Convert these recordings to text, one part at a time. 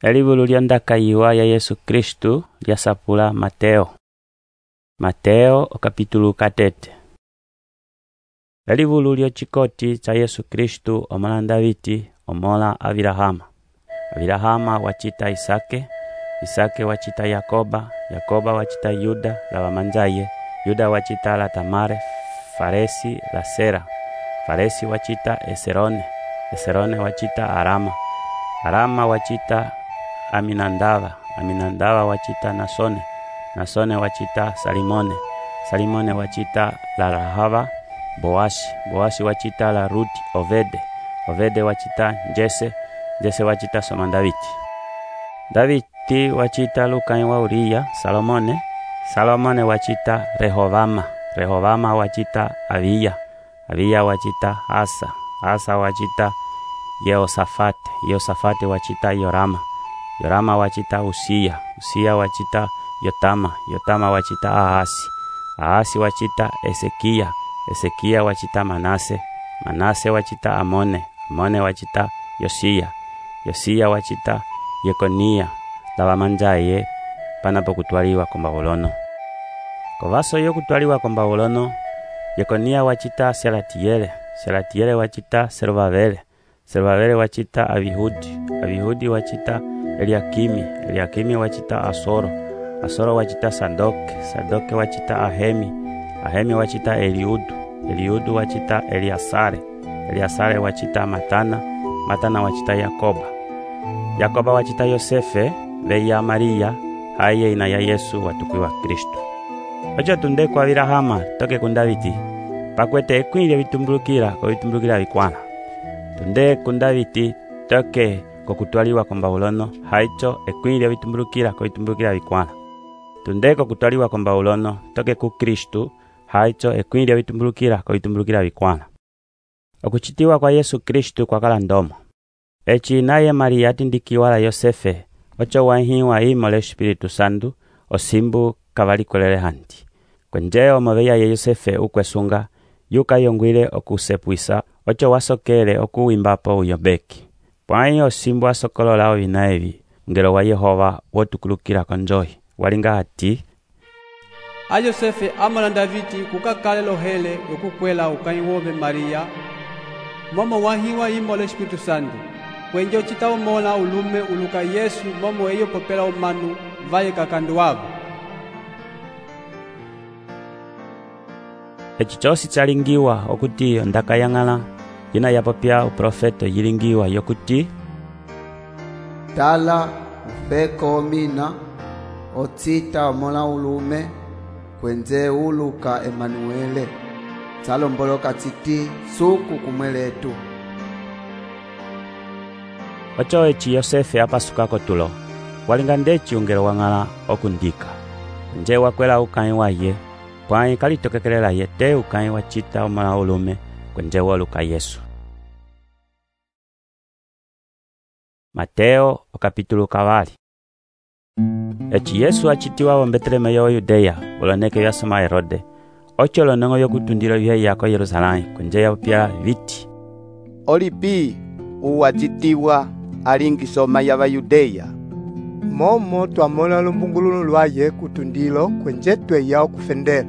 Elivulu lyondakayiwa ya Yesu Kristu lyasapula Mateo okapitulu 4. Elivulu lyochikoti cha Yesu Kristu omala Davidi omola Avilahama wachita Isake wachita Yakoba wachita Yuda la wamanzaye, Yuda wachita la Tamare, Faresi la Sera, Faresi wachita Esrone wachita Arama wachita Aminandava wachita Nasone wachita Salimone wachita la Rahava, Boasi wachita la Ruti, Ovede wachita Jese wachita Soma Davidi wachita Lukai wa Uriya, Salomone wachita Rehovama wachita Abiya wachita Asa wachita Yehoshafati wachita Yorama wachita Usia wachita Yotama wachita Ahasi wachita Ezekia wachita Manase wachita Amone wachita Yosia wachita Yekonia la wamanzaye panapo kutwaliwa kombawolono. Kovaso yo kutwaliwa kombawolono, Yekonia wachita Selatiele wachita Serubabele wachita Abihudi wachita Eliakimi wachita Asoro wachita Sadoke wachita Ahemi wachita Eliudu wachita Eliasare wachita Matana wachita Yakoba wachita Yosefe veya Maria haye ina ya Yesu watukwiwa Kristu. Ocho tunde kwa Avilahama toke kundaviti pakwete ekwile vitumbulukira vikwana. Tunde kundaviti toke kokutwaliwa kombawulono haicho ekwile vitumbulukira vikwana. Tunde kokutwaliwa kombawulono toke ku Kristu haicho ekwile vitumbulukira vikwana. Okuchitiwa kwa Yesu Kristu kwa kala ndomo. Echi naye Maria atindikiwa la Yosefe, ocho wahiwa imole Espiritu Santu, osimbu kavalikolele hanti. Kwenjeo moveya ye Yosefe ukwesunga, yuka yongwile okusepuisa, ocho wasokele okuwimbapo uyobeki. Pwai osimbu asokolola ovinaevi, ngelo wa Yehova wotukulukira konjohi. Walinga hati, a Yosefe amala Davidi kukakale lohele yokukwela ukaiwove Maria, momo wahiwa imole Espiritu Santu. Kwenje uchita umola ulume uluka Yesu momo eyo popela umanu vaye kakandu wabo. Echichosi chalingiwa okuti ndakayangala jina yapopya uprofeto yilingiwa yokuti tala ufeko mina otita umola ulume kwenze uluka Emanuele talomboloka titi suku kumweletu. Ocho echi Yosefe apasukako tulo, walinga ndechi ungelo wangala okundika. Nje wakwela ukai waye, pwai kalitokekelela yete ukai wachita umala ulume kwenje woluka Yesu. Mateo okapitulu 4. Echi Yesu achitiwa wa Betleme yo Yudeya, uloneke yasoma Herode. Ocho lonongo yokutundilo vye yako Yerusalani, kwenje yapopya viti. Olipi uwachitiwa alingisoma ya Bayudeya. Momo twamola lumbungululu lwaye kutundilo kwenjetwe yao kufendela.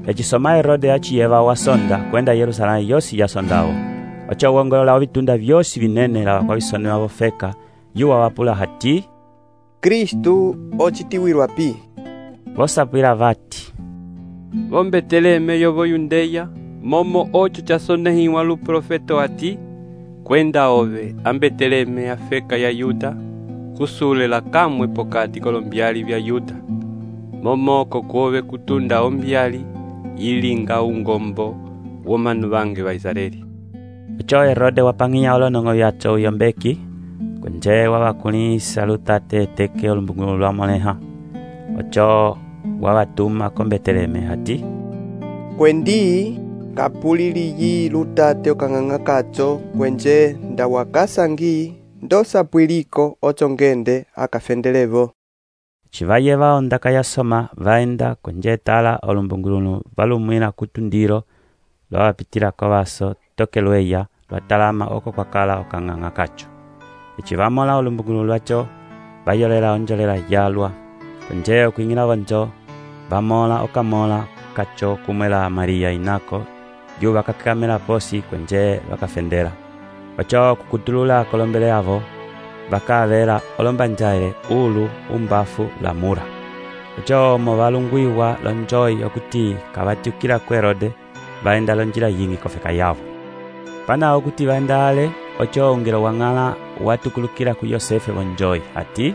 Echisoma Herode achiyeva wasonda kwenda Yerusalani yosi yasondao. Ocho wongolola ovitunda vyosi vinene la kwa visone wavofeka yuwa wapula hati Kristu ochitiwirwa pi. Vosapwila vati Betleme yovo Yudeya, momo ocho chasonehiwa lu profeto ati kwenda ove Betleme afeka ya Yuda kusule la kamwe pokati kolombyali vya Yuda momoko kuove kutunda ombyali yilinga ungombo womanu bange wa Israeli. Ocho Herode wapangiya olonongo yacho uyombeki kwenje wabakulisa lutate teke olumbungulu lwa moleha. Ocho wabatuma ko Betleme hati kwendi kapuliliyi lutate okanganga kacho kwenje ndawakasangi ndosapwiliko ocho ngende akafendelevo. Chivayeva ondaka yasoma vaenda kwenje tala olumbungulu valumwina kutundiro lwapitila kovaso tokelweya lwatalama oko kwakala okanganga kacho. Ichivamola olumbungulu lwacho bayolela onjolela yalwa kunje okuing'ila vonjo bamola okamola kacho kumwela Maria inako yu bakakamela posi kunje bakafendela ocho kukutulula kolombele avo bakavela olombanjaile ulu umbafu lamura ocho mo balungwiwa lonjoi okuti kabatyukila ku Herode baenda lonjila yingi kofeka yavo pana okuti baendale ocho ungelo wang'ala watukulukila ku Yosefe vonjoi ati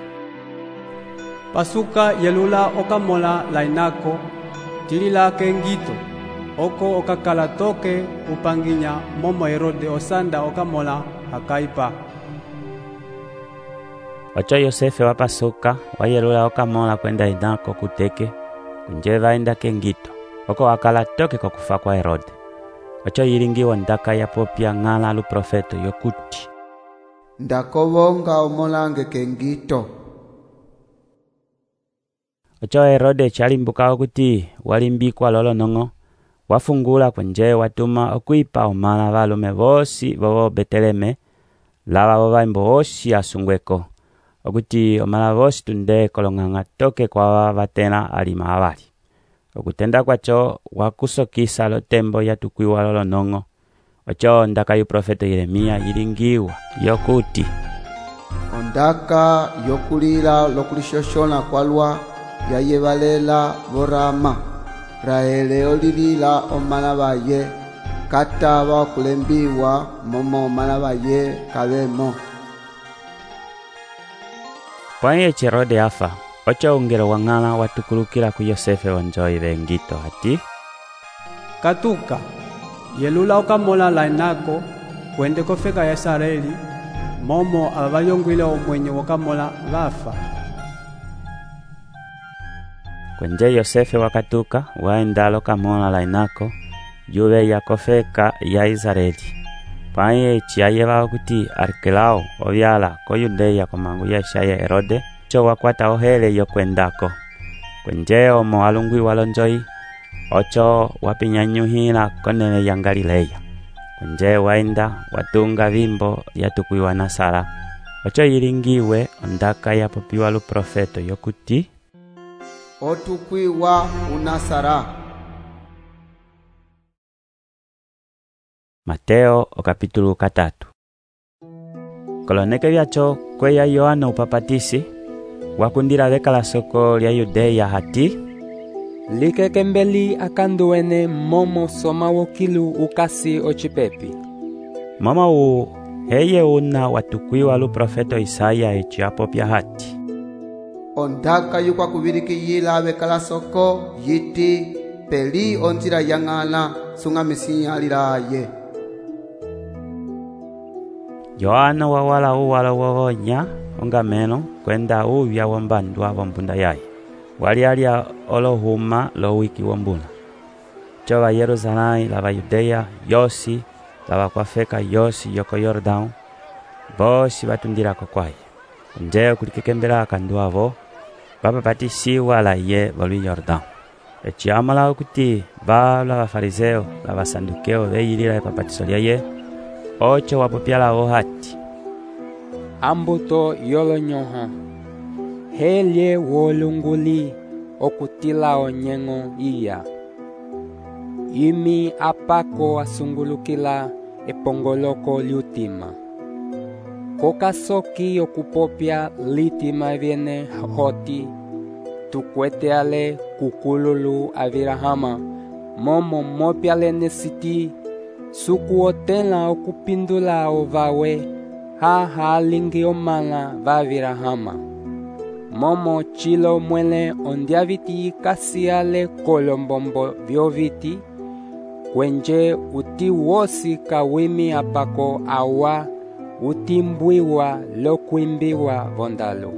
pasuka yelula okamola lainako tilila kengito oko okakala toke upanginya momo Herode osanda okamola akaipa ocho Yosefe wapasuka wayelula okamola kwenda inako kuteke kunje baenda kengito oko wakala toke kokufa kwa Herode ocho yilingiwa ndaka yapopya ng'ala luprofeto yokuti ndakobonga omolange kengito ocho Herode chalimbuka okuti walimbikwa lolonong'o wafungula kunje watuma okuipa omala balume bosi bobo Beteleme lava bobaimbo bosi asungweko okuti omala bosi tunde kolong'ang'a toke kwa batena alima abali okutenda kwacho wakusokisa lotembo yatukwiwa lolonong'o ocho ndaka yu profeto Yeremia yilingiwa yokuti ondaka yokulila lokulishoshona kwalwa yayebalela borama Rahele olilila omala baye kataba okulembiwa momo omala baye kabemo pwaye Herode afa ocho ungelo wang'ala watukulukila ku Yosefe vonjoi bengito ati katuka yelula okamola lainako kwende kofeka ya Israeli momo abayongwile omwenye wokamola bafa kunje Yosefe wakatuka waenda lokamola lainako yuve ya kofeka ya Israeli pwaye chiyayeba okuti Arkelao obyala ko Yudeya komangu ya Shaya Herode cho wakwata ohele yokwendako kunje omo alungwiwa lonjoi ocho wapinyanyuhila konene ya Galileya kunje waenda watunga bimbo yatukwiwa na Sara ocho yilingiwe ondaka yapopiwa luprofeto yokuti otukwiwa unasara Mateo okapitulu 3 koloneke byacho kweya Yohana upapatisi wakundila bekala soko lya Yudeya hati likekembeli akanduwene momo soma wokilu ukasi ocipepi mama u heye una watukwiwa luprofeto Isaya echiapopya hati ondaka yukwa kubilikiyila bekala soko yiti peli onjila yang'ala sung'amisinya lilaye Yohana wawala uwala wowonya ongameno kwenda ubya wombandwa bombunda yaye walialia olohuma lo wiki wombuna choba Yerusalai lava Yudeya yosi lava kwafeka yosi yoko Yordão bosi batundirako kwaye nje kulikekembela akandu avo bapapatisiwa la ye bolu Yordão echiamala okuti bala bafariseo la basandukeo beyilila epapatiso lya ye ocho wapopyala vo hati ambuto yolonyoha helye wolunguli okutila onyengo iya imi apako asungulukila epongoloko liutima kokasoki okupopya litima viene hoti tukweteale kukululu avirahama momo mopyale nesiti sukuotela okupindula ovawe halingi omala vavirahama momo chilo mwele ondiaviti kasiale kolombombo vyoviti kwenje uti wosi kawimi apako awa utimbwiwa lokwimbiwa vondalo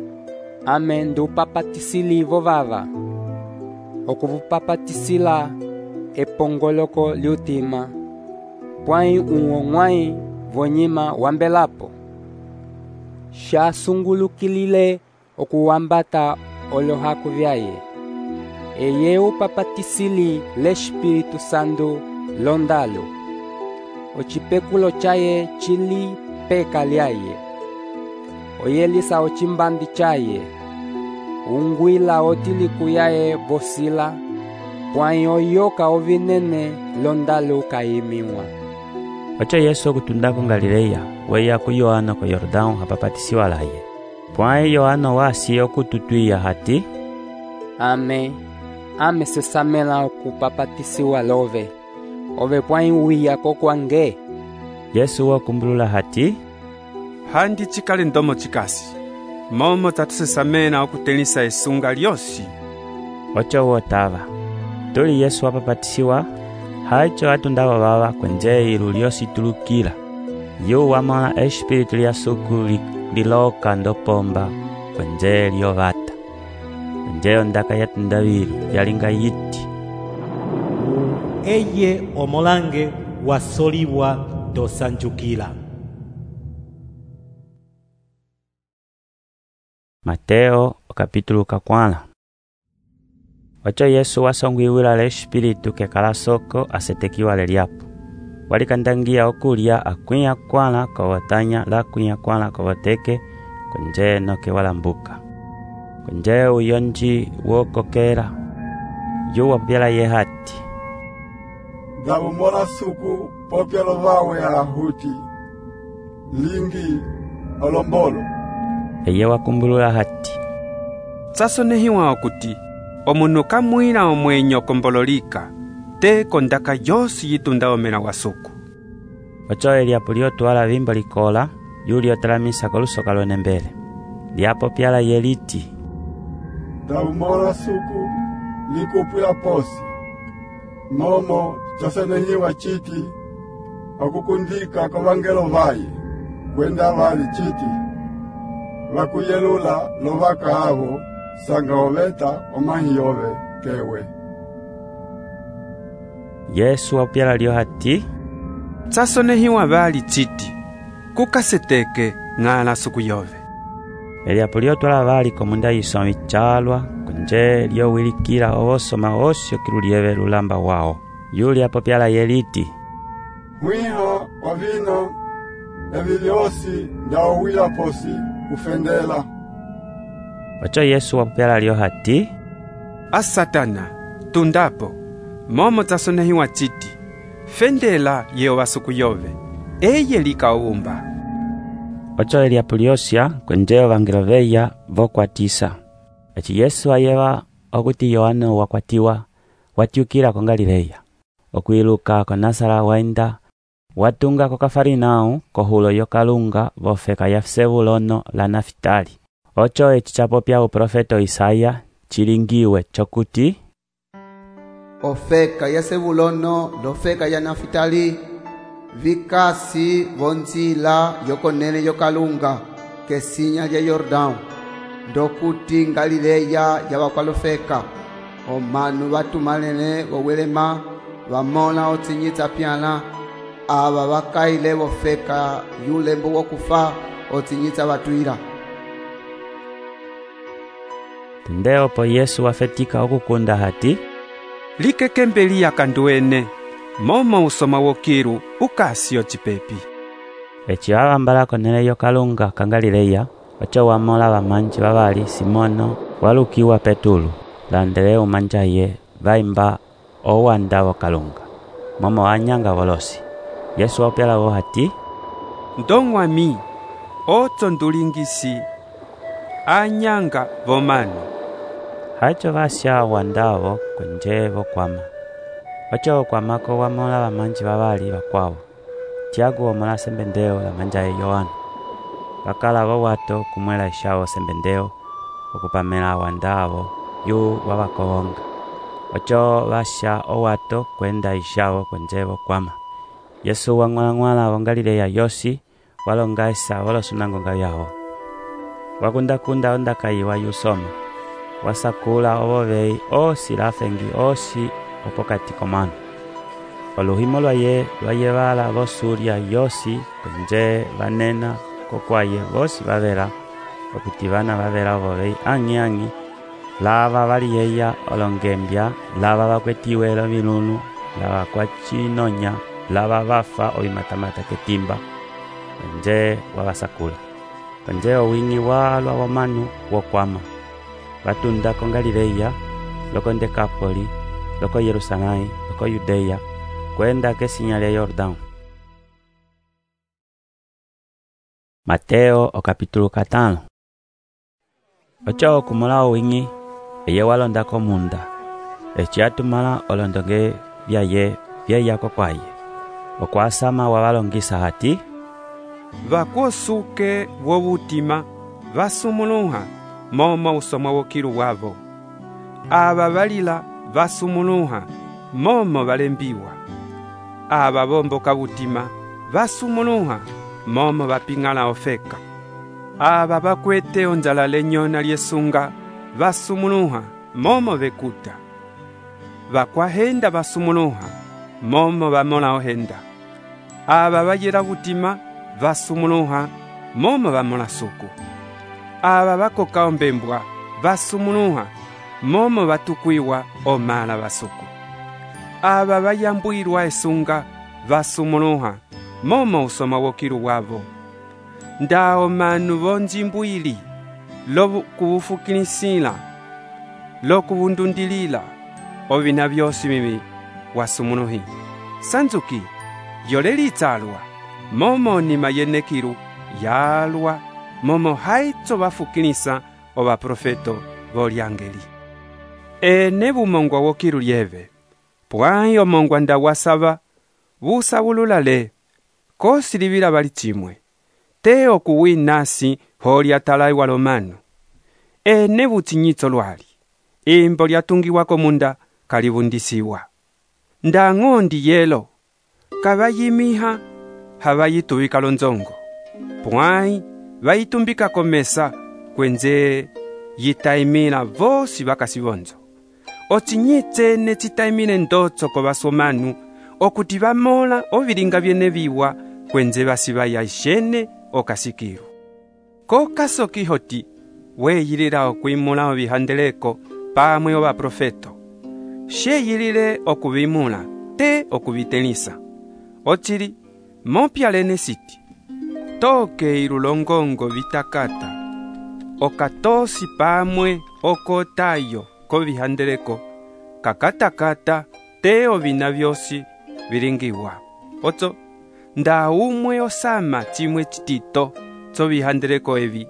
ame ndupapatisili vovava okuvupapatisila epongoloko liutima pwai uong'wai vonyima wambelapo shasungulukilile okuwambata olohaku vyaye eye upapatisili l'Espírito Santo londalo ocipekulo chaye chili peka lyaye oyelisa ocimbambi chaye, ungwila otiliku yaye vosila, pwãyi oyoka ovinene londalo ukayimiwa. Ocho Yesu okutunda ku Galileya, weya ku Yohana ko Yordão apapatisiwa laye. Pwãyi Yohana wasi okututwiya hati, ame sesamela okupapatisiwa love, ove pwãyi wiya kokwange. Yesu wakumbulula hati, handi chikale ndomo chikasi, momo tatusesamena okutelisa esunga lyosi. Ocho wotava, tuli Yesu wapapatisiwa, haicho atundava vava kwenje ilu lyosi tulukila. Yu wamona espiritu lya suku liloka ndopomba kwenje lyovata. Kwenje ondaka yatundavilu yalinga yiti, eye omolange wasoliwa dosanjukila. Mateo capítulo 4. Ocho Yesu wasongwiwila le espiritu kekala soko asetekiwa leliapo. Walikandangia okulya akwia kwala kowotanya la kwia kwala kowoteke kwenje noke walambuka. Kwenje uyonji wokokera. Yu wapyala ye hati, Dabumola suku popyalo vawe alahuti, lingi olombolo. Eye wakumbulula hati, Tsasonehiwa okuti, omunu kamwila omwenyo kombololika, te kondaka yosi yitunda omena wasuku. Ocho eliapo lyotwala vimbo likola, yuli otalamisa kolusoka lwenembele. Liapo pyala yeliti, Dabumola suku likupwila posi, momo chasenehiwa chiti, okukundika kovangelo vaye, kwenda vali chiti, vakuyelula lovaka avo, sanga oveta omahiyove kewe. Yesu wapyala lyo hati, Tsasonehiwa vali chiti, kukaseteke ng'ala suku yove. eliapo lyotwala vali komunda yisombi chalwa, kwenje lyowilikila ovosoma osyo kilulieve lulamba wao. Yuli apo pyala yeliti, Mwiha wa vino, evi lyosi ndawila posi kufendela. Ocho Yesu wapyala lyo hati, Asatana, tundapo, momo tsasonehiwa chiti, fendela yewa suku yove, eye likaumba. Ocho eliapo lyosya kwenje ovangelo veya vokwatisa. Echi Yesu ayeva okuti Yohana wakwatiwa, watyukila ko Galileya. Okwiluka ko Nazara waenda, watunga ko Kafarinau kohulo yokalunga vofeka ya Sebulono la Nafitali. Ocho echi chapopya uprofeto Isaya chilingiwe chokuti, ofeka ya Sebulono lofeka ya Nafitali, vikasi vonzila yokonene yokalunga kesinya lya Yordão, ndokuti Galileya yabakwalofeka, omanu batumalene wowelema vamona otsinyitsa pyala, aba bakaile bofeka yulembo wokufa otsinyitsa batwila. Tundeo po Yesu wafetika okukunda hati, Likekembeli akanduene, momo usoma wokiru ukasio chipepi. Echi awambala konene yokalunga ka Galileya, ocho wamola bamanji babali Simono walukiwa Petulu, Andreu manjaye vaimba owanda wokalunga. Momo anyanga volosi. Yesu wapyala wo hati, Ndongwami, oto ndulingisi, anyanga vomano. Haicho vasya wandavo kwenje vokwama. Ocho wokwamako wamola bamanji babali bakwabo. Tiago wamola sembendeo la manjaye Yohana. Bakala wato kumwela ishawo sembendeo, okupamela wandavo yu wabakonga. Ocho vasya owato kwenda ishawo kwenje vokwama. Yesu wang'wala wa Galileya yosi, walonga isa walosunangonga yawo. Wakunda ondaka iwa yusoma. Wasakula obovei osi lafengi osi opokati komano. Oluhimo lwaye bala bosurya yosi kwenje banena kokwaye bosi babera okuti bana babera obovei angi lava baliyeya olongembya lava bakwetiwe lo milunu lava kwachinonya lava bafa obimatamata ketimba kwenje wabasakula. konje owingi walwa wamanu wokwama batunda ko Galileya loko Dekapoli loko Yerusalemu loko Yudeya kwenda kesinya lya Yordão. Mateo o capítulo 5. Ocho kumula owingi eye walonda ko munda echiatumala olondonge bya kwaye okwasama wabalongisa hati vakosuke wobutima vasumuluha momo usoma wokilu wavo aba balila vasumuluha momo balembiwa aba bomboka butima vasumuluha momo bapingala ofeka aba bakwete onjala lenyona lyesunga vasumuluha momo bekuta bakwahenda vasumuluha momo bamola ohenda aba bayera butima vasumuluha momo bamola suku aba bakoka ombembwa vasumuluha momo batukwiwa omala basuku aba bayambwirwa esunga vasumuluha momo usoma wokilu wavo ndao manu bonjimbwili lokubufukinisila lokubundundilila obina byosi bibi wasumuluhi sanzuki yolelitsalwa momo nima yenekilu yalwa momo haitso bafukilisa oba profeto bolyangeli ene bumongwa wokilu lyeve pwayi omongwa ndawasaba busabululale kosilibila bali chimwe te okuwinasi holya talai walomanu ene buchinyitso lwali imbo lyatungiwako munda kalibundisiwa ndang'ondi yelo kabayimiha habayitubika lonzongo pwayi bayitumbika komesa kwenze yitaimila vosi bakasibonzo ochinyitsene chitaimile ndotso ko basomanu okuti bamola obilinga byene biwa kwenze basibaya ishene okasikiru kokasoki hoti weyilila okwimula obihandeleko pamwe oba profeto sheyilile okubimula te okubitelisa ochili mopyalene siti toke ilulongongo bitakata okatosi pamwe okotayo kobihandeleko kakatakata te obina byosi bilingiwa otso nda umwe osama chimwe chitito tsobihandeleko ebi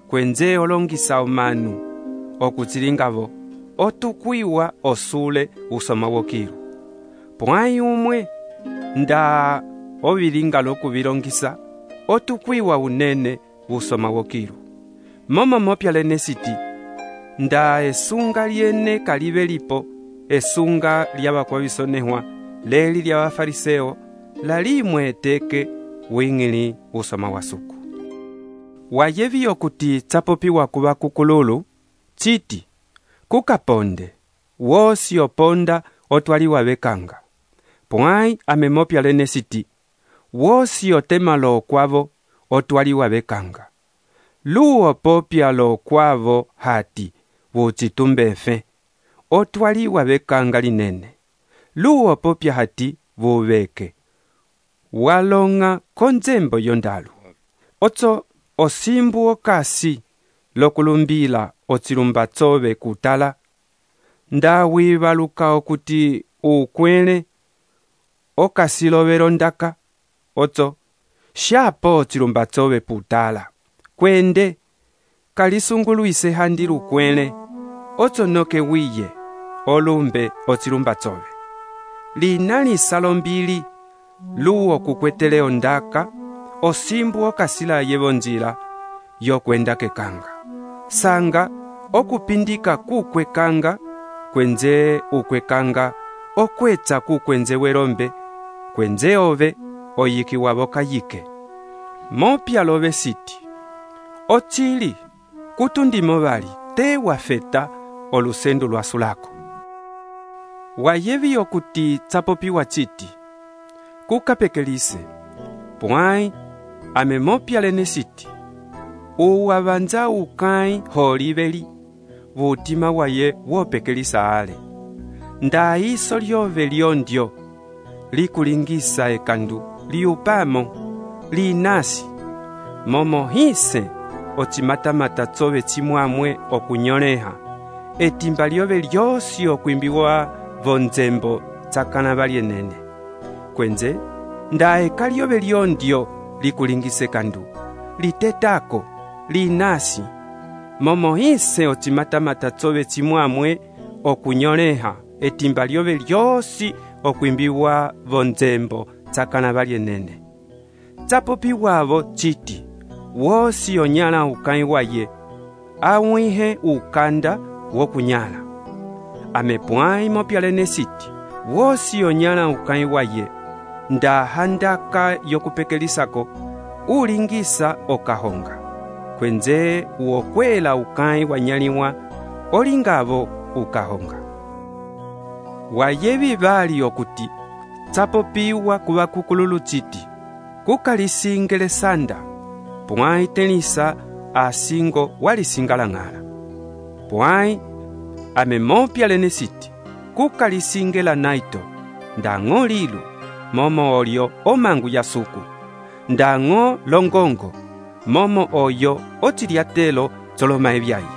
kwenze olongisa omanu okuchilingavo otukwiwa osule usoma wokilu pwayi umwe nda obilinga lokubilongisa otukwiwa unene usoma wokilu momo mopyalene siti nda esunga lyene kalibe lipo esunga lyabakwabisonewa leli lya bafariseo lalimwe eteke wingili usoma wasuku wayevi okuti tsapopiwa kuba kukululu chiti kukaponde wosi oponda otwaliwa bekanga pwayi amemopyalene siti wosi otemalo okwavo otwaliwa bekanga luo popyalo okwavo hati buchitumbefe otwaliwa bekanga linene luo popya hati bubeke walonga konzembo yondalu otso osimbu okasi lokulumbila ochilumbatsobe kutala ndawibaluka okuti ukwele okasilobelo ndaka otso shapo ochilumbatsobe putala kwende kalisunguluise handi lukwele otso noke wiye olumbe ochilumbatsobe linali salombili luo kukwetele ondaka osimbu okasila yebonjila yokwenda kekanga sanga okupindika kukwekanga kwenze ukwekanga okwetsa kukwenze welombe kwenze ove oyikiwa bokayike mopyalobe siti ochili kutundimo bali te wafeta olusendu lwasulako wayevi okuti tsapopiwa chiti kukapekelise pwayi amemopyalene siti uwabanja ukai holibeli butima waye wopekelisa ale ndaiso lyove lyondyo likulingisa ekandu liupamo linasi momo hise ocimatamata tsove cimwamwe okunyoleha etimba lyove lyosi okwimbiwa vonzembo tsakana valyenene. Kwenze ndaeka lyove lyondyo likulingise kandu litetako linasi momo ise ocimatamata tsove cimwamwe okunyoleha etimba lyove lyosi okwimbiwa vonzembo tsakana valyenene. Tsapopi wavo citi wosi onyala ukai waye awihe ukanda wokunyala. Amepwai mopyalene siti wosi onyala ukai waye ndahandaka yokupekelisako ulingisa okahonga. Kwenze uokwela ukai wanyaliwa olingavo ukahonga. Wayevi vali okuti tsapopiwa kuva kukululu citi kukalisingele sanda pwai telisa asingo walisingalang'ala. Pwai amemopyalene siti kukalisingela naito ndang'o lilu momo olyo omangu ya suku ndang'o longongo momo oyo ociliatelo tsolomae vyaye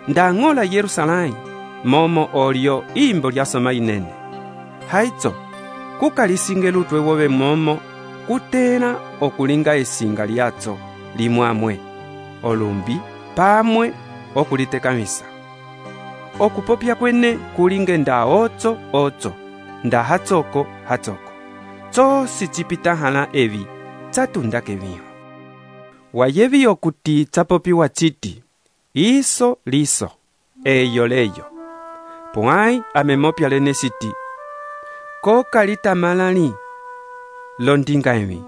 ndang'o la Yerusalai momo olyo imbo lyasoma inene. Haitso kukalisingela utwe wove momo kutela okulinga esinga lyatso limwamwe olumbi pamwe okulitekamisa. Okupopya kwene kulinge nda otso nda hatsoko tsosi cipitahala evi tsatundake viho. Wayevi okuti tsapopiwa citi iso liso eyo leyo. Pwai amemopyalene siti kokalitamala londinga evi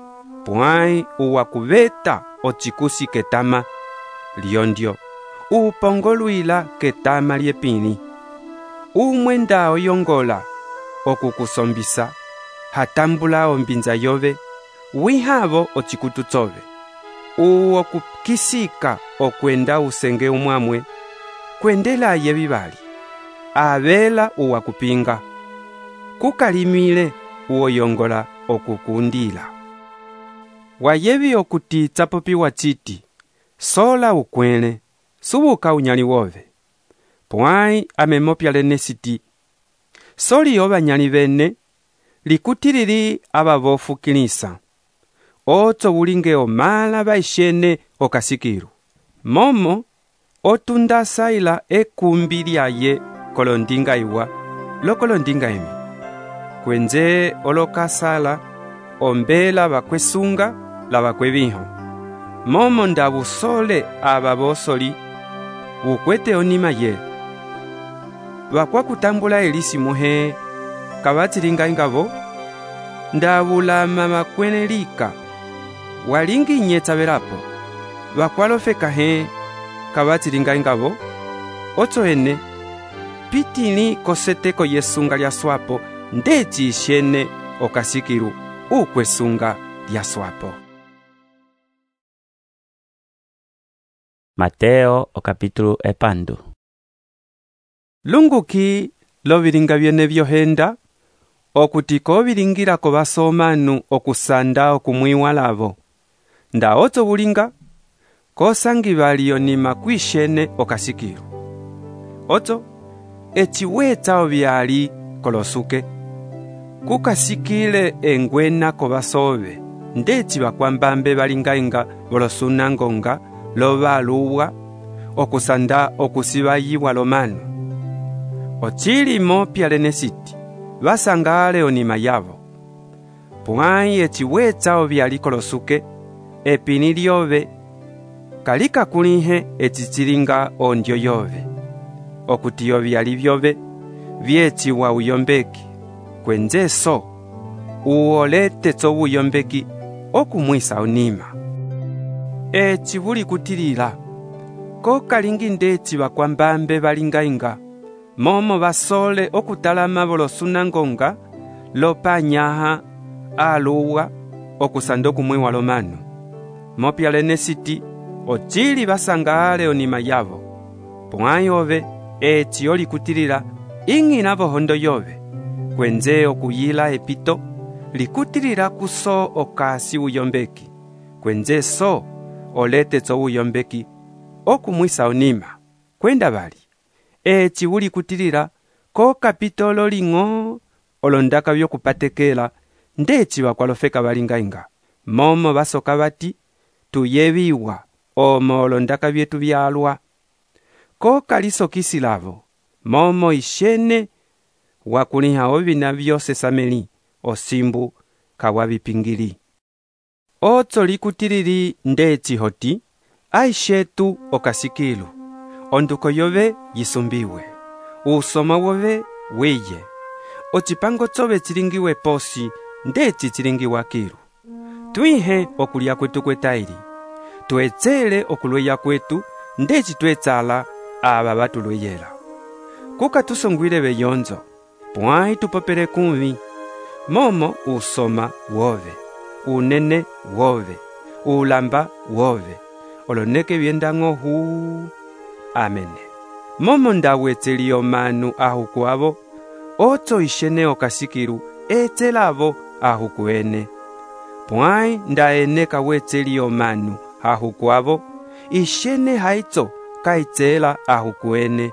pwai uwakuveta ocikusi ketama lyondyo upongolwila ketama lyepini umwe nda oyongola okukusombisa hatambula ombinza yove wihavo ocikutu tsove uwo kukisika okwenda usenge umwamwe kwendela yevi vali avela uwakupinga kukalimile uoyongola okukundila. Wayevi okuti tsapopiwa citi sola ukwele subuka unyali wove. Pwai amemopyalene siti soli ovanyali vene likutilili abavofukilisa otso bulinge omala baishene okasikiru momo otundasaila ekumbi lyaye kolondinga iwa lokolondinga emi kwenze olokasala ombela bakwesunga la bakweviho momo ndabusole ababosoli bukwete onima ye bakwakutambula elisi muhe kabatilinga ingavo ndabulama makwenelika walingi nyetsa velapo bakwalofeka he kabatilinga ingavo otso ene pitili koseteko yesunga lya swapo ndeci ishene okasikiru ukwesunga lya swapo. Mateo okapitulu epandu. Lunguki lovilinga vyene vyohenda okuti kovilingira ko basomanu okusanda okumwiwa lavo nda otso bulinga kosangi balionima kwishene okasikiru otso echiwetsa obyali kolosuke kukasikile engwena ko basove ndeci bakwambambe balingainga bolosunangonga lobaluwa okusanda okusibayiwa lomanu ochilimo pyalene siti basangale onima yavo pwai echiwetsa obyali kolosuke epini lyove kalika kulihe echichilinga ondyo yove okuti obyali byove vyechiwa uyombeki kwenze so uolete tso uyombeki okumwisa onima echibuli kutilila ko kalingi ndeci bakwambambe balingainga momo basole okutalama bolosunangonga lopanyaha aluwa okusanda okumwiwa lomanu mopyalene siti ochili basangale onima yavo pwai ove eci olikutilila ing'ina bohondo yove kwenze okuyila epito likutilila kuso okasi uyombeki kwenze so olete tso uyombeki okumwisa onima kwenda bali eci uli kutilila ko kapitolo ling'o olondaka byokupatekela ndeci bakwalofeka balingainga momo basoka bati tuyebiwa omo olondaka byetu byalwa ko kalisokisilavo momo ishene wakuliha ovina byose sameli osimbu kawabipingili otso likutilili ndeci hoti aishetu okasikilu onduko yove yisumbiwe usoma wove wiye ocipango tsove chilingiwe posi ndeci chilingiwa kilu twihe okulya kwetu kwetaili tuetsele okulweya kwetu ndeci twetsala aba batulweyela kuka tusongwile beyonzo pwai tupopele kumvi momo usoma wove unene wove ulamba wove oloneke byendang'o huu amene momo ndawetseli omanu ahuku abo otso ishene okasikilu etselavo ahuku ene pwai ndaene kawetseli omanu ahuku abo ishene haitso kaitsela ahuku ene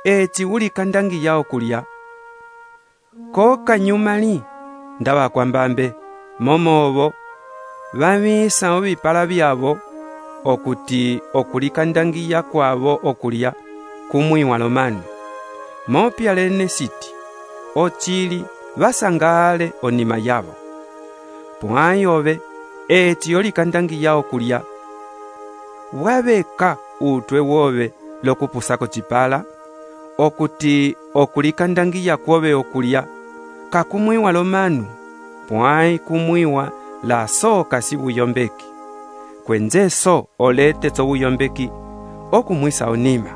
eci uli kandangiya okulya ko kanyumali ndabakwambambe momo obo bamisa obipala byabo okuti okulikandangiya kwabo okulya kumwiwa lomanu mopya lene siti ochili basangale onima yabo pwai obe eti olikandangiya okulya wabeka utwe wobe lokupusako chipala okuti okulikandangiya kwobe okulya kakumwiwa lomanu pwai kumwiwa la so kasi buyombeki kwenze so olete tso buyombeki okumwisa onima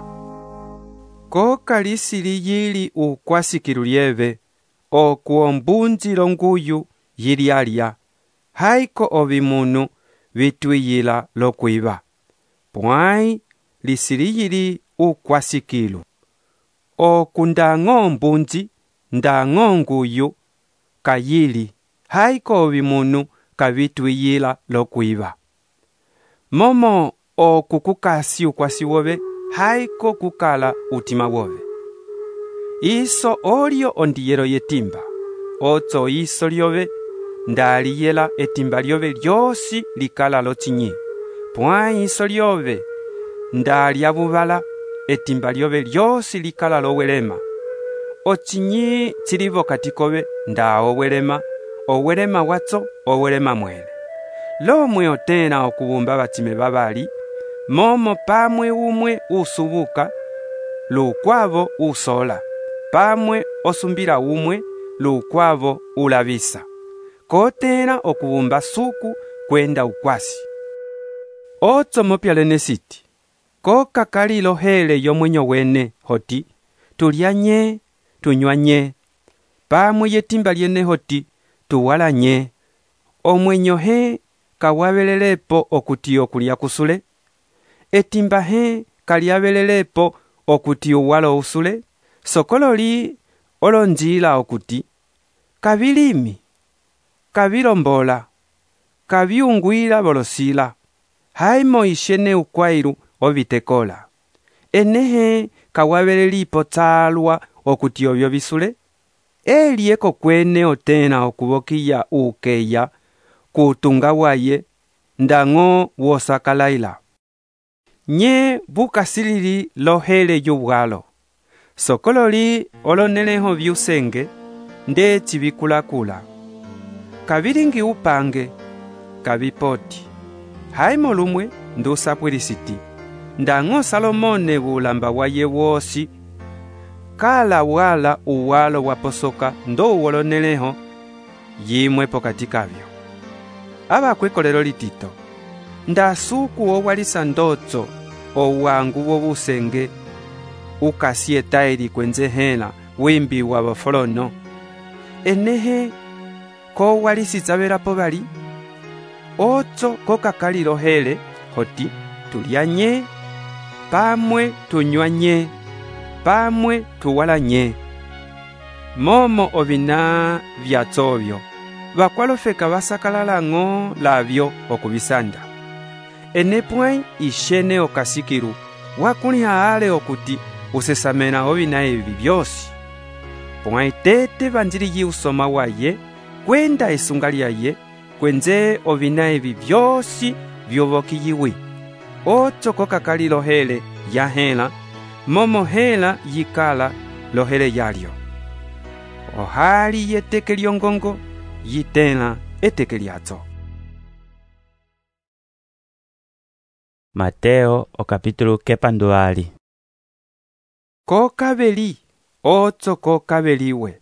ko kalisili yili ukwasikilu lyeve okuombunzilo nguyu yili alya haiko obimunu bitwiyila lokwiba pwai lisili yili ukwasikilu okundang'o mbunzi ndang'o nguyu kayili haiko obimunu kabitwiyila lokwiba momo okukukasi ukwasi wobe haiko kukala utima wobe iso olio ondiyelo yetimba otso iso lyobe ndaliyela etimba lyobe lyosi likala lochinyi pwai iso lyobe ndalya bubala etimba lyobe lyosi likala lowelema ochinyi chilivo katikobe nda owelema watso owelema mwele lomwe otena okubumba batime babali momo pamwe umwe usubuka lukwavo usola pamwe osumbila umwe lukwavo ulabisa kotena okubumba suku kwenda ukwasi otso mopyalene siti ko kakalilo hele yomwenyo wene hoti tulyanye tunywanye pamwe yetimba lyene hoti tuwalanye omwenyo he kawabelelepo okuti okulya kusule etimba he kalyabelelepo okuti uwalo usule sokololi olonjila okuti kabilimi kabilombola kabiungwila bolosila haimo ishene ukwailu obitekola enehe kawabelelipo tsalwa okuti obyo bisule elieko kwene otena okubokiya ukeya kutunga waye ndang'o wosakalaila nye bukasilili lohele yubwalo sokololi oloneleho byusenge ndeci bikulakula kabilingi upange kabipoti haimo lumwe ndusapwilisiti ndang'o Salomone bulamba waye wosi kala wala uwalo waposoka ndo uwoloneleho yimwe pokati kabyo abakwekolelo litito ndasuku owalisa ndotso owangu wobusenge ukasietaili kwenze hela wimbi wa bafolono enehe ko walisitsabelapo bali otso kokakalilo hele hoti tulyanye pamwe tunywanye pamwe tuwalanye momo ovina vyatsobyo bakwalofeka basakalalang'o labyo okubisanda enepwãyi ixene okasikilu wakulĩha ale okuti usesamena ovina evi vyosi. Pwãyi tete vanjiliye usoma waye kwenda esunga lyaye kwenze ovina evi vyosi vyovokiyiwi. Oco kokakali lohele yahela momo hela yikala lohele yalyo. Ohali yeteke lyongongo yitela eteke lyazo. Mateo o capítulo kepanduali. Kokaveli oco kokaveliwe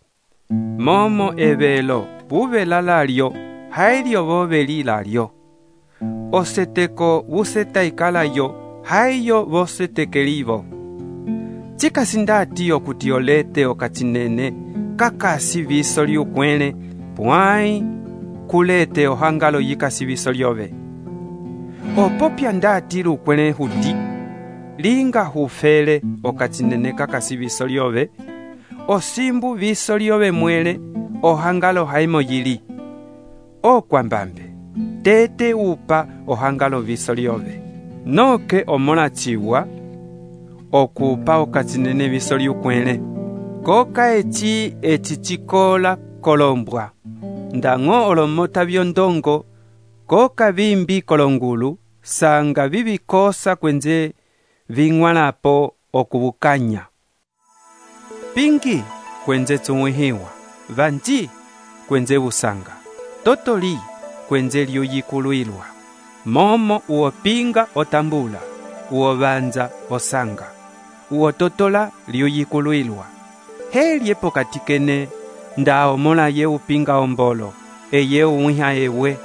momo evelo buvela lalyo hailyo voveli lalyo. Oseteko vusetaikalayo haiyo vosetekelivo. Cikasindati okuti olete okatsinene kakasi viso lyukwele pwãyi kulete ohangalo yikasi viso lyove. Opopya ndati lukwele huti linga hufele okatsinene kakasi viso lyove, osimbu viso lyove mwele ohangalo haimo yili. Okwambambe tete upa ohangalo viso lyove. Noke omolachiwa okupa okatsinene viso lyukwele. Koka eci cikola kolombwa. Ndang'o olomota vyondongo koka vimbi kolongulu sanga vivikosa kwenze ving'walapo okuvukanya. Pingi kwenze tsumwihiwa, vanji kwenze busanga, totoli kwenze lyuyikuluilwa. Momo uopinga otambula, uovanza osanga, uototola lyuyikuluilwa. Helye pokatikene nda omola ye upinga ombolo, eye uwiha ewe,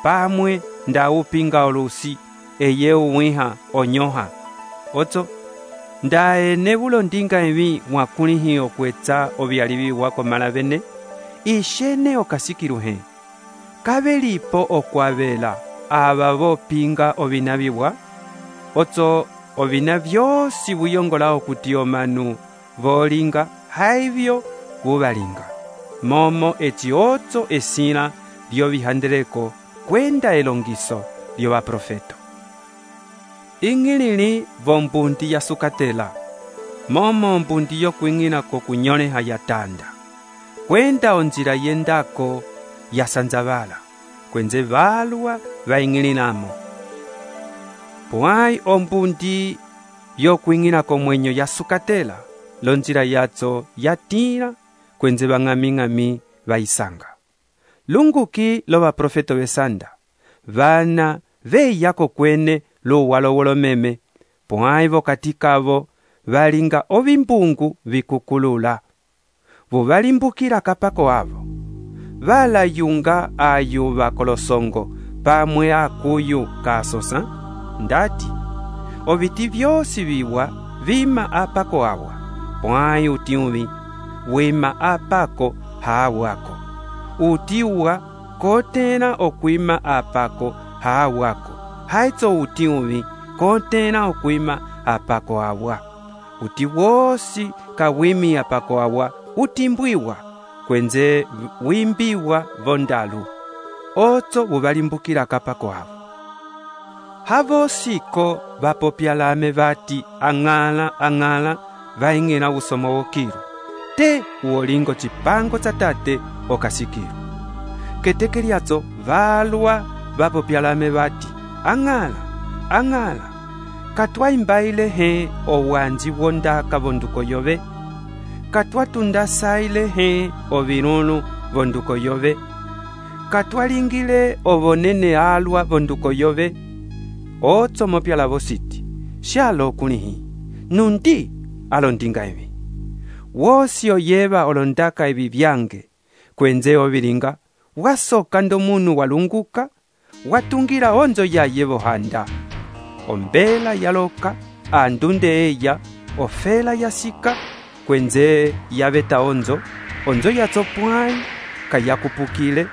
pamwe nda upinga olusi, eye uwiha onyoha. Oto, nda enebulo ndinga evi mwakulihi okwetsa ovyalivi wako malavene, ishene okasikiluhe. Kabelipo okwavela abavo pinga ovinaviwa, oto ovina vyosi vuyongola okuti omanu volinga haivyo vuvalinga. Momo eci oco esila lyovihandeleko kwenda elongiso lyovaprofeto. Ing'ilili vombundi yasukatela, momo mbundi yokwing'ila kokunyoleha yatanda. Kwenda onjila yendako yasanzavala, kwenze valwa vaing'ililamo. Pwãyi ombundi yokwing'ila komwenyo yasukatela, lonjila yazo yatila kwenze vang'ami vaisanga. Lunguki lovaprofeto besanda, vana veyako kwene luwalo wolomeme, pwãyi vokatikavo valinga ovimbungu vikukulula. Vuvalimbukila kapako avo. Valayunga ayuva kolosongo pamwe akuyu kasosa, ndati oviti vyosi viwa vima apako awa, pwãyi utiuvi wima apako haawako. Utiwa kotela okwima apako haawako, haitso utiuvi kotela okwima apako awa. Uti wosi kawimi apako awa utimbwiwa kwenze wimbiwa vondalu. Oto vuvalimbukila kapako avo. Havosiko vapopyalame vati ang'ala vaing'ela usomo wokilu. Te uolingo chipango cha tate okasikilu. Keteke lyazo valwa vapopyalame vati ang'ala katwaimbaile he owanji wondaka vonduko yove, katwatundasaile he ovilulu vonduko yove, katwalingile ovonene alwa vonduko yove. Otso mopyala vositi shalo okulihi nundi alondinga evi. Wosi oyeva olondaka evi vyange kwenze ovilinga wasoka ndomunu walunguka watungila onzo yaye vohanda. Ombela yaloka andunde eya ofela yasika kwenze yaveta onzo yazo pwãyi kayakupukile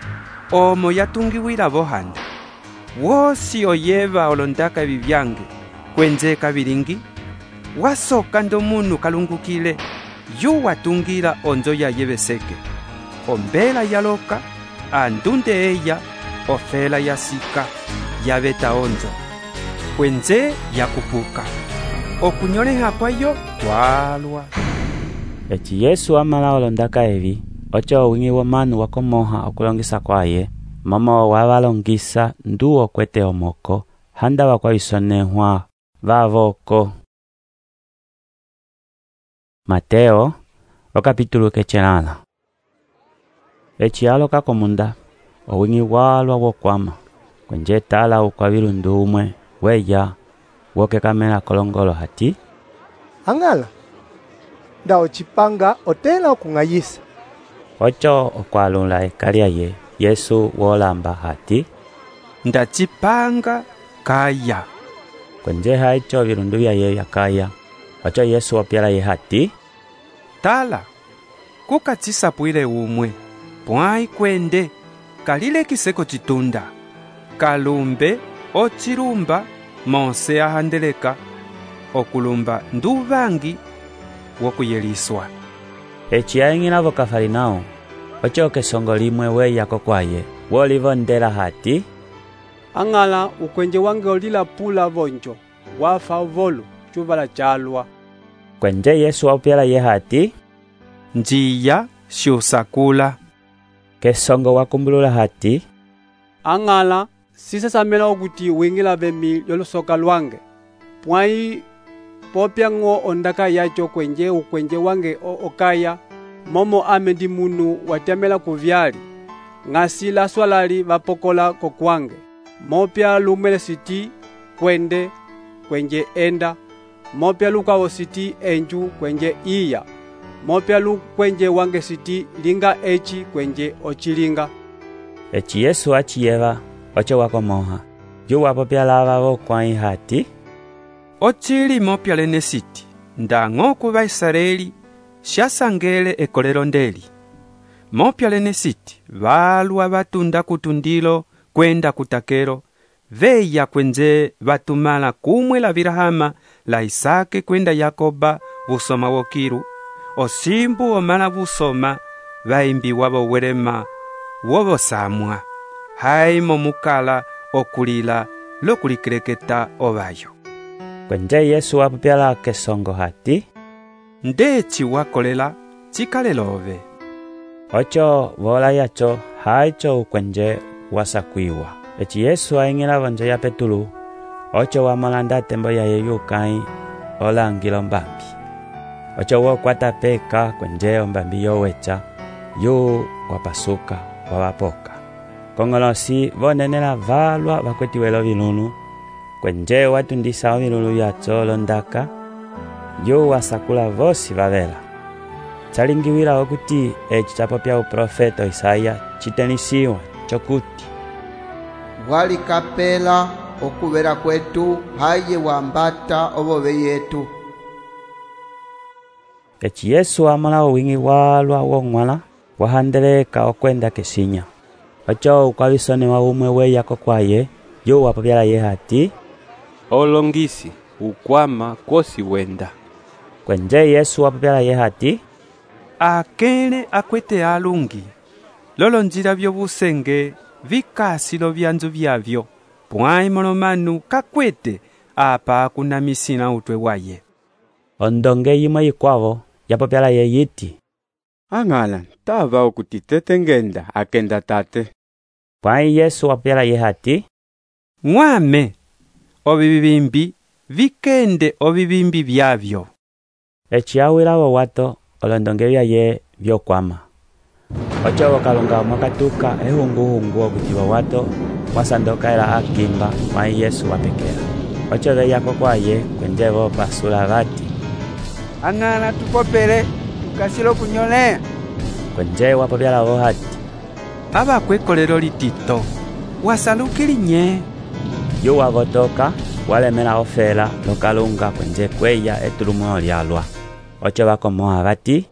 omo yatungiwila vohanda. Wosi oyeva olondaka evi vyange kwenze kavilingi wasoka ndomunu kalungukile yu watungila onzo yaye veseke. Ombela yaloka andunde eya ofela yasika yaveta onzo. kwenze yakupuka. Okunyoleha kwayo twalwa. Eci Yesu amala olondaka evi, ocho owingi womanu wakomoha okulongisa kwaye, momo wavalongisa ndu okwete omoko, handa wakwaisonehwa vavoko. Mateo, okapitulu kechelala. Eci aloka komunda, owingi walwa wokwama, kwenje tala ukwavilu ndumwe, weya, woke kamela kolongolo hati. Angala, nda ochipanga otela okungayisa. Ocho okwalula ekalia ye, Yesu wolamba hati. Ndachipanga kaya. Kwenje haicho virundu vya ye yakaya, ocho Yesu opyala ye hati. Tala, kukachisapwile umwe, pwai kwende, kalile kiseko chitunda. Kalumbe, ochirumba, monse ahandeleka, okulumba nduvangi, wokuyeliswa. Eci aingina vokafarinao, ocho kesongo limwe weya kokwaye, wolivo ndela hati. Angala ukwenje wange olila pula vonjo, wafa volu, chuvala chalwa. Kwenje Yesu opyala ye hati. Njiya shusakula. Kesongo wakumbulula hati. Angala sisasamela okuti wingila vemi yolusoka lwange. Pwai popya ngo ondaka yacho kwenje ukwenje wange okaya, momo amendi munu watemela kuvyali. Ngasila swalali vapokola kokwange. Mopya lumele siti kwende kwenje enda. Mopya lukawo siti enju kwenje iya. Mopya kwenje wange siti linga echi kwenje ochilinga. Eci Yesu achiyeva, ocho wakomoha. Yu wapopya lava vokwai hati. Ochili mopya lene siti, ndango kuva Israeli, shasangele ekolero ndeli. Mopya lene siti, valwa vatunda kutundilo, kwenda kutakero, veya kwenze vatumala kumwe la Virahama, la Isake kwenda Yakoba, vusoma wokiru, osimbu omala vusoma, vaimbi wabo werema, wobo samwa, haimo mukala okulila, lokulikireketa ovayo. Kwenje Yesu wapupyala kesongo hati. Ndechi wakolela, chikalelove. Ocho vola yacho, haicho ukwenje wasakwiwa. Eci Yesu aingila vonjo ya Petulu, ocho wamolanda tembo ya yeyukai, olangilo mbambi. Ocho wokwata peka kwenje ombambi yowecha, yu wapasuka, wawapoka. Kongolosi vonenela valwa vakwetiwelo vilunu, kwenje watundisa ovilulu yacho londaka, yu wasakula vosi vavela. Chalingiwila okuti eci chapopya uprofeto Isaya chitenisiwa chokuti. Wali kapela okuvera kwetu haye wambata obove yetu. Eci Yesu amala wingi walwa wongwala, wahandeleka okwenda kesinya. Ocho ukwavisone wa umwe weya kokwaye, yu wapopyala ye hati. Olongisi, ukwama kosi wenda. Kwenje Yesu wapopyala ye hati. Akele akwete alungi, lolo njira vyobusenge, vikasilo vyanzu vyavyo, pwai molomanu kakwete, apa akunamisina utwe waye. Ondonge yimwe yikwavo, yapopyala ye yiti. Angala, tava okuti tete ngenda, akenda tate. Pwai Yesu wapopyala ye hati. Mwame, obibimbi, vikende obibimbi vyavyo. Eci awila wato, olondonge vya ye vyokwama. Ocho wakalunga mwakatuka ehungu okuti wato, wasandoka ela akimba, mwai Yesu wapekela. Ocho veya kokwaye, kwenje vopasula vati. Angala tupopele, tukasilo kunyolea. Kwenje wapopyala vo hati. Aba kwekolero litito, wasalukili nye. Yu wavotoka, walemela ofela, lokalunga kwenje kweya etulumo lyalwa. Ocho wakomoha vati.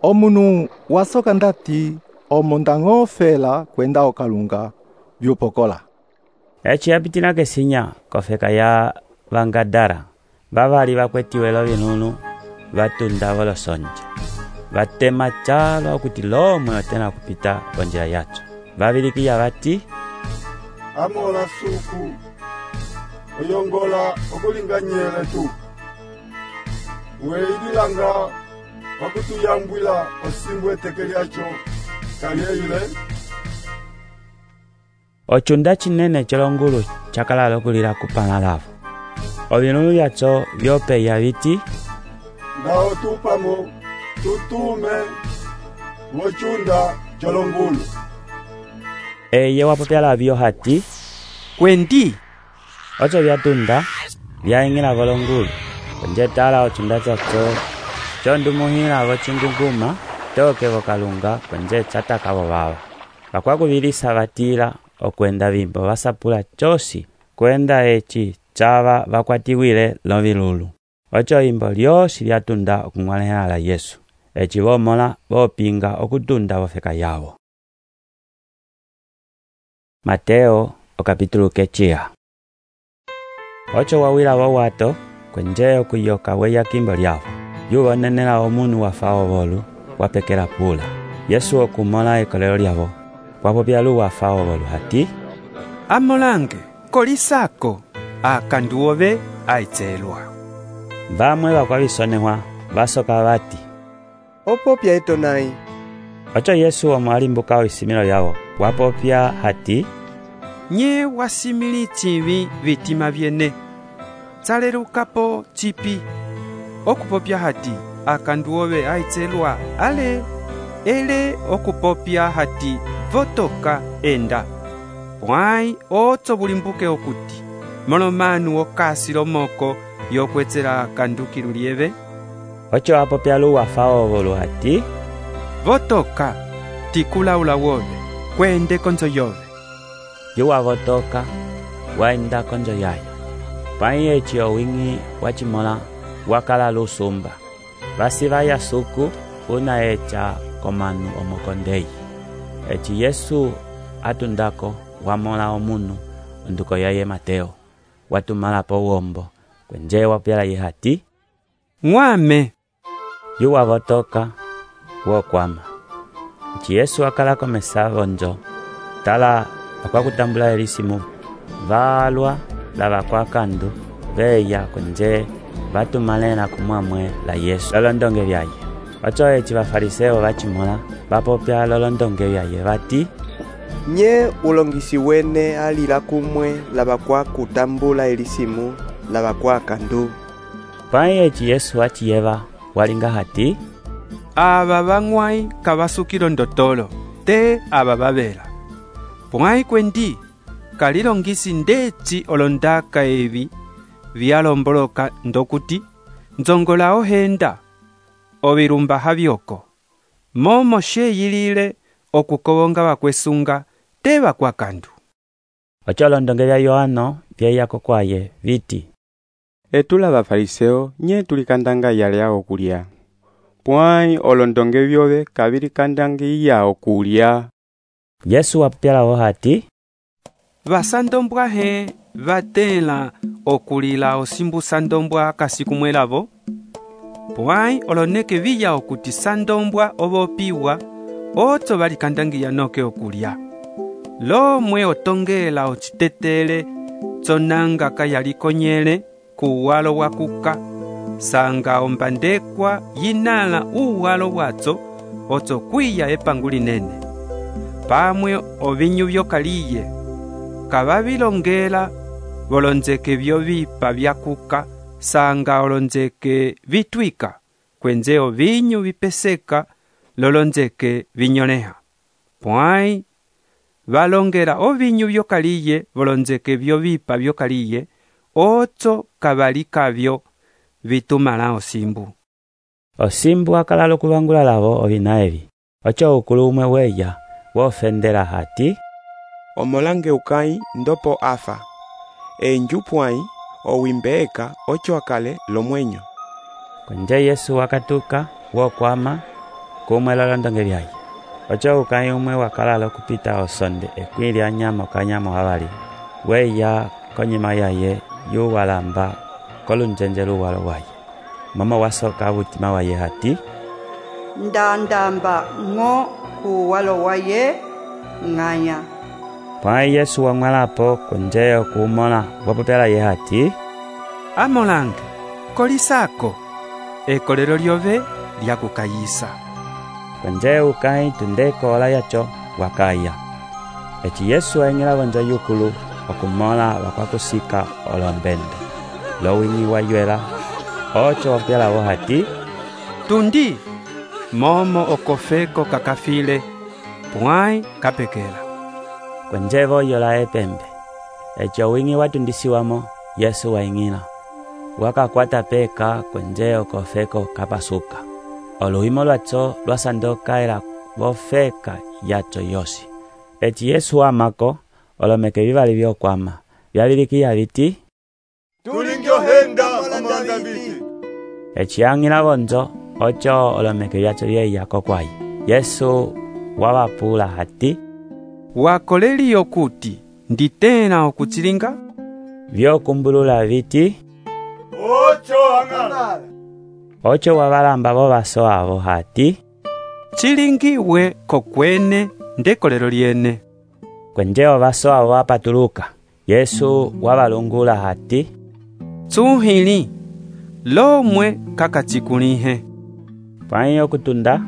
Omunu wasoka ndati, omondango ofela kwenda okalunga, vyupokola. Eci yapitina kesinya, kofeka ya Vangadara, vavali vakwetiwelo vinunu, vatunda volosonja. Vatema chalo okuti lomwe otena kupita konjila yacho. Vavilikiya vati. Amola suku, oyongola okulinganyele tu. Weililanga wakutuyambwila osimbu eteke lyacho kalyeile. Ochunda chinene chelongulu chakalala okulila kupana lavo. Ovinulu vyacho vyopeya viti, Ndao tupamo tutume wochunda chelongulu. Eye wapopyala vyo hati, Kwendi, ocho vyatunda vyaingila volongulu. Kwenje tala ochunda chacho chondumuhila vochinguguma toke vokalunga kwenje chataka vovava. Vakwakuvilisa vatila okwenda vimbo vasapula chosi kwenda echi chava vakwatiwile lovilulu. Ocho imbo lyosi lyatunda okung'walehela la Yesu. Echi vomola vopinga okutunda vofeka yawo. Mateo okapitulu kechia. Ocho wawila wawato kwenje okuyoka weya kimbo lyavo. Yuvonenela omunu wafao volu wapekela pula. Yesu okumola ekolelo lyavo. Wapopyalu wafao volu hati, amolange, kolisako, akanduove aitselwa. Vamwe vakwavisonehwa vasoka vati, opopya etonai. Ocho Yesu omwalimbuka isimilo lyavo. Wapopya hati, Nye wasimili chivi vitima vyene. Tsalerukapo chipi. Okupopya hati, akanduove aitselwa ale. Ele okupopya hati, votoka enda. Pwai otso bulimbuke okuti. Molomanu okasilo moko yokwetsela kandukilu lieve. Ocho wapopyalu wafao volu hati, votoka tikulaula wove kwende konzo yove. Yuwa votoka waenda konzo yayo. Pai echi owingi wachimola wakala lusumba. Vasi vaya suku una echa komanu omokondei. Echi Yesu atundako wamola omunu onduko yaye Mateo. Watumala po wombo kwenje wapyala ye hati, Ng'wame. Yuwa votoka wokwama. Echi Yesu akala komesa vonjo. Tala akwakutambula elisimu. Valwa lava kwa kandu veya kwenje vatumalena kumwamwe la Yesu lolondonge vyaye. Ocho echi vafariseo vachimola vapopya lolondonge vyaye vati, Nye ulongisi wene alila kumwe lava kwa kutambula elisimu lava kwa kandu. Pai echi Yesu achiyeva walinga hati, Aba bang'wai kabasukilo ndotolo te aba babela. Pwai kwendi kalilongisi ndechi olondaka evi vyalomboloka ndokuti nzongola ohenda ovirumba havyoko. Momo sheyilile okukobonga bakwesunga te bakwa kandu. Ocho londonge vya Yohano vyeyako kwaye viti, Etula bafariseo nye tulikandanga yale yao kulya. Pwai olondonge vyove kabilikandanga yao kulya. Yesu wapyala wo hati, Basandombwa he batela okulila osimbu sandombwa kasikumwelavo. Pwai oloneke viya okuti sandombwa obopiwa otso balikandangiya noke okulya. Lomwe otongela ochitetele tsonanga kayalikonyele kuwalo wakuka. Sanga ombandekwa yinala uwalo watso otso kwiya epangu linene. Pamwe ovinyu vyokaliye kababilongela bolonzeke vyo vipa vyakuka. Sanga olonzeke vitwika kwenze ovinyu vipeseka lolonzeke vinyoneha. Pwai balongela ovinyu vyokaliye bolonzeke vyo vipa vyokaliye otso kabalikavyo vitumala osimbu. Osimbu akalala okuvangula lavo ovina evi. Ocho ukulu umwe weya wofendela hati, Omolange ukai ndopo afa. Enju pwai owimbeeka ocho akale lomwenyo. Kwenje Yesu wakatuka wokwama kumwe lolondonge vyaye. Ocho ukai umwe wakalala okupita osonde ekwili anyama okanyama wabali. Weya konyima yaye yuwalamba kolunjenje luwalo waye. Mama wasoka butima waye hati, Ndandamba ng'o kuwalo waye ng'anya. Pwãyi Yesu wang'walapo kwenje okuumõla wapopela ye hati, amolange kolisako ekolelo lyove lyakukayisa. Kwenje ukãyi tunde koola yaco wakaya. Eci Yesu aing'ila vonjo yukulu okumõla wakwakusika olombende lowing'i wayuela oco wapopela hati, tundi momo okofeko kakafile pwãyi kapekela. Kwenje voyola epembe. Eci owing'i watundisiwamo Yesu waing'ila wakakwata peka kwenje okofeko kapasuka. Oluhimo lwaco lwasandoka ela vofeka yaco yosi. Eci Yesu amako olomeke vivali vyokwama vyavilikiya viti, tulingyohenda amolanda viti. Eci ang'ila vonjo oco olomeke vyaco vyeyako kwayi. Yesu wawapula hati, wakoleliyo kuti nditena okutsilinga? Vyokumbulula viti, oco ang'ala. Oco wavalamba vovaso avo hati, chilingiwe kokwene ndekolelo lyene. Kwenje ovaso avo wapatuluka. Yesu wavalungula hati, tsuhili lomwe kakachikulihe. Pwãyi okutunda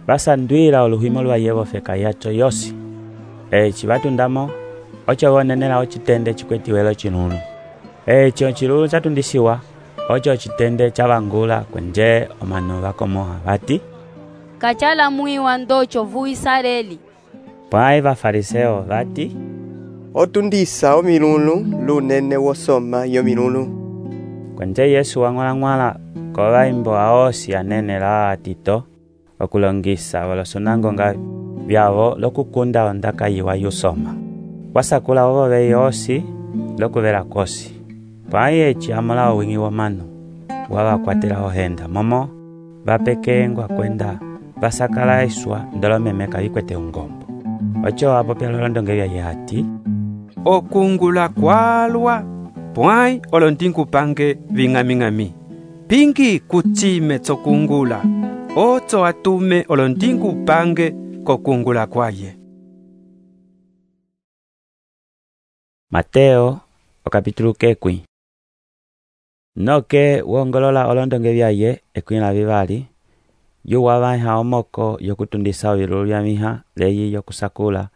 vasandwila oluhimo lwaye vofeka yaco yosi. Eci vatundamo oco vonenela ocitende cikwetiwelo cinunu. Eci ocilulu catundisiwa oco ocitende cavangula kwenje omanu vakomoha vati, kachala mwiwa ndoco vu Israeli. Pwãyi vafariseo vati, otundisa omilulu lunene wosoma yomilulu. Kwenje Yesu wang'wala kovaimbo aosi anenela atito okulongisa volosonangonga vyavo lokukunda ondaka yiwa yusoma. Wasakula ovove yosi lokuvela kosi. Pwãyi eci amola owing'i womanu wavakwatela ohenda momo vapekengwa kwenda vasakala iswa ndolomemeka vikwete ungombo. Oco wapopela olondonge vyaye hati, okungula kwalwa pwãyi olondingupange ving'aming'ami. Pingi kutsime tsokungula oco atume olondingupange kokungula kwaye. Mateo okapitulu kekwi. Noke wongolola olondonge vyaye ekwĩla vivali yuwavaiha omoko yokutundisa ovilulu vyamiha leyi yokusakula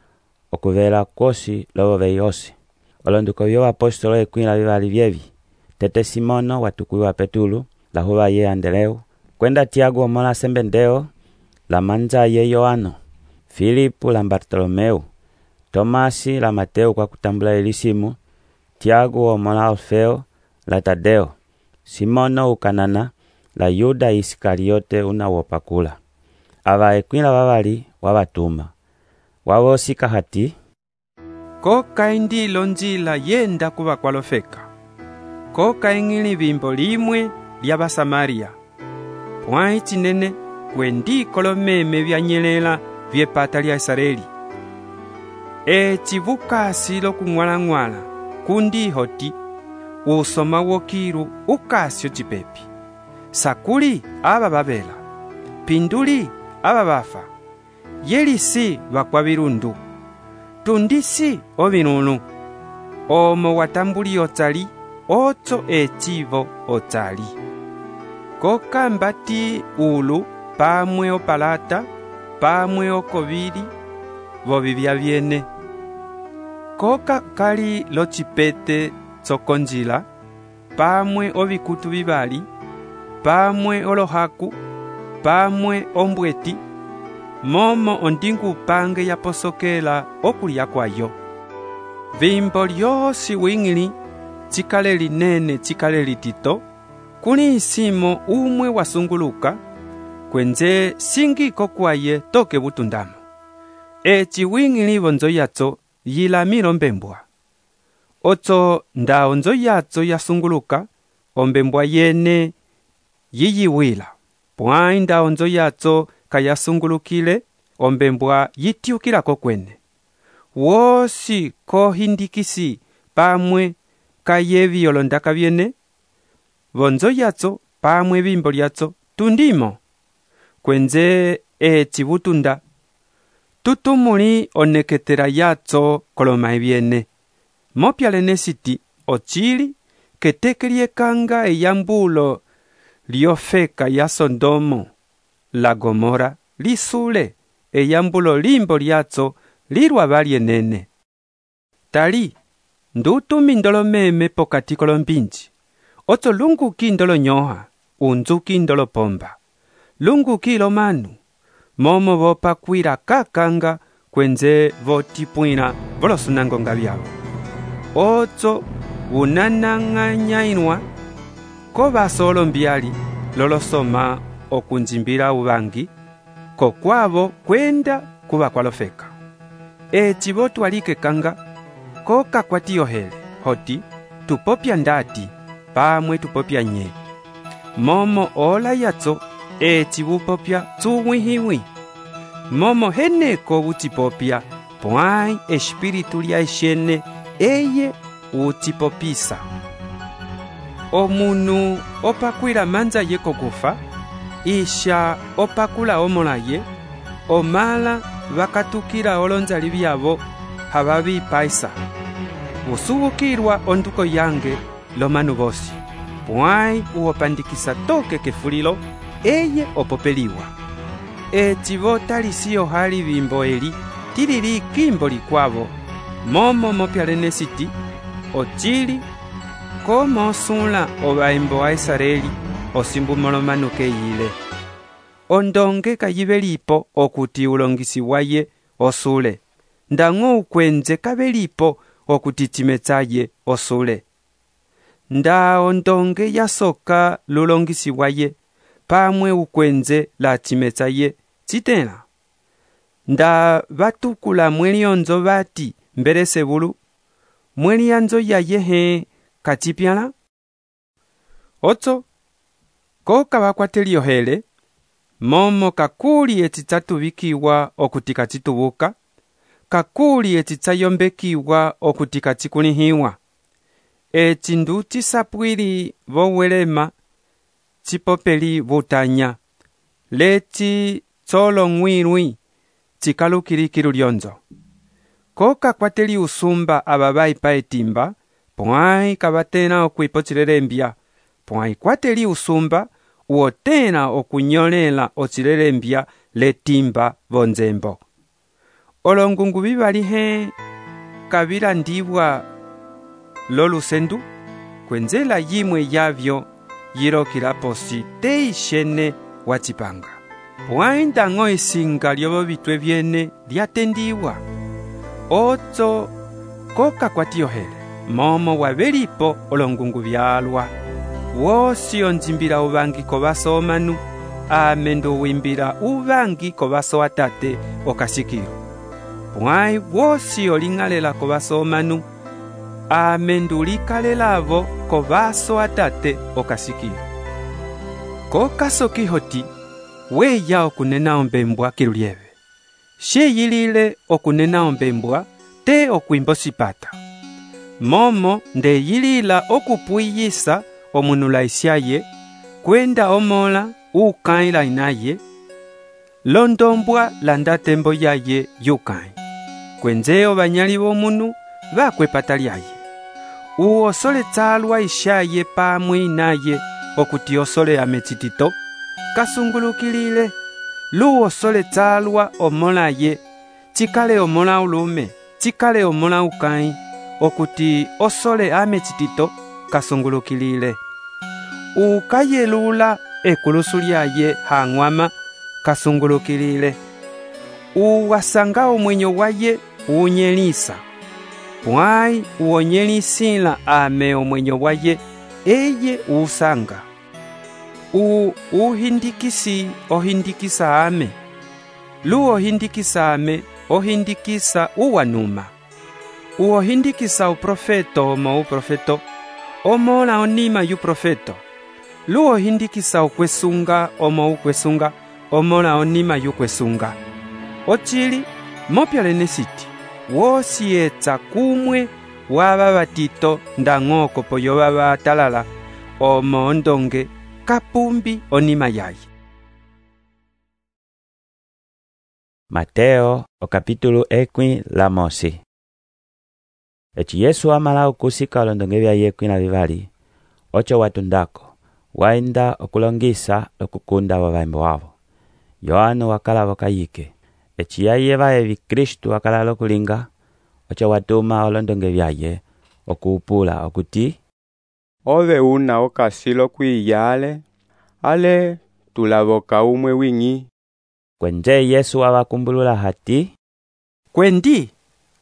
okuvela kwosi lovove yosi. Olonduko vyoapostolo ekwĩla vivali vyevi, tete Simono watukwiwa Petulu, lahuva ye Andeleu, kwenda Tiago omola Sembendeo, la manja ye Yohano, Filipu la Bartolomeu, Tomasi la Mateo kwa kutambula elisimu, Tiago omola Alfeo la Tadeo, Simono ukanana la Yuda Iskariote una wopakula. Ava ekwĩla vavali wavatuma. Wavosika hati, koka indilo njila yenda kuva kwalofeka. Koka ing'ili vimbo limwe lya Basamaria. Pwãyi cinene kwendiko lomeme vyanyelela vyepata lya Israeli. Eci vukasi lokung'walang'wala kundi hoti usoma wokilu ukasyo cipepi. Sakuli ava vavela, pinduli ava vafa, yelisi vakwa virundu, tundisi ovinunu, omo watambuli otsali, oco ecivo otsali. Koka mbati ulu pamwe opalata, pamwe okovili, vovivya vyene. Koka kali locipete tsokonjila, pamwe ovikutu vivali, pamwe olohaku, pamwe ombweti, momo ondingupange yaposokela okulya kwayo. Vimbo lyosi wing'ili cikale linene cikale litito, kuli isimo umwe wasunguluka, kwenje singiko kwaye toke butundamo. Eci wing'ili vonzo yaco yilamilo mbembwa. Oco nda onzo yaco yasunguluka, ombembwa yene yiyiwila. Pwãyi nda onzo yaco kayasungulukile, ombembwa yitiukilako kwene. Wosi kohindikisi pamwe kayevi olondaka vyene, vonzo yaco pamwe vimbo lyaco tundimo. Kwenze eci butunda, tutumuli oneketela yatso koloma ebyene. Mopyalene siti ocili keteke lyekanga eyambulo lyofeka ya Sodomo la Gomora lisule eyambulo limbo lyatso lilwa balyenene. Tali ndutumi ndolo meme pokati kolombinji. Otso lunguki ndolo nyoha, unzuki ndolo pomba. Lunguki lo manu, momo vopakwira kakanga kwenze votipwina volosunangonga byabo. Otso unananganyainwa ko basolo mbyali lolosoma okunjimbira ubangi ko kwabo kwenda kuba kwalofeka. Eci votwalike kanga ko kakwati yohele hoti tupopya ndati pamwe tupopya nye. Momo ola yatso eci vupopya tsuwihiwi. Momo heneko utipopya pwai espiritu lya eshene eye utipopisa. Omunu opakwila manza ye kokufa, isha opakula omola ye, omala vakatukila olonzali byabo hababi paisa. Usubukirwa onduko yange lomanu bosi, pwai uopandikisa toke kefulilo, eye opopeliwa. Ecivo talisio hali bimbo eli, tilili kimbo likwavo, momo mopyalene siti, ocili, como osula obaimbo a Israeli, osimbumolomanu keyile. Ondonge kayibelipo okuti ulongisi waye osule. Ndango ukwenze kabelipo okuti timetsaye osule. Nda ondonge yasoka lulongisi waye, pamwe ukwenze la timetsaye titena. Nda batukula mweli onzo bati mbere sebulu, mweli anzo yayehe katipyala. Otso, ko kabakwateli yohele, momo kakuli etitatubikiwa okutika titubuka, kakuli etitsayombekiwa okutika tikulihiwa. Etindu tisapwili vowelema, tipopeli butanya, leti tsolo ngwirwi, tikalukirikiru lyonzo. Ko kakwateli usumba ababai paetimba, pwai kabatena okwipochilelembya, pwai kwateli usumba, uotena okunyolela ochilelembya letimba vonzembo. Olongungu bibalihe kabilandibwa lolusendu, kwenzela yimwe yavyo yirokilaposi teishene wachipanga. Pwai ndango isinga lyobo bitwe byene lyatendiwa. Otso koka kwatiohele, momo wabelipo olongungu byalwa. Wosi onjimbira ubangi kobaso omanu, amendu wimbira ubangi kobaso atate okashikiro. Pwai wosi olingalela kobaso omanu, amendu likalelavo kobaso atate okashikiro. Kokaso kihoti, weya okunena ombembwa kilulieve. Sheyilile okunena ombembwa, te okwimbo sipata. Momo nde yilila okupuyisa omunula isyaye, kwenda omola ukaila inaye, londombwa landatembo yaye yukai. Kwenzeo banyali bomunu, bakwepata lyaye. Uosole tsalwa isyaye pamwe inaye, okuti osole amechitito, kasungulukilile. Luosole tsalwa omola ye, chikale omola ulume, chikale omola ukai, okuti osole amechitito, kasungulukilile. Ukayelula ekulusu lyaye hangwama, kasungulukilile. Uwasanga omwenyo waye unyelisa. Pwai uonyelisila ame omwenyo waye eye usanga. Uhindikisi ohindikisa ame. Lu ohindikisa ame ohindikisa uwanuma. Uohindikisa uprofeto omo uprofeto, omola onima yu profeto. Lu ohindikisa ukwesunga omo ukwesunga, omola onima yu kwesunga. Ochili, mopyalene siti, wosi etsa kumwe waba batito ndangoko poyo baba talala, omo ondonge kapumbi onima yaye. Mateo okapítulo 11. Eci Yesu amala okusika olondonge vya ye 12 ocho watundako waenda okulongisa okukunda wavaimbo wavo. Yohano wakala wakayike eci yaye vaevi Kristu wakala lokulinga ocho watuma olondonge vyaye okuupula okuti ove una okasilo kwiyale ale tulavoka umwe wingi. Kwenje Yesu wawakumbulula hati kwendi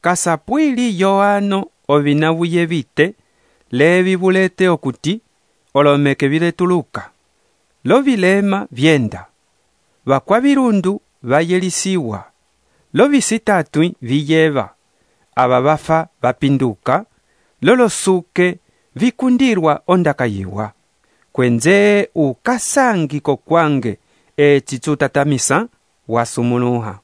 kasapwili Yohano ovinavuye vite levi vulete okuti olomeke viletuluka lovilema vyenda vakwa virundu vayelisiwa lovisitatwi viyeva ava vafa vapinduka lolosuke vikundirwa ondakayiwa kwenze ukasangiko kwange eci tutatamisa wasumuluha.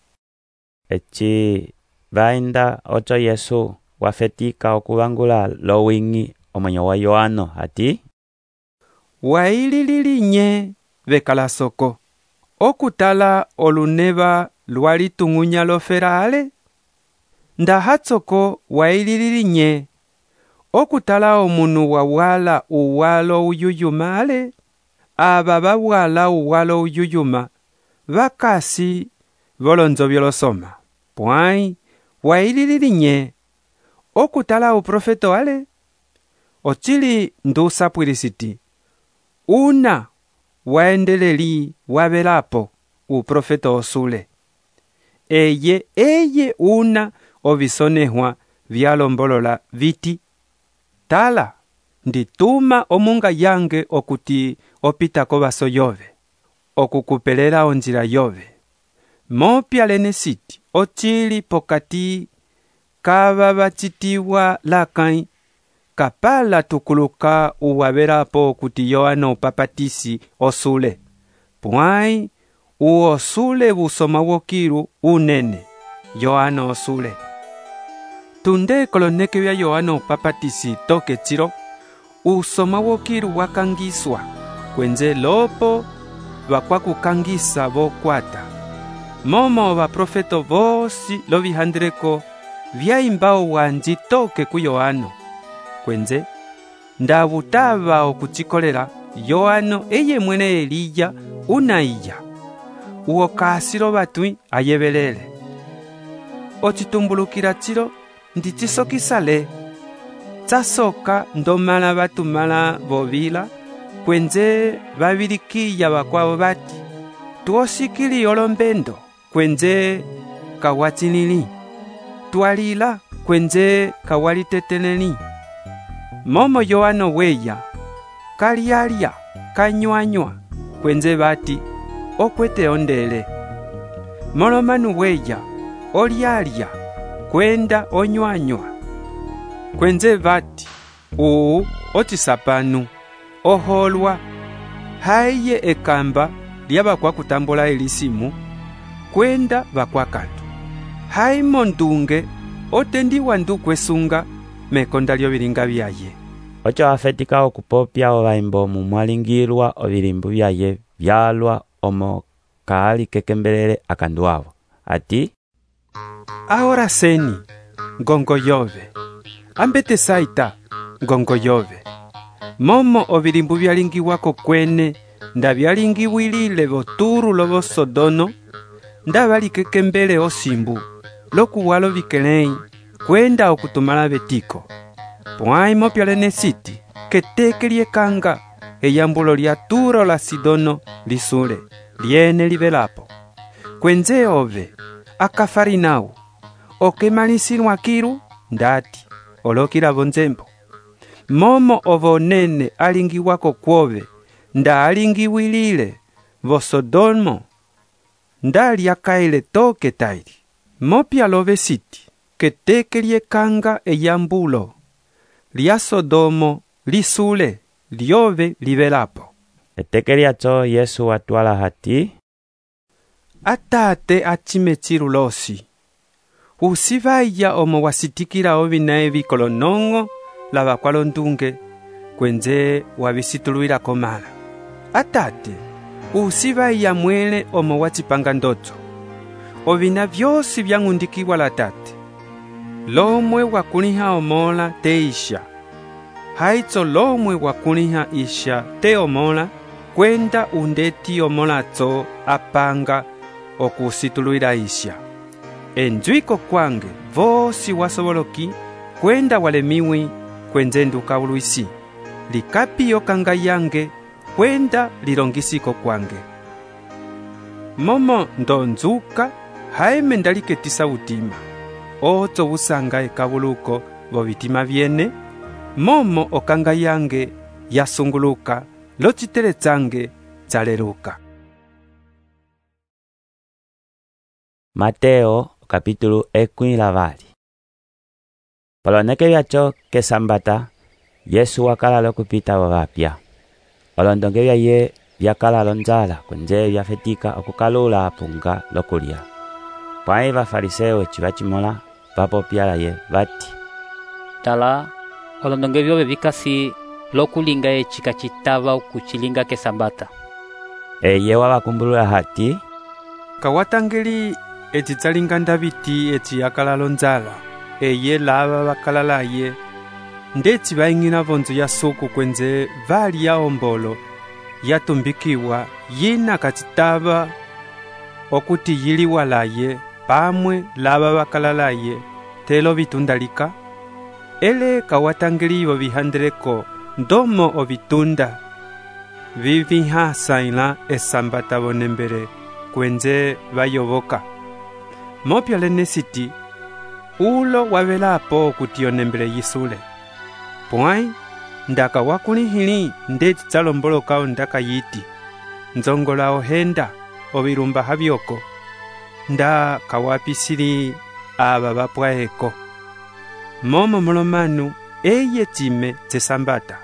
Eci vaenda ocho Yesu wafetika okuvangula lowingi omwenyo wa Yohano hati waililinye vekalasoko okutala oluneva lwalitung'unya loferale ndahatsoko waililinye okutala omunu wawala uwalo uyuyuma ale ava vawala uwalo uyuyuma vakasi volonzo vyolosoma pwai waililinye okutala uprofeto ale ochili ndusapwilisiti una waendeleli wavelapo uprofeto osule eye una ovisonehwa vyalombolola viti tala ndituma omunga yange okuti opitako vaso yove okukupelela onjila yove mopya lenesiti ochili pokati kava vacitiwa lakai kapala tukuluka uwavelapo okuti Yohano upapatisi osule pwai uosule busoma wokiru unene Yohano osule tunde koloneke vya Yohano upapatisi toke chiro usoma wokiru wakangiswa kwenze lopo vakwakukangisa vokwata momo vaprofeto vosi lovihandreko vyaimbao wanji toke ku Yohano kwenze ndavutava okuchikolela Yohano eye mwene Eliya unaiya uokasilo vatwi ayevelele ocitumbulukila chilo ndichisokisale tsasoka ndomala vatumala vovila kwenze vavilikiya vakwavo vati tuosikili olombendo kwenze kawachinili twalila kwenze kawaliteteleli momo Yohano weya kalialya kanywanywa kwenze vati okwete ondele molomanu weya olialya kwenda onywanywa kwenze vati ochisapanu oholwa haiye ekamba lyavakwakutambola elisimu kwenda vakwakandu haimo ndunge otendiwa ndukwesunga mekonda lyovilinga vyaye ocho afetika okupopya ovaimbo mumwalingilwa ovilimbu vyaye vyalwa omo kaali kekembelele akandu avo ati ahora seni ngongo yove ambete saita ngongo yove momo ovilimbu vyalingiwako kwene nda vyalingiwilile voturu lovo Sodono nda valikekembele osimbu lokuwalo vikelei kwenda okutumala vetiko pwai mopya lenesiti keteke liekanga eyambulo lya Turo la Sidono lisule liene livelapo kwenze ove akafarinau okemalisilwa kiru ndati olokila vonzembo momo ovonene alingiwako kwove nda alingiwilile vo Sodomo nda lyakaile toke taili mopya love siti keteke liekanga eyambulo lya Sodomo lisule lyove livelapo eteke lyacho Yesu watwala hati atate achime chirulosi usivaya omo wasitikila ovinae vikolonongo lava kwalondunge kwenze wavisituluila komala atate usivaya mwele omo wachipanga ndoto ovina vyosi vyang'undikiwa la tate. Lomwe wakuliha omola te isha. Haitso lomwe wakuliha isha te omola, kwenda undeti omolatso apanga okusituluira isha. Enjuiko kwange vosi wasoboloki kwenda walemiwi kwenzenduka uluisi. Likapi yokanga yange kwenda lilongisiko kwange. Momo ndonzuka haime ndaliketisa utima. Otso usanga ekabuluko vo vitima vyene. Momo okanga yange yasunguluka locitere tsange tsaleluka. Mateo capítulo 12. Poloneke vyacho kesambata Yesu wakalala okupita vavapya. Olondonge vyaye vyakalala onzala kwenje vyafetika okukalula apunga lokulya. Pwai vafariseo eci vacimola vapopyalaye vati, tala olondonge vyove vikasi lokulinga eci kacitava okucilinga kesambata. Eye wavakumbulula hati, kawatangeli eci tsalinga ndaviti eci yakalala onzala. Eye lava vakalalaye ndeci vaing'ina vonzo ya suku kwenze vali ya ombolo yatumbikiwa yina kacitava okuti yiliwalaye pamwe lava vakalalaye telo vitundalika. Ele kawatangeliwo vihandeleko ndomo ovitunda vivihasaila esambata vonembele kwenze vayovoka. Mopya lenesiti ulo wavelapo okuti onembele yisule. Pwai ndaka wakulihili ndeti tsalomboloka ondaka yiti nzongola ohenda ovilumba havyoko nda kawapisili ava vapwaeko. Momo molomanu eye time tsesambata.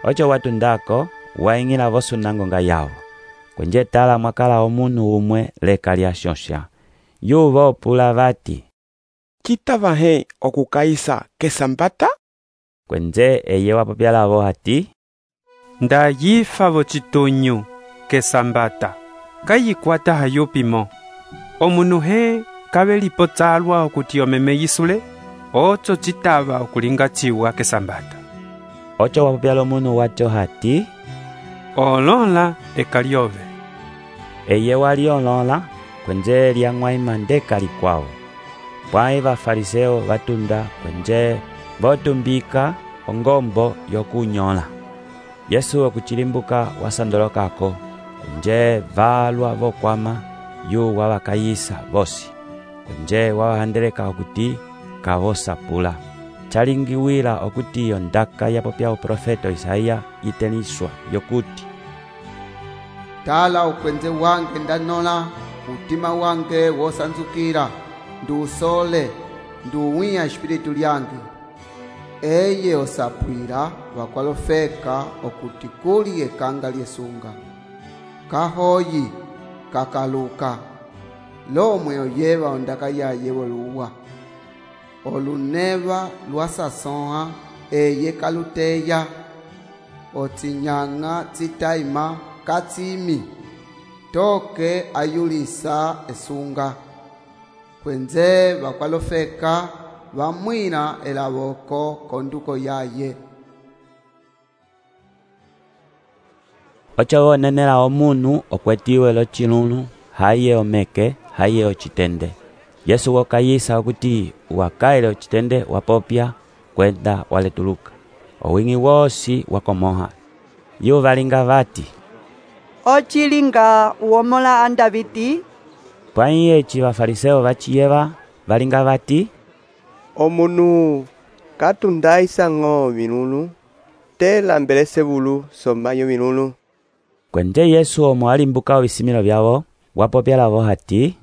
Ocho watundako waing'ila vosunangonga yawo. Kwenje tala mwakala omunu umwe leka lya shosha. Yuvo opula vati, citava he okukaisa kesambata? Kwenze eye wapopyalavo hati, nda yifa vo citunyu kesambata kayikwata hayupimo. Omunu he kavelipo tsalwa okuti omeme yisule, otso citava okulinga ciwa kesambata. Ocho wapopyala omunu wacho hati, olola ekalyove. Eye wali olola kwenje lyang'waima ndeka likwawo. Pwai vafariseo vatunda kwenje votumbika ongombo yokunyola. Yesu okuchilimbuka wasandolokako kwenje valwa vokwama yu wavakayisa vosi. Kwenje wawahandeleka okuti kavosapula. Chalingiwila okuti yondaka yapopya uprofeto Isaiya yiteniswa yokuti, tala ukwenze wange ndanola, utima wange wosanzukira, nduusole, nduwiya espiritu lyange. Eye osapwira vakwalofeka okuti kuli ekanga lyesunga. Kahoyi kakaluka, lomwe oyeva ondaka yaye voluwa. Oluneva lwasasoha eye kaluteya, otsinyanga tsitaima katsimi, toke ayulisa esunga. Kwenze vakwalofeka vamwina elavoko konduko yaye. Ocho wonenela omunu okwetiwe lochilunu haye omeke haye ochitende. Yesu wokayisa okuti wakaile ochitende wapopya kwenda waletuluka. Owing'i wosi wakomoha. Yu valinga vati, ochilinga uomola andaviti. Pwai eci vafariseo vachiyeva valinga vati, omunu katundaisa ng'o vinunu tela mbelese vulu somayo vinunu. Kwenje Yesu omo alimbuka ovisimilo vyavo wapopyalavo hati,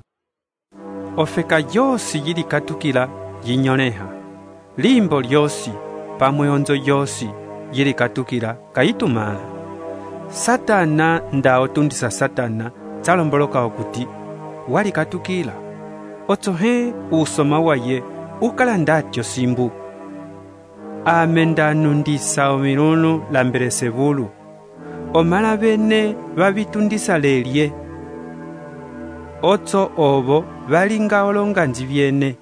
ofeka yosi yilikatukila yinyoleha. Limbo lyosi pamwe onzo yosi yilikatukila kayitumala. Satana nda otundisa Satana tsalomboloka okuti walikatukila. Otso he usoma waye ukala ndatyo simbu. Amenda nundisa omilunu lambelese vulu. Omala bene vavitundisa lelye. otso ovo valinga olonganji vyene.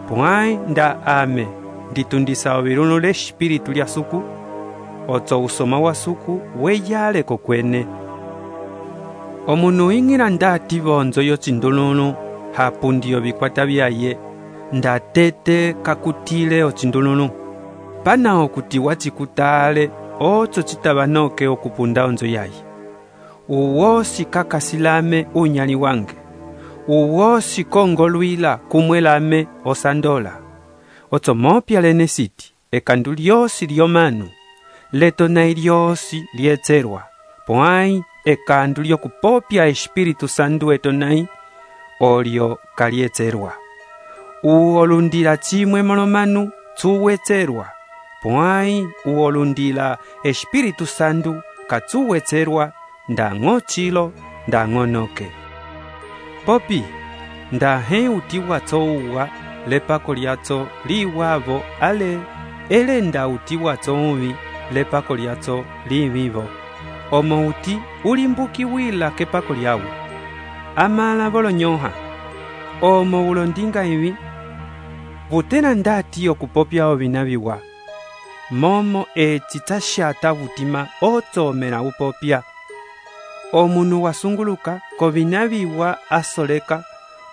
Pwãyi nda ame nditundisa oviluno l'espiritu lya suku, otso usoma wa suku weyale kokwene. Omunu ing'ila ndati vonzo yocindululu hapundiyo vikwata vyaye, ndatete kakutile ocindululu. Pana okuti wacikutale otso citavanoke okupunda onzo yaye. Uwosi kakasilame unyali wange, uwosi kongolwila kumwelame osandola. Otso mopya lene siti, ekandu lyosi lyomanu, letonai lyosi lyetserwa, pwãyi ekandu lyokupopya espiritu sandu etonai, olyo kalyetserwa. Uolundila chimwe molomanu tsuwetserwa, pwãyi uolundila espiritu sandu katsuwetserwa, ndang'o chilo ndang'o noke. Popi, ndahe uti watso uwa lepako lyatso liwavo ale ele nda uti watso uvi lepako lyatso livivo. Omo uti ulimbukiwila kepako lyawu. Amala volonyoha, omo ulondinga ivi, vutena ndati okupopya ovina viwa. Momo eci tashata vutima otsomela upopya. Omunu wasunguluka kovina viwa asoleka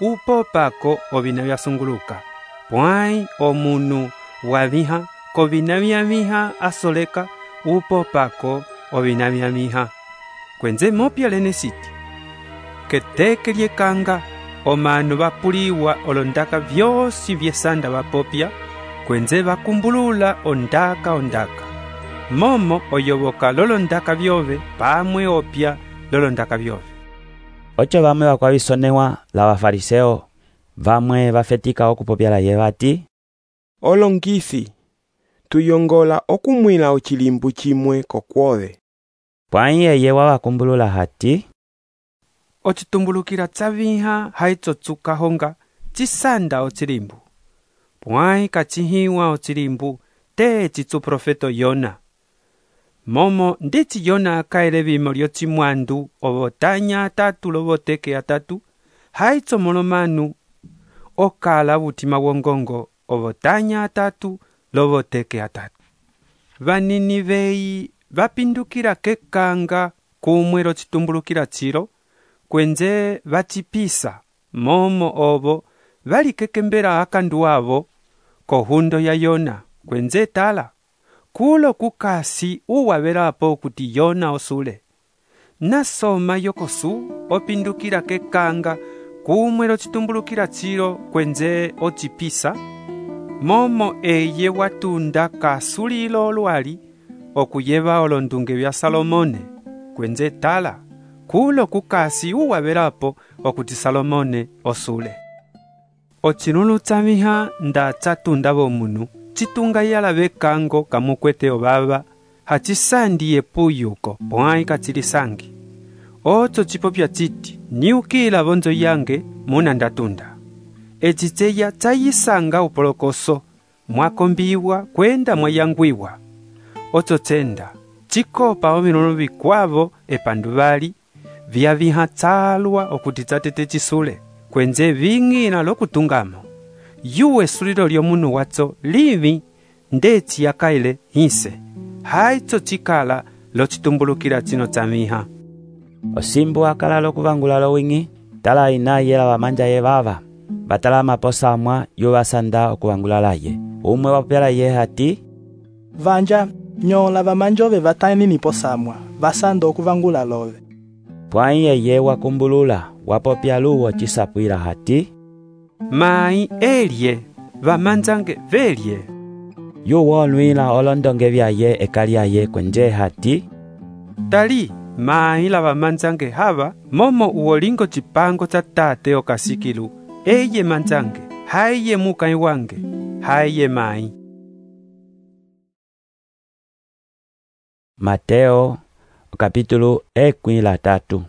upopako ovina vyasunguluka. Pwãyi omunu waviha kovina vyaviha asoleka upopako ovina vyaviha. Kwenze mopya lene siti, keteke lyekanga omanu vapuliwa olondaka vyosi vyesanda vapopya, kwenze vakumbulula ondaka. Momo oyoboka lolondaka vyove pamwe opya lolondaka vyove. Ocho vamwe vakwavisonewa la bafariseo vamwe vafetika okupopya laye vati, olongisi tuyongola okumwila ochilimbu chimwe kokwove. Pwãyi eye wavakumbulula hati, ocitumbulukila tsaviha haitsotsuka honga cisanda ochilimbu. Pwãyi kachihiwa ochilimbu te chitsu profeto Yona. Momo ndichi Yona akaele vimo lyocimwandu ovotanya atatu lovoteke atatu, haitso molomanu okala vutima wongongo ovotanya atatu lovoteke atatu. Vaniniveyi vapindukila kekanga kumwe locitumbulukila chilo, kwenze vachipisa momo ovo valikekembela akandu avo kohundo ya Yona, kwenze tala kulo kukasi uwavelapo kuti Yona osule. Nasoma yokosu opindukila kekanga kumwe locitumbulukila chilo, kwenze ochipisa momo eye watunda kasulilo olwali okuyeva olondunge vya Salomone, kwenze tala kulo kukasi uwavelapo okuti Salomone osule. Ocilulu tsamiha nda tsatunda vomunu citunga yala vekango kamukwete obava hacisandiye puyuko pwãyi kacilisangi. Otso cipopya citi niukila vonzo yange muna ndatunda. Eciceya tsayisanga upolokoso mwakombiwa kwenda mwayangwiwa. Otso tsenda cikopa oviluno vikwavo epandu vali vyaviha tsalwa okuti tsatete cisule, kwenze ving'ila lokutungamo. Yuwe sulilo lyomunu watso livi ndeci yakaile hinse, haitso cikala locitumbulukila cino tsamiha. Osimbu akala lokuvangula lowing'i, tala ina yela vamanja ye vava, batala maposa amwa yuvasanda okuvangula laye. Umwe wapela ye hati, vanja nyola vamanjove vatani niposamwa vasanda okuvangula love. Pwãyi eye wakumbulula wapopya luwo cisapwila hati, mai elye vamanzange velye. Yuwolwila olondonge vyaye ekalyaye kwenje hati, tali mai la vamanzange hava momo uolingo cipango tsa tate okasikilu, eye manzange haiye mukai wange haiye mai. Mateo kapitulu 13.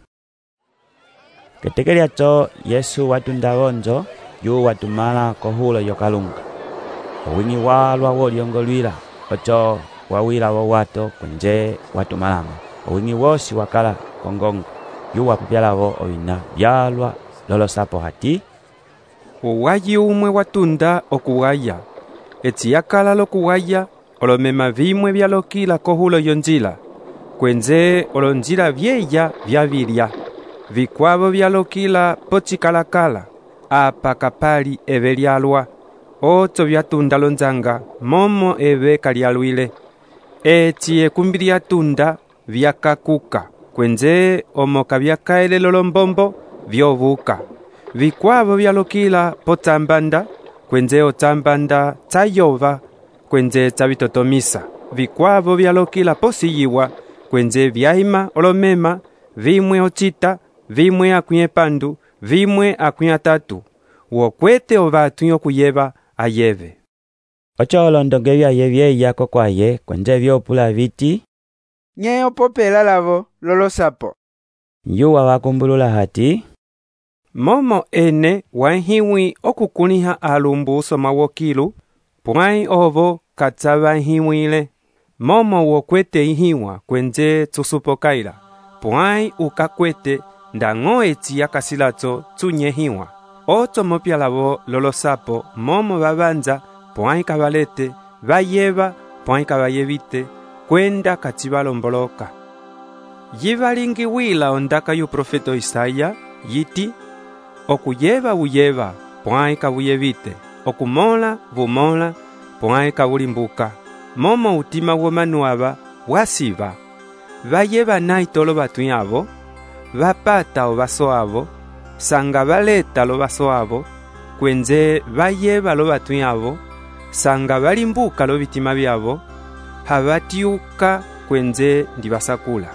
Keteke lyatso Yesu watunda vonzo yu watumala kohulo yokalunga. Owing'i walwa wolyongolwila ocho wawila wo wato kwenje watumalama. Owing'i wosi wakala kongongo yu wapupyalavo ovina vyalwa lolosapo hati, uwayi umwe watunda okuwaya, eci yakala lokuwaya olomema vimwe vyalokila kohulo yonjila, kwenze olonjila vyeya vyavilya, vikwavo vyalokila pocikalakala, apa kapali eve lyalwa, oco vyatunda lonzanga momo eve kalyalwile, eci ekumbi lyatunda vyakakuka, kwenze omoka vyakaele lolombombo vyovuka, vikwavo vyalokila potsambanda, kwenze otsambanda tsayova, kwenze tsavitotomisa, vikwavo vyalokila posiyiwa, kwenze vyaima olomema, vimwe ocita, vimwe akwĩ epandu, vimwe akwĩ atatu, wokwete ovatu okuyeva ayeve. Ocho olondonge vyaye vyeya kokwaye, kwenze vyopula viti, nye opopela lavo lolosapo. Yuwa wakumbulula hati, momo ene wanhiwi okukuniha alumbu usoma wokilu, pwai ovo katsava nhiwile, momo wokwete ihiwa kwenze tsusupokaila, pwai ukakwete ndang'o eci yakasilatso tsunyehiwa, oco mopya lavo lolosapo momo vavanza pwai kavalete, vayeva pwai kavayevite, kwenda kacivalomboloka. Yivalingiwila ondaka yu profeto Isaya, yiti, okuyeva uyeva, pwai kavuyevite, okumola vumola, pwai kavulimbuka, momo utima womanu ava wasiva, vayeva naitolo vatu avo, vapata ovaso avo, sanga valeta lovaso avo, kwenze vayeva lo vatu avo, sanga valimbuka lo vitima vyavo, havatiuka kwenze ndivasakula.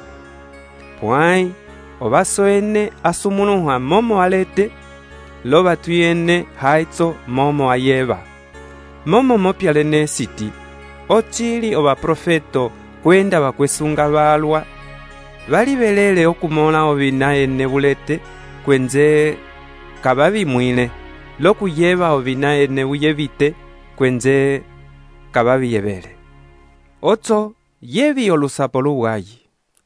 Pwai ovaso ene asumunuha momo alete, lo vatu ene haitso momo ayeva. Momo mopyalene siti, ochili ovaprofeto kwenda vakwesunga valwa, valivelele okumola ovina ene vulete, kwenze kavavimwile, lokuyeva ovina ene uyevite, kwenze kavaviyevele. Oco yevi olusapo luwayi,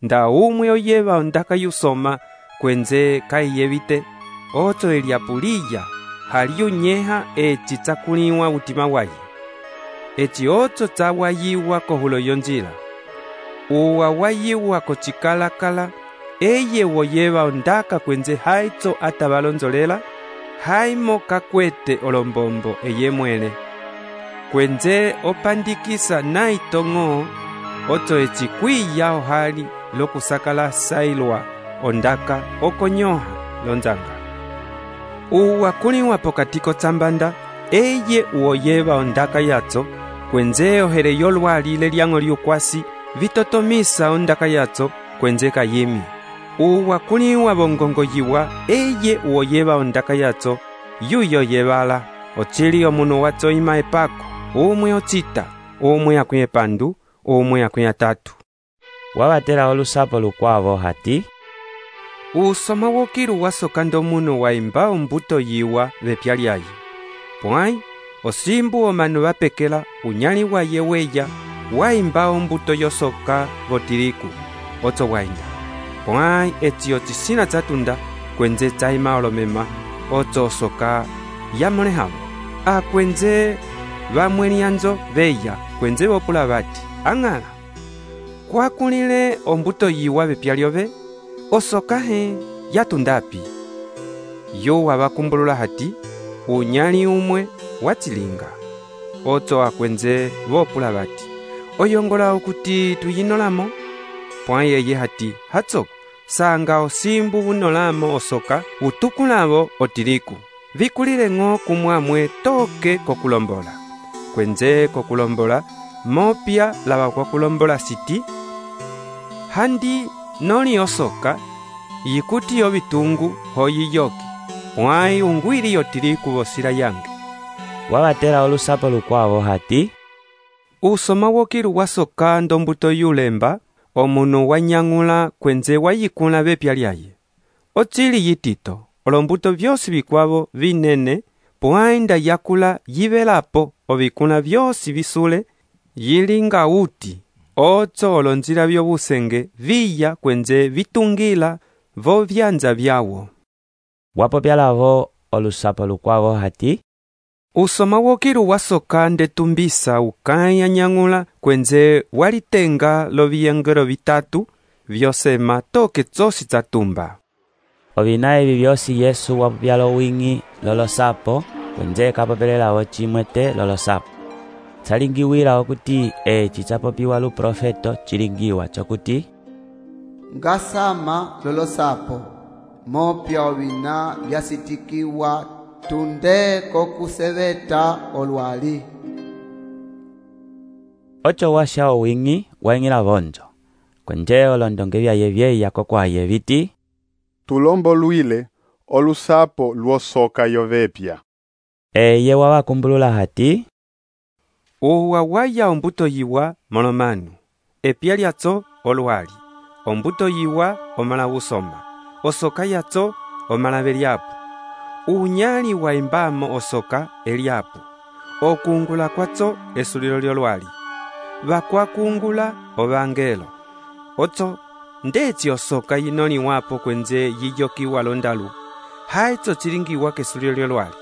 nda umwe oyeva ondaka yusoma, kwenze kaiyevite, oco eliapuliya, haliyunyeha eci tsakuliwa utima wayi. Eci oco tsawayiwa kohulo yonjila, uwa wayiwa kocikalakala, eye woyeva ondaka kwenze haitso atavalonzolela, haimo kakwete olombombo eye mwele, kwenze opandikisa naitong'o, oco eci kwiya ohali lokusakala sailwa ondaka okonyoha lonzanga. Uwa kuliwa pokati kotsambanda, eye uoyeva ondaka yatso, kwenze ohere yolwalile lyang'o lyukwasi, vitotomisa ondaka yatso, kwenze kayimi. Uwa kuliwa bongongoyiwa, eye uoyeva ondaka yatso, yuyo yevala, ochili omunu watso ima epako, umwe ocita, umwe akwĩ epandu, umwe akwĩ atatu. Wavatela olusapo lukwavo hati, usoma wokilu wasoka ndomunu waimba ombuto yiwa vepya lyayi, pwai osimbu omanu vapekela unyali waye weya, waimba ombuto yosoka votiliku, oco wainda, pwai eci ocisina tsatunda, kwenze tsaima olomema, oco osoka yamolehavo, akwenze vamwelianzo veya, kwenze vopula vati, ang'ala, kwakulile ombuto yiwa vepya lyove, osoka he yatundapi. Yuwa vakumbulula hati, unyali umwe watilinga. Oco akwenze vopula vati, oyongola okuti tuyinolamo, pwai eye hati, hatsoko, sanga osimbu vunolamo osoka, utukulavo otiliku, vikulile ng'o kumwamwe toke kokulombola, kwenze kokulombola, mopya lava kwa kulombola siti, handi noli osoka, yikuti yo vitungu hoyiyoki, pwai ungwili yotiliku vosila yange. Wavatela olusapo lukwavo hati, usoma wokilu wasoka ndombuto yulemba, omunu wanyang'ula kwenze wayikula vepya lyaye. Ochili yitito, olombuto vyosi vikwavo vinene, pwai nda yakula yivelapo ovikula vyosi visule, yilinga uti, oco olonjila vyobusenge viya kwenze vitungila vo vyanza vyawo. Wapopya lavo olusapo lukwavo hati, usoma wokilu wasoka ndetumbisa ukaya nyang'ula kwenze walitenga loviyengelo vitatu vyosema toke tsosi tsa tumba. Ovina evi vyosi Yesu wapopya lowing'i lolosapo kwenze kapopelelawo chimwe te lolosapo. Tsalingiwila okuti eci chapopiwa luprofeto chilingiwa chokuti, ngasama lolosapo mopya ovina vyasitikiwa tunde kokuseveta olwali. Ocho washa owing'i waing'ila vonjo kwenje olondonge vyaye vyeya kokwaye viti, tulombolwile olusapo lwosoka yovepya. Eye wawakumbulula hati, uwa waya ombuto yiwa molomanu, epya lyatso olwali, ombuto yiwa omala usoma, osoka yatso omala velyapu, unyali wa imbamo osoka elyapu, okungula kwatso esulilo lyolwali, vakwakungula ovangelo, otso ndeci osoka yinoni wapo kwenze yiyokiwa londalu, haitso chilingiwa kesulilo lyolwali,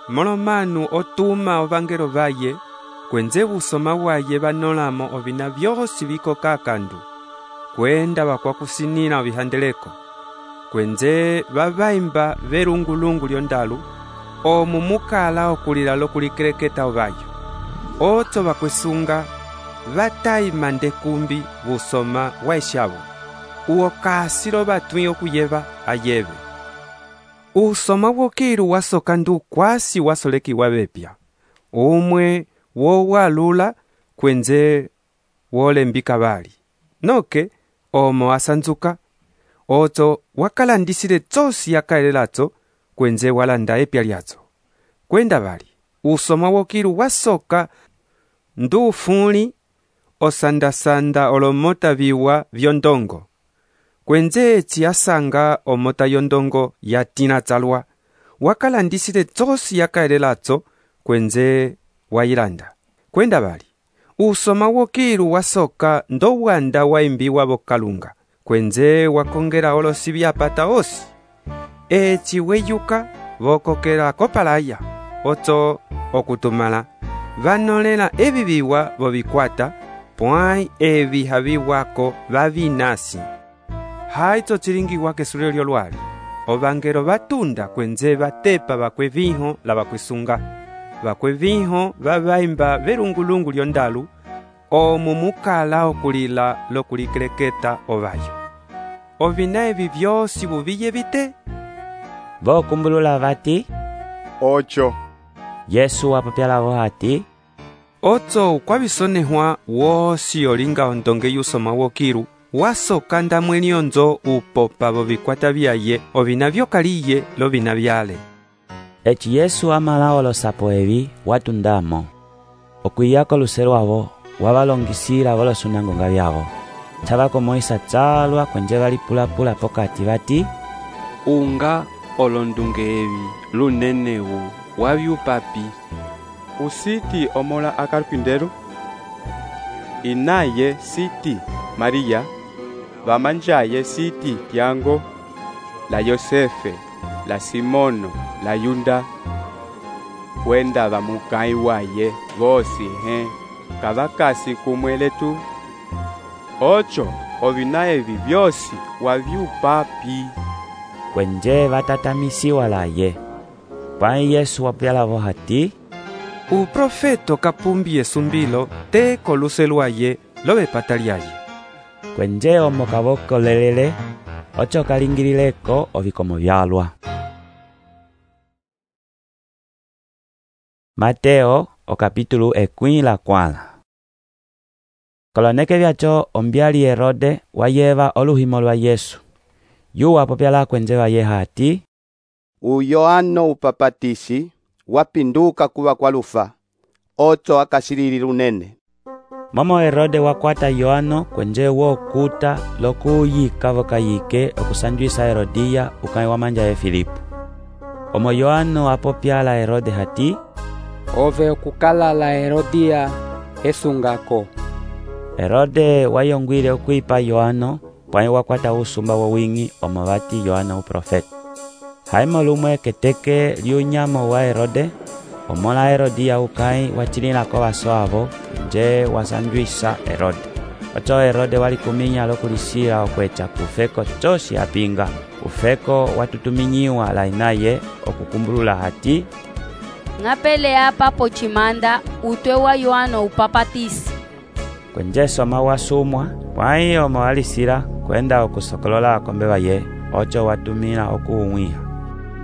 molomanu otuma ovangelo vaye, kwenze usoma waye vanolamo ovina vyosi vikoka kandu, kwenda vakwakusinila ovihandeleko, kwenze vavaimba verungulungu lyondalu, omu mukala okulila lokulikeleketa ovayo, otso vakwesunga vataima ndekumbi usoma waeshavo, uo kasilo vatwi okuyeva ayeve. Usoma wokilu wasoka ndu kwasi wasolekiwa vepya, umwe wowalula kwenze wolembika vali, noke omo asanzuka, otso wakalandisile tsosi yakaelelatso kwenze walanda epya lyatso. Kwenda vali, usoma wokilu wasoka ndu fuli osandasanda olomota viwa vyondongo, kwenze eci asanga omota yondongo yatina tsalwa, wakalandisile tsosi yakaelelatso kwenze wailanda. Kwenda vali, usoma wokilu wasoka ndo wanda waimbiwa vokalunga, kwenze wakongela olosi vyapata osi, eci weyuka vokokela kopalaya, otso okutumala vanolela evi viwa vovikwata, pwai evi haviwako vavinasi. Haitso chilingiwa kesulilo lyolwali, ovangelo vatunda kwenze vatepa vakweviho la vakwesunga, vakweviho vavaimba verungulungu lyondalu, omu mukala okulila lokulikeleketa ovayo. Ovina evi vyosi vuviye vite? Vokumbulula vati, ocho. Yesu wapopya lavo hati, otso ukwavisonehwa wosi olinga ondonge yusoma wokilu, wasoka ndamweni onzo upopa vovikwata vyaye ovina vyokaliye lovina vyale. Eci Yesu amala olosapo evi watundamo, okwiyako luselu avo wavalongisila volosunangonga vyavo, chavakomoisa tsalwa kwenje valipulapula pokati vati, unga olondunge evi lunenewu wavyupapi. Usiti omola akalpinderu, inaye siti Maria, vamanjaye siti Tiago, la Yosefe, la Simono, la Yunda, wenda vamukai waye vosi kavakasi kumweletu. Ocho ovina evi vyosi wavyupapi. Kwenje vatatamisiwa laye. Pai Yesu wapopya lavo hati, uprofeto kapumbi esumbilo te koluselwaye lovepata lyaye. Kwenje omo kavokolelele, ocho kalingilileko ovikomo vyalwa. Mateo okapitulu 14. Koloneke vyacho ombyali Herode wayeva oluhimo lwa Yesu. Yu wapopyala kwenje vaye hati, Yohano upapatisi wapinduka kuva kwalufa, otso akasilili lunene. Momo Herode wakwata Yohano kwenje wokuta lokuyika vokayike okusanjwisa Herodia ukai wamanja ye Filipo. Omo Yohano apopyala Herode hati, ove okukala la Herodia esungako. Herode wayongwile okwipa Yohano, pwai wakwata usumba wowing'i omo vati Yohano uprofeta. haimo lumwe keteke lyunyamo wa Herode, omola Herodia ukai wachililako vaso avo, nje wasanjwisa Herode. Ocho Herode walikuminya lokulisila okwecha kufeko chosi apinga. Ufeko watutuminyiwa lainaye okukumbulula hati ng'apelea papo chimanda utwe wa Yohana upapatisi. Kwenje soma wasumwa, pwai omawalisila kwenda okusokolola akombe baye, ocho watumila okuumwiha.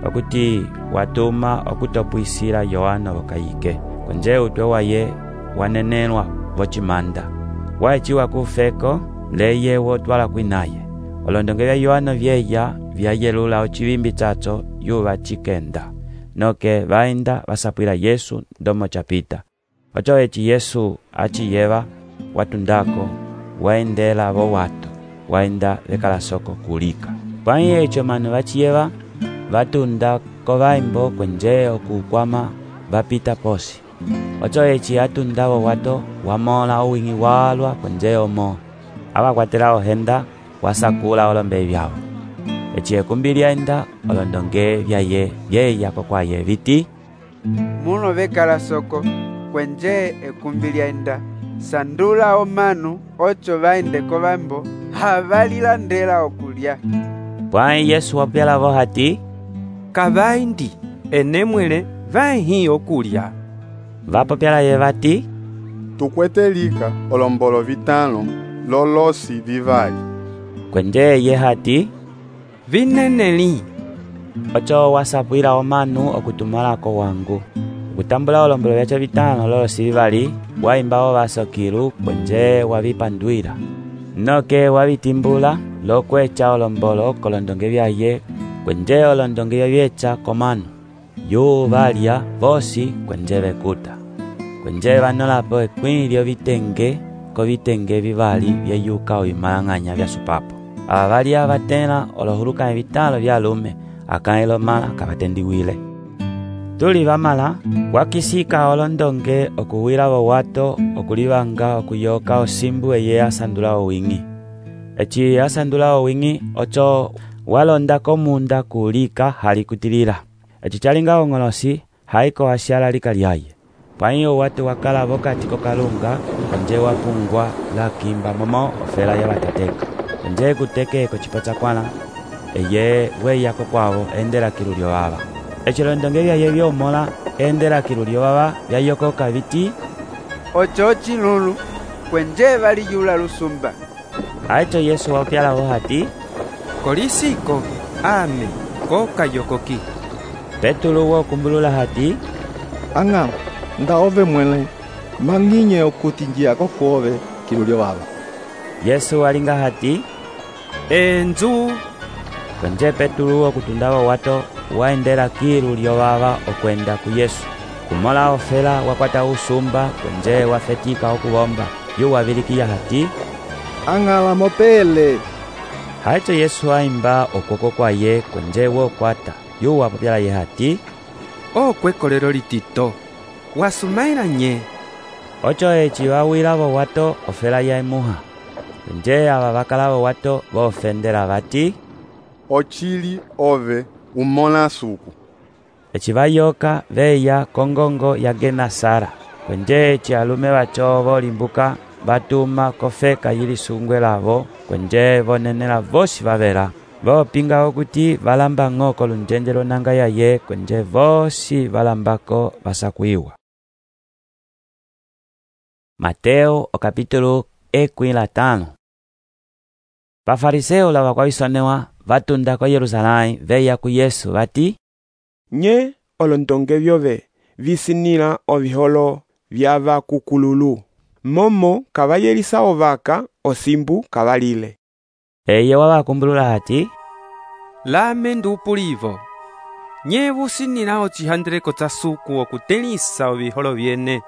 Okuti watuma okutopwisila Yohana okayike. Kwenje utwe waye wanenelwa vochimanda. Waechiwa kufeko, leye wotwala kwinaye. Olondonge bya Yohana vyeya vyayelula ochivimbi chacho yuva chikenda. Noke vaenda vasapwila Yesu ndomo chapita. Ocho echi Yesu achiyeva watundako waendela vo watu waenda vekala soko kulika. Pwai echo manu vachiyeva vatunda kovaimbo kwenje okukwama vapita posi. Ocho echi atunda vo wato wamola uwingi walwa kwenje omo. Abakwatela ohenda wasakula olombe vyao. Echi ekumbilia enda olondonge vyaye vyeya kokwaye viti muno vekala soko kwenje ekumbilia enda sandula omanu ocho vaende kovambo havalilandela okulya. Pwai Yesu wapyala vo hati kavaindi enemwele vahi okulya. Vapopyala ye vati tukwetelika olombolo vitano lolosi vivali. Kwenje ye hati vineneli. Ocho wasapwila omanu okutumalako wangu. Kutambula olombolo vyacho vitano lolosi vivali, waimbao vasokilu kwenje wavipandwila. Noke wavitimbula lokwecha olombolo kolondonge vyaye, kwenje olondonge vyecha komanu. Yu valya vosi kwenje vekuta. Kwenje vanolapo ekwilyo vitenge ko vitenge vivali vyeyuka ovimalang'anya vya supapo. Avalia vatena olohuluka vitalo vya lume akailo mala kavatendiwile. Tuli vamala wakisika olondonge okuwila vo wato okulivanga okuyoka osimbu eye asandula owingi. Echi asandula owingi ocho walonda komunda kulika halikutilila. Echi chalinga ongolosi haiko asyala lika lyaye. Pwaiyo watu wakala vokati kokalunga kwenje wapungwa la kimba momo ofela ya batateka. Kwenje kuteke kochipacha kwana eye weya kokwavo endela kilulio baba. Echilondonge vyaye vyomola endela kilulio baba vyayokoka viti ocho chilulu kwenje valiyula lusumba. Aicho Yesu wapyala vo hati kolisiko ame koka yokoki. Petulu wo kumbulula hati anga ndaove mwele manginye okutinjia kokuove kilulio baba. Yesu walinga hati enzu. Kwenje Petulu wo kutundava wato waendela kilulio baba okwenda ku Yesu. Kumola ofela wakwata usumba kwenje wafetika okubomba. Yu wavilikia hati angala mopele. Haicho Yesu aimba okoko kwaye kwenje wo kwata. Yu wapopyala ye hati okwekolelo litito wasumaila nye. Ocho echi wawila vo wato ofela ya emuha. Kwenje aba bakala vo wato vofendela bati ochili ove umola suku. Echi bayoka veya kongongo ya Genasara. Kwenje echi alume bacho volimbuka batuma kofeka yili sungwe lavo kwenje vonenela vosi vavela. Vopinga okuti valamba ng'oko lunjenjelo nanga yaye kwenje vosi valambako vasakwiwa. Mateo o capítulo 15. Pafariseo lava kwavisonewa vatunda ko Yerusalai veya ku Yesu vati nye olondonge vyove visinila oviholo vyava kukululu momo kavayelisa ovaka osimbu kavalile. Eye wavakumbulula hati lame ndupulivo nye vusinila ocihandeleko cha suku okutelisa oviholo vyene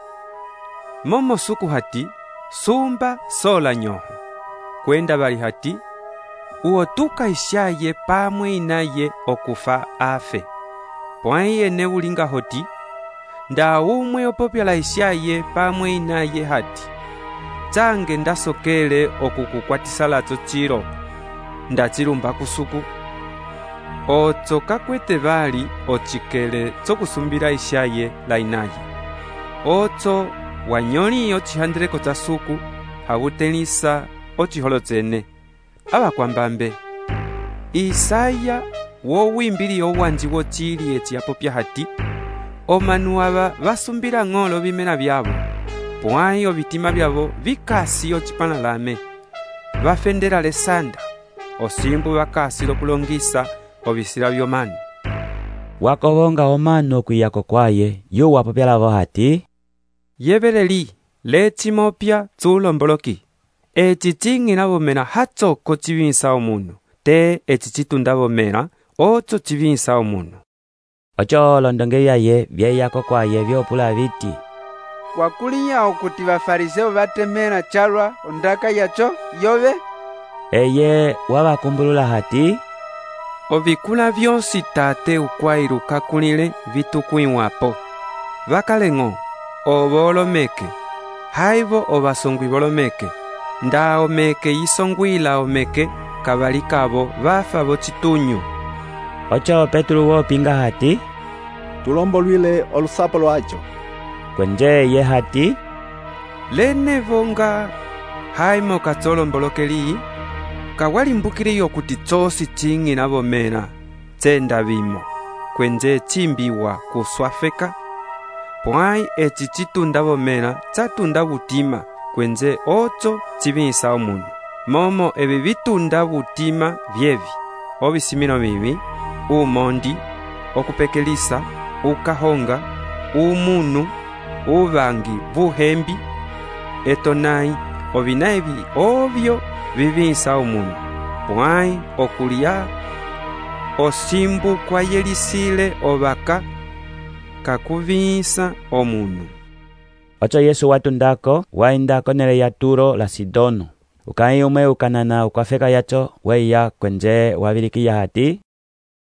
momo suku hati sumba sola nyoho kwenda vali hati uotuka ishaye pamwe inaye okufa afe. Pwai ene ulinga hoti nda umwe opopyala ishaye pamwe inaye hati change ndasokele okukukwatisa lacho chilo ndachilumba kusuku otso kakwete bali ocikele tsokusumbila ishaye la inaye. Otso wanyoli ocihandeleko tsa suku habutelisa ociholotsene abakwambambe. Isaya wowimbili owanji wocili eciapo pya hati omanu aba basumbila ng'olo bimena byabo pwai obitima byabo bikasi ocipanalame bafendela lesanda osimbu bakasi lokulongisa obisila byomanu. Wakobonga omanu okwiyako kwaye yuwapo pyalavo hati yebeleli lecimopya tsulomboloki eci cing'ina bomena hatsoko cibinsa omunu te eci citunda bomena otso cibinsa omunu. Ocho olondonge byaye byeyako kwaye byopula biti wakulinya okuti bafariseo batemera chalwa ondaka yacho yobe. Eye wabakumbulula hati ovikula byonsi tate ukwailu kakulile vitukuiwapo bakaleng'o obo olomeke haibo obasongwi bolomeke nda omeke isongwila omeke kabali kabo bafa bocitunyu. Ocho Petro wopinga hati tulombolwile olusapo lwacho. Kwenje ye hati lene vonga haimo katsolombolokelii kawalimbukile okuti tsosi cing'ina bomena tsenda bimo kwenje cimbiwa kuswafeka pwai eci citunda bomena tsatunda butima kwenje otso cibinsa omunu momo ebi bitunda butima byebi obisimino bibi umondi okupekelisa ukahonga umunu ubangi buhembi etonai obinaibi obyo bibinsa omunu pwai okulya osimbu kwayelisile obaka kakubinsa omunu. Ocho Yesu watundako waindako nele ya Turo la Sidono ukai umwe ukanana ukwafeka yacho weya kwenje wabilikiya hati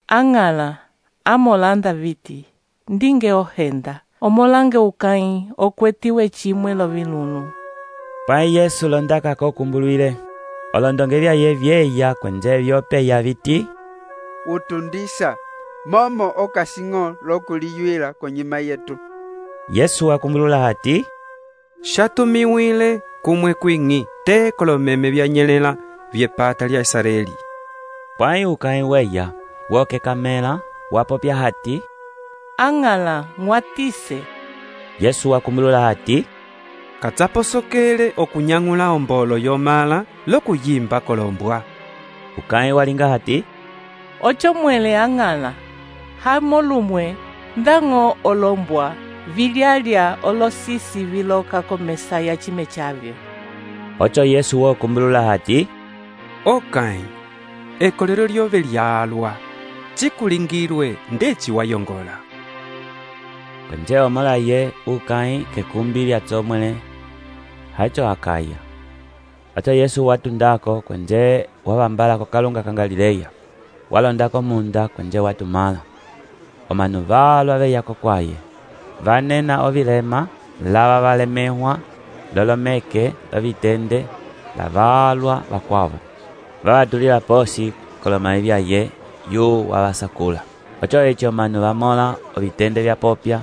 ang'ala amolanda viti ndinge ohenda omolange ukai okwetiwe chimwe lovilunu. Pai Yesu londaka kokumbulwile olondonge byaye byeya kwenje byopeya biti utundisa momo okasing'o lokuliyuila konyima yetu. Yesu wakumbulula hati shatumiwile kumwe kwing'i te kolomeme byanyelela byepata lya Israeli. Pai ukai weya woke kamela wapopya hati ang'ala mwatise. Yesu wakumbulula hati katsaposokele okunyang'ula ombolo yomala lokuyimba kolombwa. Ukai walinga hati ocho mwele ang'ala hamolumwe ndang'o olombwa vilyalya olosisi viloka komesa ya chime chavyo. Ocho Yesu wokumbulula hati okai ekolero lyobe lyalwa cikulingilwe ndeci wayongola. Kwenje omolaye ukai kekumbi lya tsomwele hacho akaya. Ocho Yesu watundako kwenje wabambala kokalunga ka Galileya walondako munda kwenje watumala omanu balwa beyako kwaye vanena ovilema lava valemehwa lolomeke lovitende lavalwa vakwavo vavatulila posi kolomai byaye yu wavasakula. Ocho echo omanu vamola ovitende vyapopya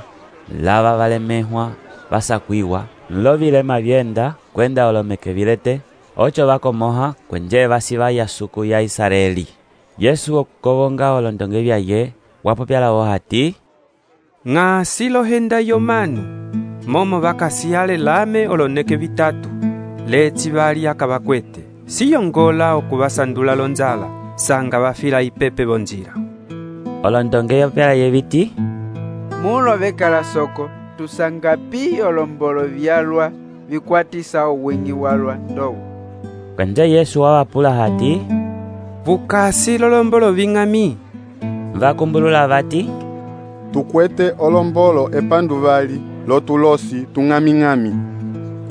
lava valemehwa vasakwiwa nlovilema byenda kwenda olomeke vilete ocho vakomoha kwenje vasivaya suku ya Israeli. Yesu okukobonga olondonge byaye wapopyalawo hati ng'asi lohenda yomanu momo bakasiyale lame oloneke bitatu leci bali akabakwete siyongola okubasandula lonzala sanga bafila ipepe bonjira. Olondonge yopyalaye biti mulo bekala soko tusangapi olombolo byalwa bikwatisa owingi walwa ndowo. Kwenje Yesu wawapula hati bukasi lolombolo bing'ami. Vakumbulula vati tukwete olombolo epanduvali lotulosi tung'ami-ng'ami.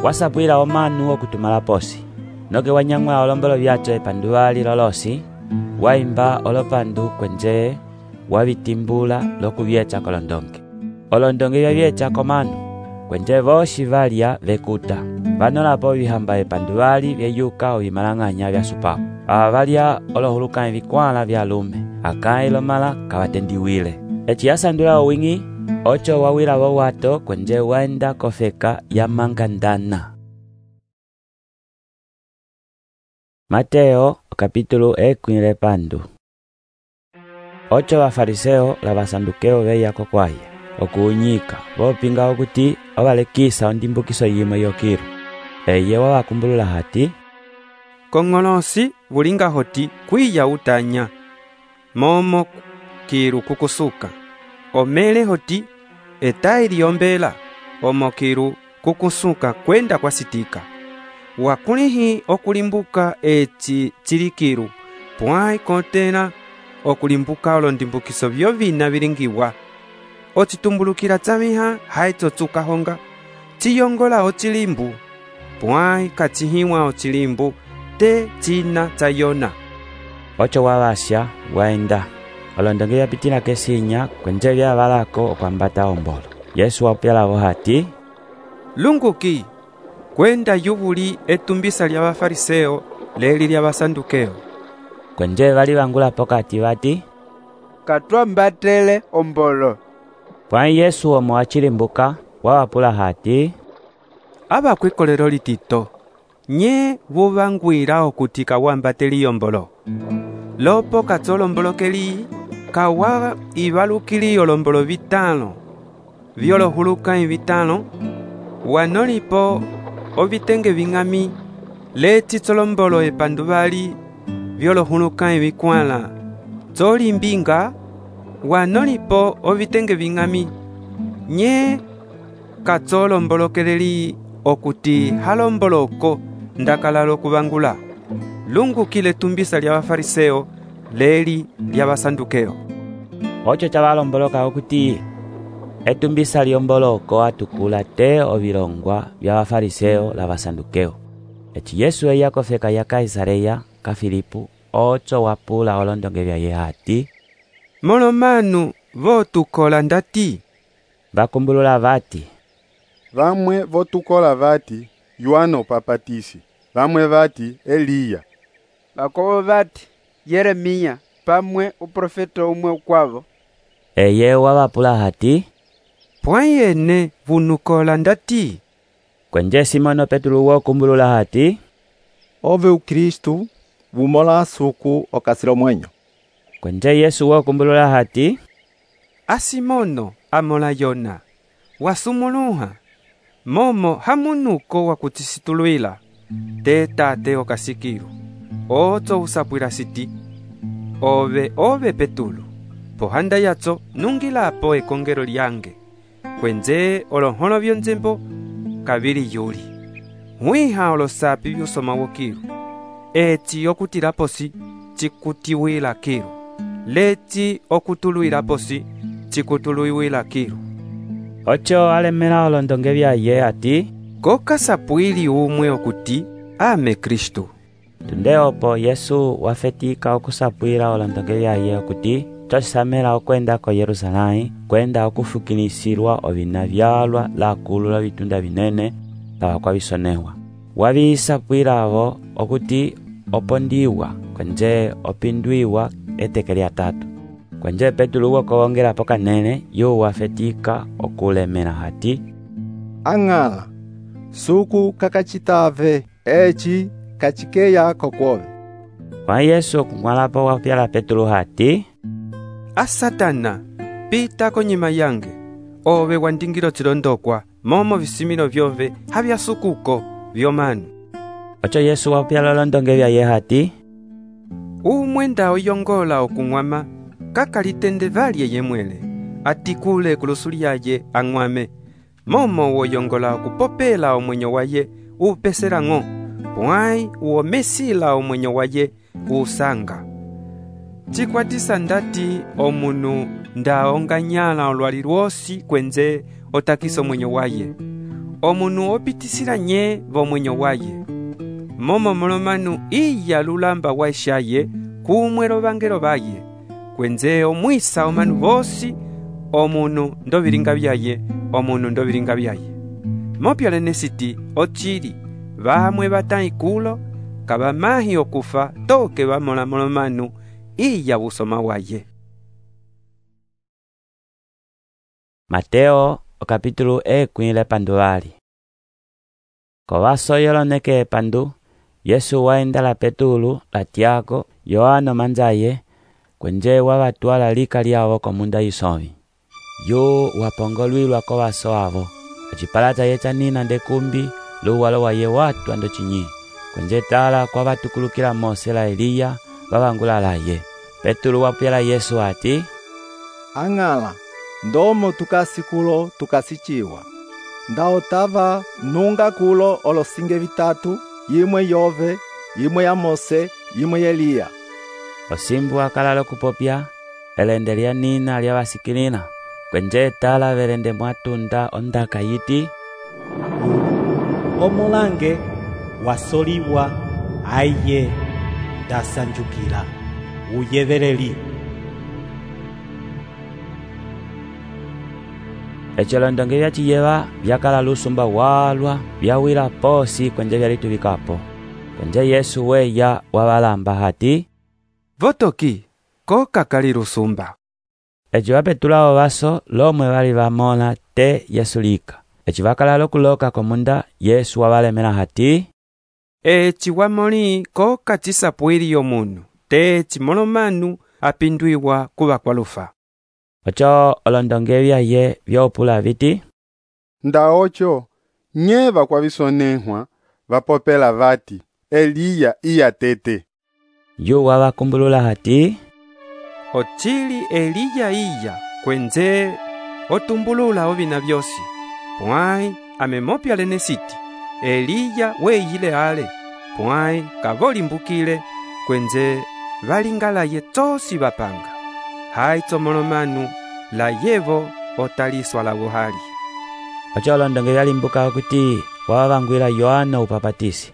wasapwila omanu okutumala posi noke wanyang'ula olombolo byacho epanduvali lolosi waimba olopandu kwenje wabitimbula lokubyecha kolondonge. Olondonge byabyecha komanu kwenje boshi valya vekuta vanolapo bihamba epanduvali byeyuka obimalang'anya byasupapo. Aba balya olohuluka ebikwala bya lume akãyi lomala kawatendiwile. Eci yasandula owing'i, ocho wawila wowato kwenje waenda kofeka ya mangandana. Mateo kapítulo ekwile pandu. Ocho bafariseo la basandukeo beyako kwaye okuunyika bopinga okuti obalekisa ondimbukiso yimwe yokiru. Eye wabakumbulula hati, kong'olosi bulinga hoti kwiya utanya momo kiru kukusuka omele hoti etayi liombela omo kiru kukusuka kwenda kwasitika wakulihi okulimbuka eci chilikiru pwai kontena okulimbuka olondimbukiso byovina bilingiwa ocitumbulukila tsamiha haitsotsuka honga chiyongola ochilimbu pwai kachihiwa ochilimbu te china tsayona. Ocho wabasha waenda olondonge byapitina kesinya kwenje byabalako okwambata ombolo. Yesu wapyalabo hati, lunguki kwenda yubuli etumbisa lya bafariseo leli lya basandukeo. Kwenje bali bangula pokati bati, katwambatele ombolo. Pwai Yesu omo achilimbuka wawapula hati, abakwikolero litito nye bubangwira okuti kawambateli yombolo lopo katsolombolo-keli kawa ibalukili olombolo bitano byolohuluka bitano wanolipo obitenge bing'ami letitsolombolo epandu bali byolohuluka bikwala tsolimbinga wanolipo obitenge bing'ami nye katsolombolo-keleli okuti halomboloko ndakalalo kubangula lungukile tumbisa lya bafariseo leli lya basandukeo. Ocho chabalomboloka okuti etumbisa lyomboloko atukula te obilongwa bya bafariseo la basandukeo. Eci Yesu eya kofeka ya Kaisareya ka Filipu ocho wapula olondonge bya ye hati, molomanu votukola ndati. Bakumbulula bati, vamwe votukola vati Yohana upapatisi, vamwe vati Eliya, bakobo vati Yeremia pamwe uprofeta umwe ukwavo. Eye wabapula hati, pwayene vunukola ndati. Kwenje Simono Petro wokumbulula hati, ove ukristu vumola suku okasilo mwenyo. Kwenje Yesu wokumbulula hati, asimono amola Yona wasumuluha momo hamunuko wakutisitulwila te tate okasikiru oto usapwila siti ove Petulu pohanda yatso nungilapo ekongero lyange kwenze olonholo byonzembo kabili yuli mwiha olosapi byusoma wokiru eti okutilaposi chikutiwila kiru leti okutuluilaposi chikutuluiwila kiru. Ocho alemela olondonge bya ye ati, kokasapwili umwe okuti ame Kristu. Tundeopo Yesu wafetika okusapwila olondonge bya ye okuti tosisamela okwenda ko Yerusalemu kwenda okufukinisirwa obina byalwa lakulula bitunda binene laba kwa bisonewa. Wabisapwila abo okuti opondiwa kwenje opindwiwa eteke lya tatu. Kwenje Petulu wokongela poka nene yo wafetika okulemela hati, ang'ala suku kakachitave eci kachikeya kokwove. Kwa Yesu kumwalapo wapyala Petulu hati, asatana pita konyima yange ove wandingilo chilondokwa momo visimilo byove habya sukuko byomanu. Ocho Yesu wapyala londonge bya ye hati, umwenda oyongola okung'wama kakalitende valye yemwele atikule kulusuli yaye ang'wame momo woyongola okupopela omwenyo waye upesela ng'o pwai uomesila omwenyo waye usanga chikwatisa ndati omunu ndaonganyala olwali lwosi kwenze otakisa omwenyo waye omunu opitisila nye vomwenyo waye momo molomanu iya lulamba waishaye kumwe lovangelo baye kwenze omwisa omanu bosi omunu ndobilinga byaye omunu ndobilinga byaye mopyolene siti ochili bamwe bataikulo kabamahi okufa toke bamola molomanu iya busoma waye. Mateo capítulo 10 panduvali. Kovaso yoloneke pandu, Yesu waenda la Petulu, la Tiago, Yohano manzaye, kwenje wavatwala lika lyavo komunda isovi. Yo wapongolwilwa kovaso avo, acipalata yecha nina ndekumbi, luwalo waye watu ando chinyi, kwenje tala kwa vatukulukila Mose la Eliya, vavangula laye. Petulu wapyala Yesu ati, Ang'ala, ndomo tukasikulo tukasichiwa. Ndao tava nunga kulo olosinge vitatu, yimwe yove, yimwe ya Mose, yimwe ya Eliya. Osimbu akalalo kupopya, elende lya nina lya vasikilina, kwenje tala velende mwatunda ondaka yiti, Omolange wasoliwa aiye ndasanjukila uyeveleli. Echolondonge vya chiyeva vyakala lusumba walwa vyawila posi kwenje vyalituvikapo. Kwenje Yesu weya wavalamba hati, Votoki, ko kakali lusumba. Echo vapetulao vaso lomwe vali vamona te Yesu lika. Echi vakala lokuloka komunda Yesu wawalemela hati, Echi wamoli ko kachisapwili yomunu, te chimolomanu apindwiwa kuva kwalufa. Ocho olondonge vyaye vyopula viti, Ndaocho, nye vakwavisonehwa, vapopela vati, Eliya iya tete. Yu wavakumbulula hati, Ochili Eliya iya, kwenze otumbulula ovina vyosi. Pwai amemopya lene siti, Eliya weyile ale, pwai kavolimbukile, kwenze valingalaye tosi vapanga. Hai tsomolomanu, la yevo otaliswa la buhali. Ocho olondonge vyalimbuka kuti wavangwila Yohana upapatisi.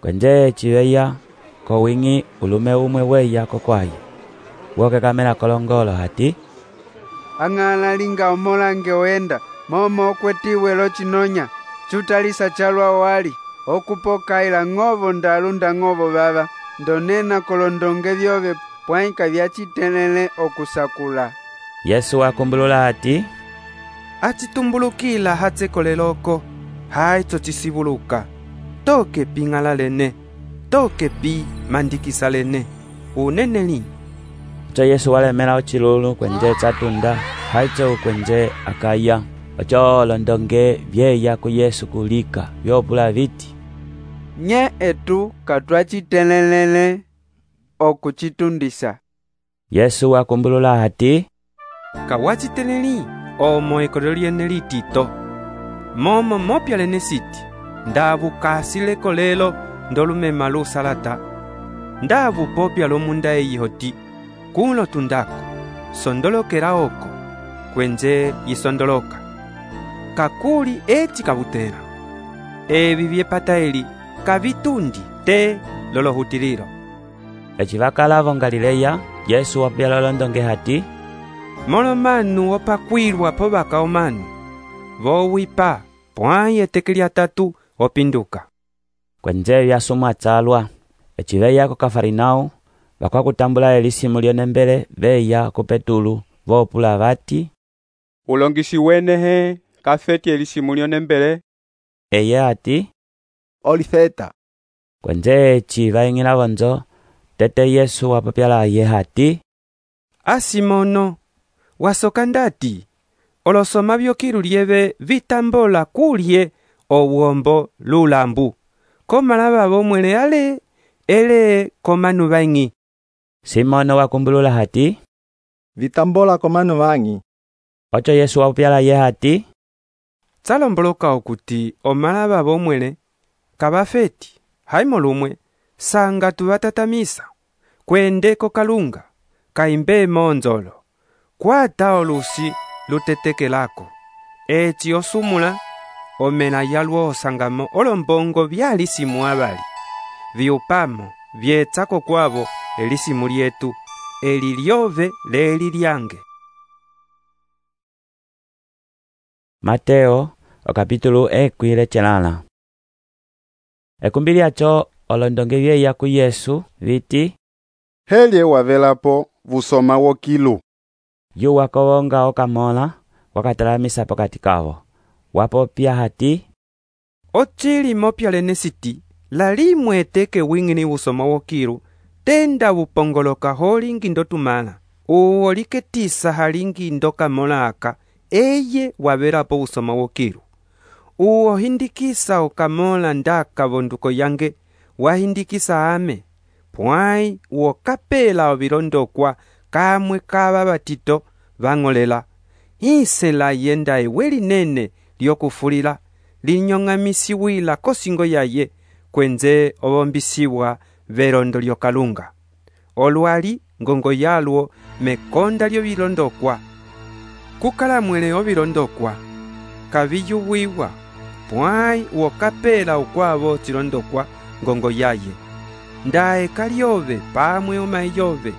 Kwenje chiveya ko wingi ulume umwe weya kokwaye. Woke kamela kolongolo hati, Ang'ala linga omolange oenda, momo okwetiwe lo chinonya, chutalisa chalwa wali, okupokaila ng'ovo ndalunda ng'ovo vava, ndonena kolondonge vyove pwaika vyachitelele okusakula. Yesu wakumbulula hati, Achitumbulukila hatsekoleloko, hai tochisibuluka. Toke pingala lene, toke pi mandikisa lene, unene lini. Ocho Yesu walemela ochilulu kwenje chatunda, haicho kwenje akaya. Ocho olondonge vyeya ku Yesu kulika, vyopula viti, Nye etu katwachitelelele okuchitundisa. Yesu wakumbulula hati, Kawachiteleli, omo ekolelo lyene litito. Momo mopya lene siti, ndavu kasile kolelo ndolumema lusalata. Ndavu popya lomunda eyihoti, kulo tundako, sondolokela oko, kwenje yisondoloka. Kakuli eti kabutela. Evi vyepata eli, kavitundi te lolohutililo. Echi vakalavo Galileya, Yesu wapyala olondonge hati, Molomanu opakwilwa po vakaomanu, vowipa pwai eteke lyatatu opinduka. Kwenje vyasumwa tsalwa. Echi veya ko Kafarinau, vakwakutambula elisimu lyonembele veya ku Petulu, vopula vati, Ulongisi wenehe kafeti elisimu lyonembele. Eye ati, Olifeta. Kwenje echi vaingila vonzo, tete Yesu wapapyala ye hati, Asimono, wasoka ndati, olosoma vyokilu lyeve vitambola kulye owombo lulambu, komalava vomwele ale, ele komanu vaingi. Simono wakumbulula hati, Vitambola komanu vangi. Ocho Yesu wapyala ye hati, Tsalomboloka okuti omalava vomwele, kabafeti, haimo lumwe, sanga tuvatatamisa, kwende kokalunga, kaimbe monzolo, kwata olusi luteteke lako, echi osumula, omena yalwo osangamo olombongo vyalisimu abali, viupamo, vyetsako kwavo elisimu lyetu, eli lyove leli lyange. Mateo capítulo 10 Ekumbi lyacho olondonge vyeya ku Yesu viti, helye wavelapo vusoma wokilu. Yu wakowonga okamola wakatalamisa pokati kawo. Wapopya hati, Ochili mopya lenesiti, lalimwe eteke wingini vusoma wokilu, tenda vupongoloka holingi ndotumala. Uwo liketisa halingi ndokamola aka, eye wavelapo vusoma wokilu. Uwo hindikisa okamola ndaka vonduko yange, wahindikisa ame. Pwai uwo kapela ovilondokwa kamwe kava batito vang'olela. Hisela yenda ewe linene lyokufulila, linyong'amisiwila kosingo yaye, kwenze ovombisiwa velondo lyokalunga. Olwali ngongo yalwo mekonda lyovilondokwa. Kukalamwele ovilondokwa, kaviyuwiwa, pwai uwo kapela ukwavo chilondokwa ngongo yaye. Ndae kalyove pamwe omayi yove,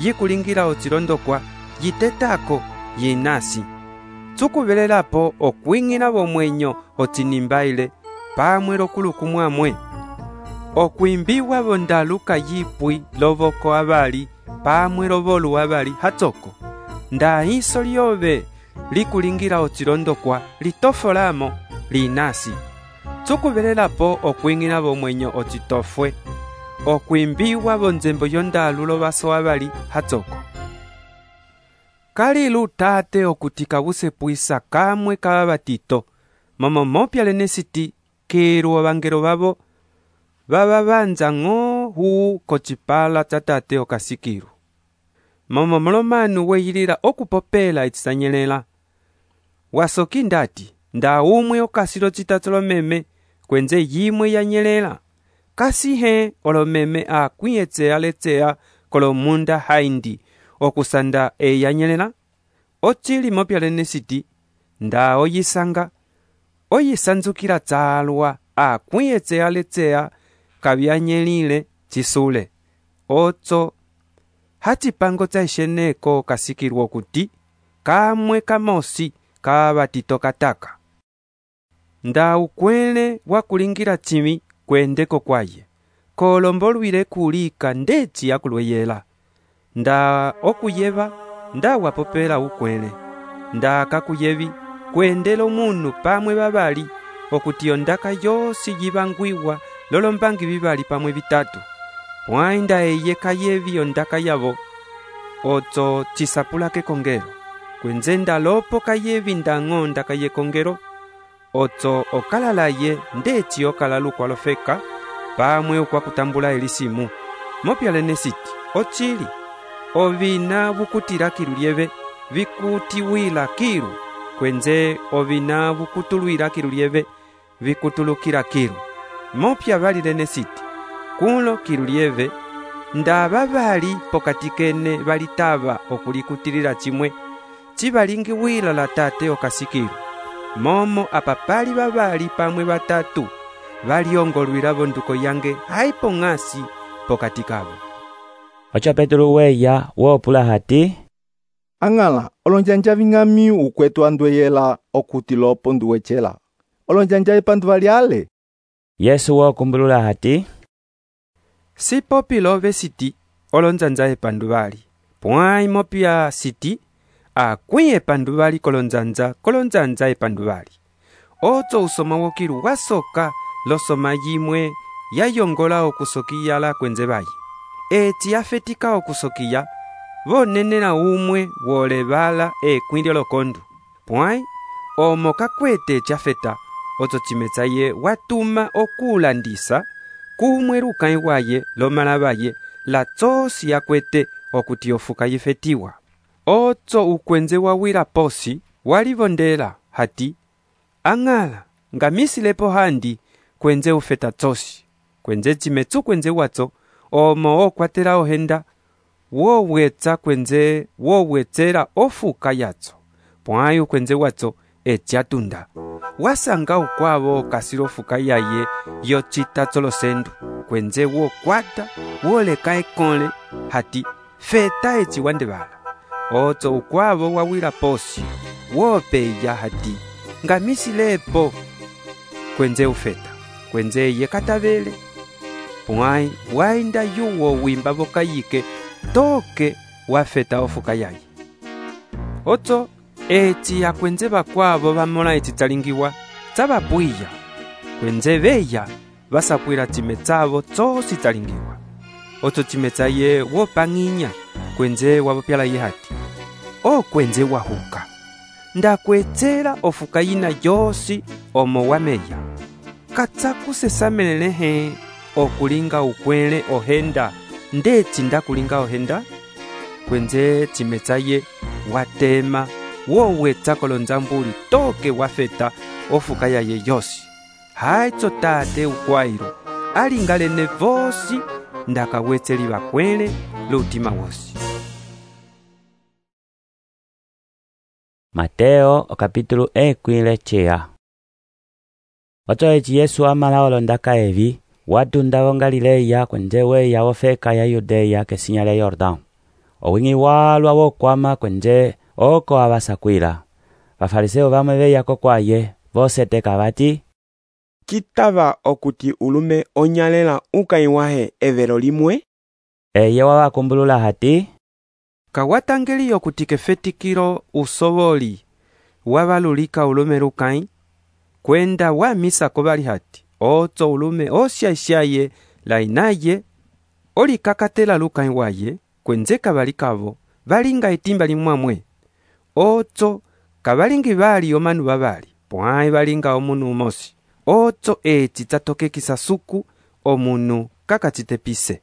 yikulingila ochilondokwa, yitetako, yinasi. Tsukuvelapo okwing'ina vomwenyo ochinimbaile, pamwe lokulukumwamwe. Okwimbiwa vondaluka yipwi lovoko avali, pamwe lovolu avali hatsoko. Nda hiso lyove likulingila ochilondokwa, litofolamo, linasi. Tsukuvelapo okwing'ina vomwenyo ochitofwe. Okwimbiwa vonzembo yondalu lovaso avali hatsoko. Kalilu tate okutika vusepwisa kamwe kava batito, momo mopya lenesiti kiru ovangelo vavo vava vanza ng'o huu kochipala cha tate okasikiru. Momo molomanu weyilila okupopela etisanyelela. Wasoki ndati, nda umwe okasilo chitatu lomeme, kwenze yimwe yanyelela. Kasihe olomeme akwiyetsea letsea kolomunda haindi, okusanda eyanyelela. Ochili mopya lenesiti, nda oyisanga, oyisanzukila tsalwa, akwiyetsea letsea, kavyanyelile chisule. Otso, hachipango cha isheneko kasikilwa kuti, kamwe kamosi kavatito kataka. Nda ukwele wakulingila chimi kwendeko kwaye, kolombolwile kulika ndechi yakulweyela. Nda okuyeva, nda wapopela ukwele. Nda kakuyevi, kwendelo munu pamwe babali, okutiyo ndaka yosi yivangwiwa, lolombangi bibali pamwe bitatu. Pwai nda eye kayevi ondaka yavo, otso chisapula ke kongero. Kwenze nda lopo kayevi ndang'o ndaka ye kongero, otso okalalaye ndechi okalalu kwa lofeka, pamwe ukwa kutambula elisimu. Mopya lenesiti, ochili, ovina vukutila kilu lieve, vikutiwila kilu, kwenze ovina vukutulwila kilu lieve, vikutulukila kilu. Mopya vali lenesiti, kulo kilu lieve, nda babali pokati kene valitava okulikutilila chimwe, chibalingi wila la tate okasikilu. Momo apapali babali pamwe batatu, valiongolwila vonduko yange haipo ng'asi pokati kavo. Ocho Petro weya wopula hati, Ang'ala, olonjanja ving'ami ukwetu andweyela okuti lopo nduwechela. Olonjanja epandu valiale. Yesu wokumbulula hati, Sipopi love siti, olonjanja epandu vali. Pwai mopya siti, akwi epandu vali kolonjanja epandu vali. Otso usoma wokilu wasoka losoma yimwe yayongola okusokiya la kwenze bayi. Eti yafetika okusokiya, vonenela umwe wolevala ekwindyo lokondu. Pwai, omo kakwete chafeta, otso chimetsa ye watuma okulandisa, kumwe lukai waye lomala baye, la tsosi yakwete okuti ofuka yifetiwa. Otso ukwenze wawila posi, walivondela hati, Ang'ala, ngamisilepo handi, kwenze ufeta tsosi. Kwenze chimetsu kwenze watso, omo okwatela ohenda, wowetsa kwenze wowetsela ofuka yatso. Pwai ukwenze watso, etiatunda. Wasanga ukwavo kasilo fuka yaye, yochita tsolosendu. Kwenze wokwata, woleka ekole, hati, feta echi wandebala. Otso ukwavo wawila posi, wopeya hati, ngamisilepo, kwenze ufeta. Kwenze ye katavele. Pwai, wainda yuwo wimba vokayike, toke wafeta ofuka yaye. Oto eci akwenze bakwabo bamona eci talingiwa tabapwiya, kwenze beya basapwira time tsabo tsosi talingiwa. Oto time tsaye wopang'inya kwenze wabopyala ye hati, o kwenze wahuka ndakwetsela ofuka yina yosi omo wameya, katsakusesamelelehe okulinga ukwele ohenda ndeti ndakulinga ohenda. Kwenze time tsaye watema wowetsa kolonzambuli toke wafeta ofuka yaye yosi. Haitso tate ukwairo alingalene vosi ndakawetseli bakwele lutima wosi. Mateo okapitulu ekwile chea. Oto eci Yesu amala olondaka evi watunda wo Galileya kwenze weya wofeka ya Yudeya kesinya lya Yordão. Owingi walwa wokwama kwenze oko abasakwila. Bafariseo bamwe beyako kwaye voseteka bati, kitava okuti ulume onyalela ukaiwahe evero limwe? Eye wabakumbulula hati, kawatangeli okuti kefetikilo usoboli wabalulika ulume lukai, kwenda wamisa kobali hati, otso ulume osyaisyaye lainaye olikakatela lukai waye, kwenze kabalikavo balinga etimba limwamwe. Otso kabalingi bali omanu babali, pwai balinga omunu umosi. Otso eci tatokekisa suku omunu kakachitepise.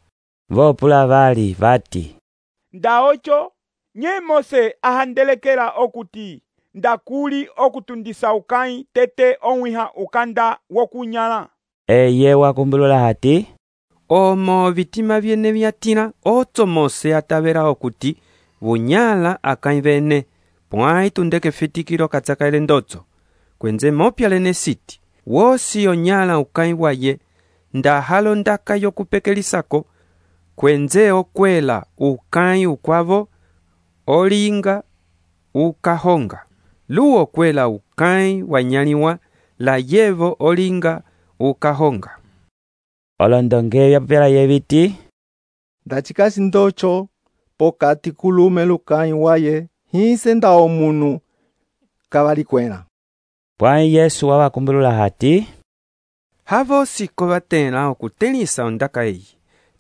Vopula bali bati, ndaocho nye Mose ahandelekela okuti ndakuli okutundisa ukai tete onwiha ukanda wokunyala. Eye wakumbulula hati, omo vitima byene byatina otso Mose atabera okuti bunyala akai bene, pwai tundeke fetikilo katsakaile ndotso. Kwenze mopyalene siti wosi onyala ukai waye ndahalo ndaka yokupekelisako, kwenze okwela ukai ukwavo olinga ukahonga, luo kwela ukai wanyaliwa la yevo olinga ukahonga. Olondonge yapela yebiti, ndachikasi ndocho pokati kulume lukai waye hise nda omunu kabalikwela. Pwai Yesu wabakumbulula hati, havosi kobatela okutelisa ondaka eyi,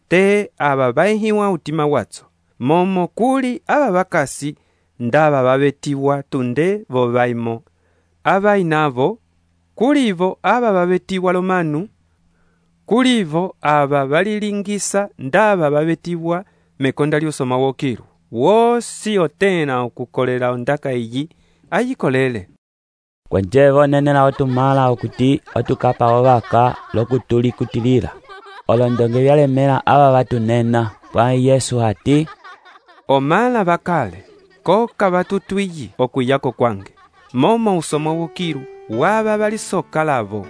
te aba baihiwa utima watso, momo kuli aba bakasi ndaba babetiwa tunde bo baimo, aba inavo kulivo aba babetiwa lomanu, kulivo aba balilingisa ndaba babetiwa mekonda lyosoma wokiru. Wosi otena okukolela ondaka eyi ayikolele. Kwenze bonenela otumala okuti otukapa obaka lokutuli kutilila. Olondonge byalemela aba batunena, pwai Yesu hati, omala bakale koka batutwiyi okuyako kwange, momo usoma wokiru waba balisoka lavo.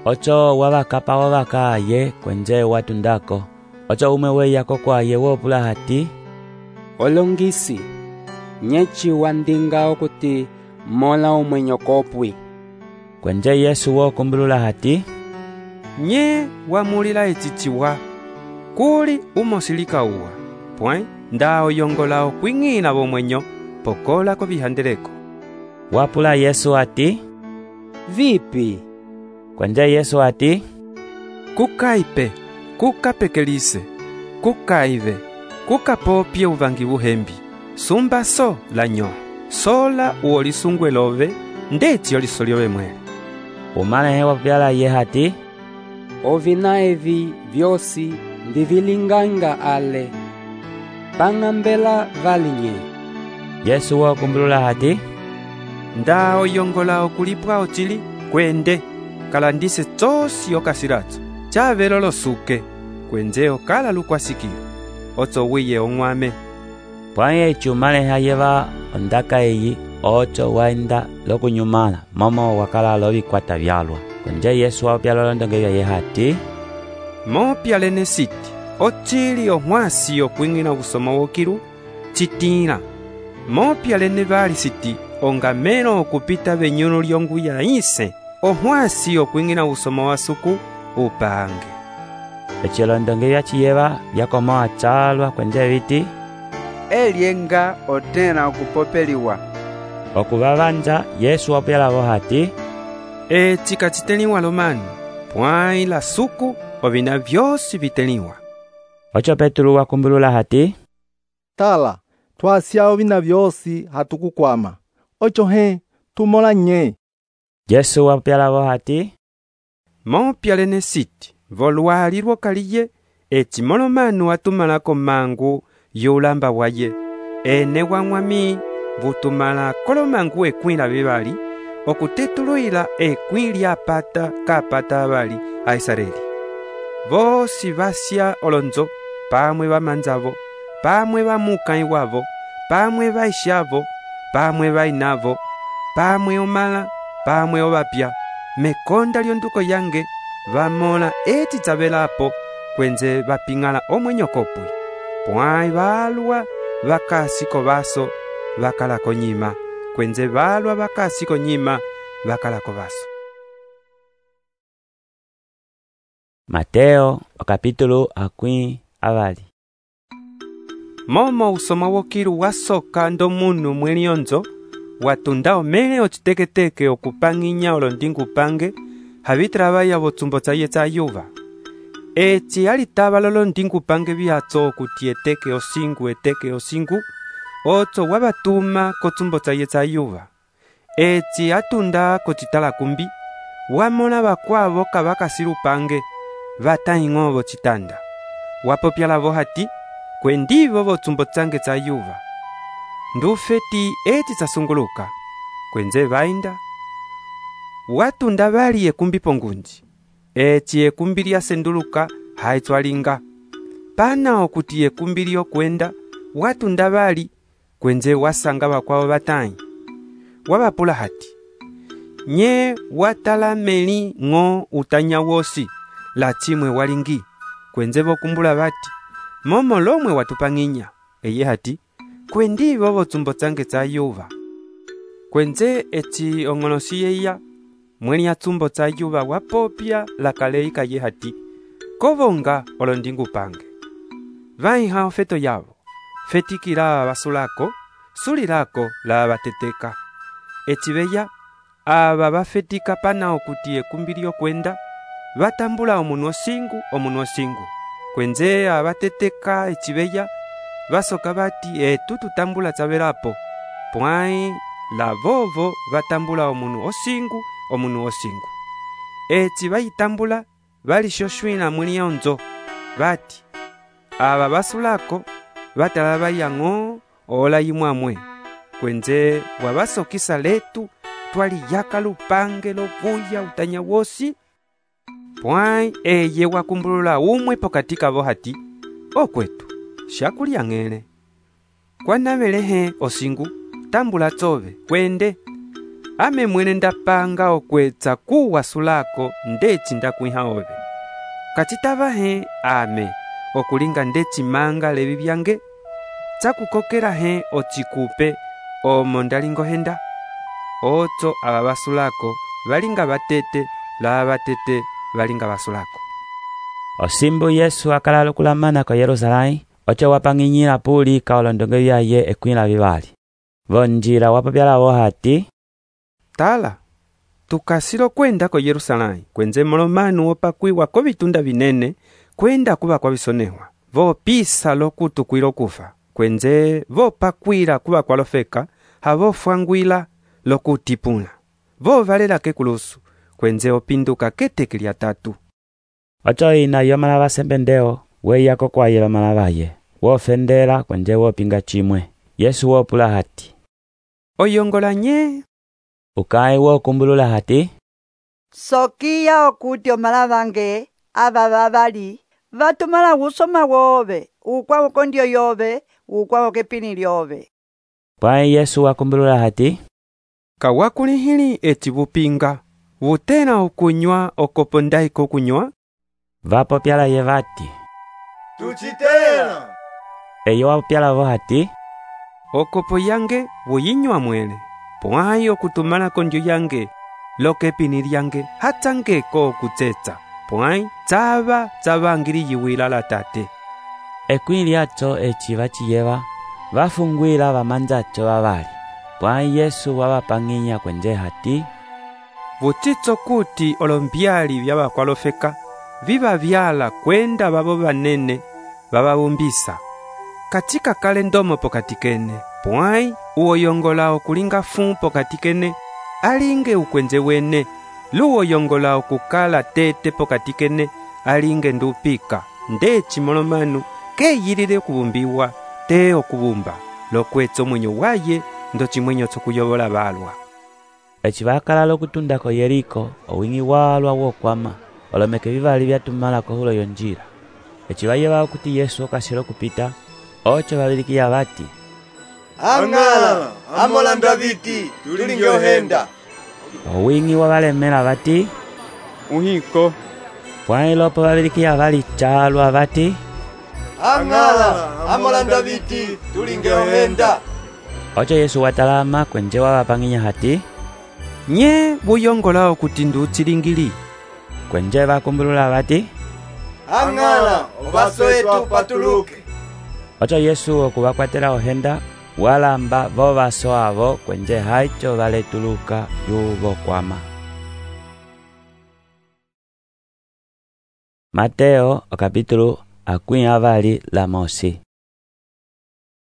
Ocho wabakapa obaka ye kwenze watundako. Ocho umwe weyako kwaye wopula hati, olongisi nyechi wandinga okuti mola umwenyo kopwi. Kwenze Yesu wokumbulula hati, nye wamulila echichiwa kuli umosilika uwa, pwai ndao yongola okwing'ina bomwenyo pokola ko bihandeleko. Wapula Yesu hati, vipi? Kwenze Yesu hati, kukaipe, kukapekelise, kukaive, kukapopye uvangi buhembi, sumba so lanyo, sola uolisungwe love, ndeti olisoliowe mwele. Umane wapyala ye hati, ovina evi vyosi ndivilinganga ale, pangambela valinye. Yesu wakumbulula hati, ndao yongola okulipwa ochili kwende kalandise tsosi okasiratso chavelo losuke kwenze okala lukwasikiro otso wiye ong'wame. Pwai echumale hayeva ondaka eyi ocho waenda lokunyumala momo wakala lobikwata byalwa. Kwenze Yesu wapyala olondonge byaye hati, mopyalene siti ochili ohwasi okwing'ina obusoma wokiru chitila, mopyalene bali siti ongamelo okupita benyuno lyongu ya ise ohwasi okwing'ina obusoma wasuku upange. ecilondonge vyaciyeva vyakomoa calwa kwenje viti elyenga otena okupopeliwa. okuvavanja Yesu wapyalavo hati eci kaciteliwa lomanu pwai la suku ovina vyosi viteliwa. oco Petulu wakumbulula hati tala twasya ovina vyosi hatukukwama oco tumola nye. Yesu wapyalavo hati mopyalene siti volwali lwokaliye eci molomanu watumalako mangu yulamba waye ene wamwami vutumala kolomangu ekwila vivali okutetuluila ekwili apata kapata avali a Israeli. Vosi vasya olonzo pamwe vamanzavo pamwe vamukai wavo pamwe vaixavo pamwe vainavo pamwe omala pamwe ovapya mekonda lyonduko yange vamola eti tsavelapo kwenze vaping'ala omwenyokopwi pwai valwa vakasiko vaso vakalako nyima kwenze valwa vakasiko nyima vakalako vaso. Mateo okapitulu akwi avali. Momo usoma wokilu wasoka ndo munu mwelionzo watunda omele ociteketeke okupang'inya olondingu pange havitravaya votsumbo tsaye tsa yuva eci alitava lolondingu pange viatso okuti eteke osingu otso wavatuma kotsumbo tsaye tsa yuva eci atunda kocitala kumbi wamola vakwavo kavakasilu pange vatahing'o vocitanda wapopyalavo hati kwendivo votsumbo tsange tsa yuva ndufeti eti tsasunguluka kwenze vainda watunda vali ekumbi pongunji eci ekumbi lyasenduluka haitswalinga pana okuti ekumbi lyokwenda watunda vali kwenze wasanga vakwavo vatahi wavapula hati nye watala meli ng'o utanya wosi la chimwe walingi kwenze vokumbula vati momo lomwe watupang'inya eye hati kwendivo votsumbo tsange tsa yuva kwenze eci ong'olosi yeya mweli ya tsumbo tsa yuva wapopya lakalei kaye hati kovonga olondingu pange vaiha ofeto yavo fetikila vasulako sulilako la vateteka eci veya ava vafetika pana okuti ekumbi lyokwenda vatambula omunu osingu kwenze avateteka eci veya vasoka vati etu tutambula tsavelapo pwai la vovo vatambula omunu osingu eci vayitambula valixoxwila mwili yonzo vati ava vasulako vatala vayang'o ola yimwamwe kwenze wavasokisa letu twaliyaka lupange lovuya utanya wosi pwai eye wakumbulula umwe pokati kavo hati okwetu shakulya ng'ele kwanavelehe osingu tambula tsove kwende ame mwene ndapanga okwetsa kuwasulako ndeci ndakwiha ove kacitavahe ame okulinga ndeci manga levi vyange tsakukokelahe ocikupe omo ndalingohenda otso ava vasulako valinga vatete la vatete valinga vasulako. Osimbu Yesu akalala okulamana ko Yerusalai oco wapang'inyila pulika olondonge vyaye ekwila vivali vonjila wapopyalavo hati tala tukasilo kwenda ko Yerusalai kwenze molomanu wopakwiwa ko vitunda vinene kwenda kuva kwa visonehwa vopisa lokutukwila okufa kwenze vopakwila kuva kwalofeka havofwangwila lokutipula vovalela kekulusu kwenze opinduka keteke lya tatu oco ina yomala vasembendeo weyako kwayela malavaye wofendela kwenze wopinga chimwe Yesu wopula hati oyongola nye ukai wokumbulula hati sokiya okuti omalavange ava vavali vatumala usoma wove ukwavo kondio yove ukwavo kepini lyove pwai Yesu wakumbulula hati kawakulihili eci vupinga vutela okunywa okopo ndaiko kunywa vapopyala ye vati tucitela eyo wapopyalavo hati okopo yange vuyinywa mwele pwai okutumala kondyo yange lokepini lyange hatsangeko okutsetsa pwãyi tsavangiliyiwila la tate. Ekwĩ lyaco eci vaciyeva vafungwila vamanzaco vavali. Pwãyi Yesu wavapang'inya kwenje hati: vutsitso kuti olombyali vya vakwalofeka vivavyala kwenda vavo vanene vavavumbisa. Katika kale ndomo pokati kene, pwãyi uwoyongola okulinga fu pokati kene alinge ukwenze wene, luwoyongola okukala tete pokati kene alinge ndupika. Ndeci molomanu keyilile okuvumbiwa te okuvumba lokwetsa omwenyo waye ndo chimwenyo tsokuyovola valwa. Eci vakala lokutundako Yeriko owing'i walwa wokwama olomeke vivali vyatumalako hulo yonjila. Eci vayeva okuti Yesu okasila okupita, oco vavilikiya vati: ang'ala amolanda viti tulinge ohenda. Owing'i wavalemela vati: uhiko. Pwãyi lopo vavilikiya vali calwa vati: ang'ala amolanda viti tulinge ohenda. Oco Yesu watalama kwenje wavapang'inya hati: nye vuyongola okuti ndutsilingili. Kwenje vakumbulula vati: ang'ala ovasoetu patuluke. Oco Yesu okuvakwatela ohenda walamba vo vaso avo kwenje haico valetuluka yuvokwama. Mateo okapítulo akwĩ avali la mosi.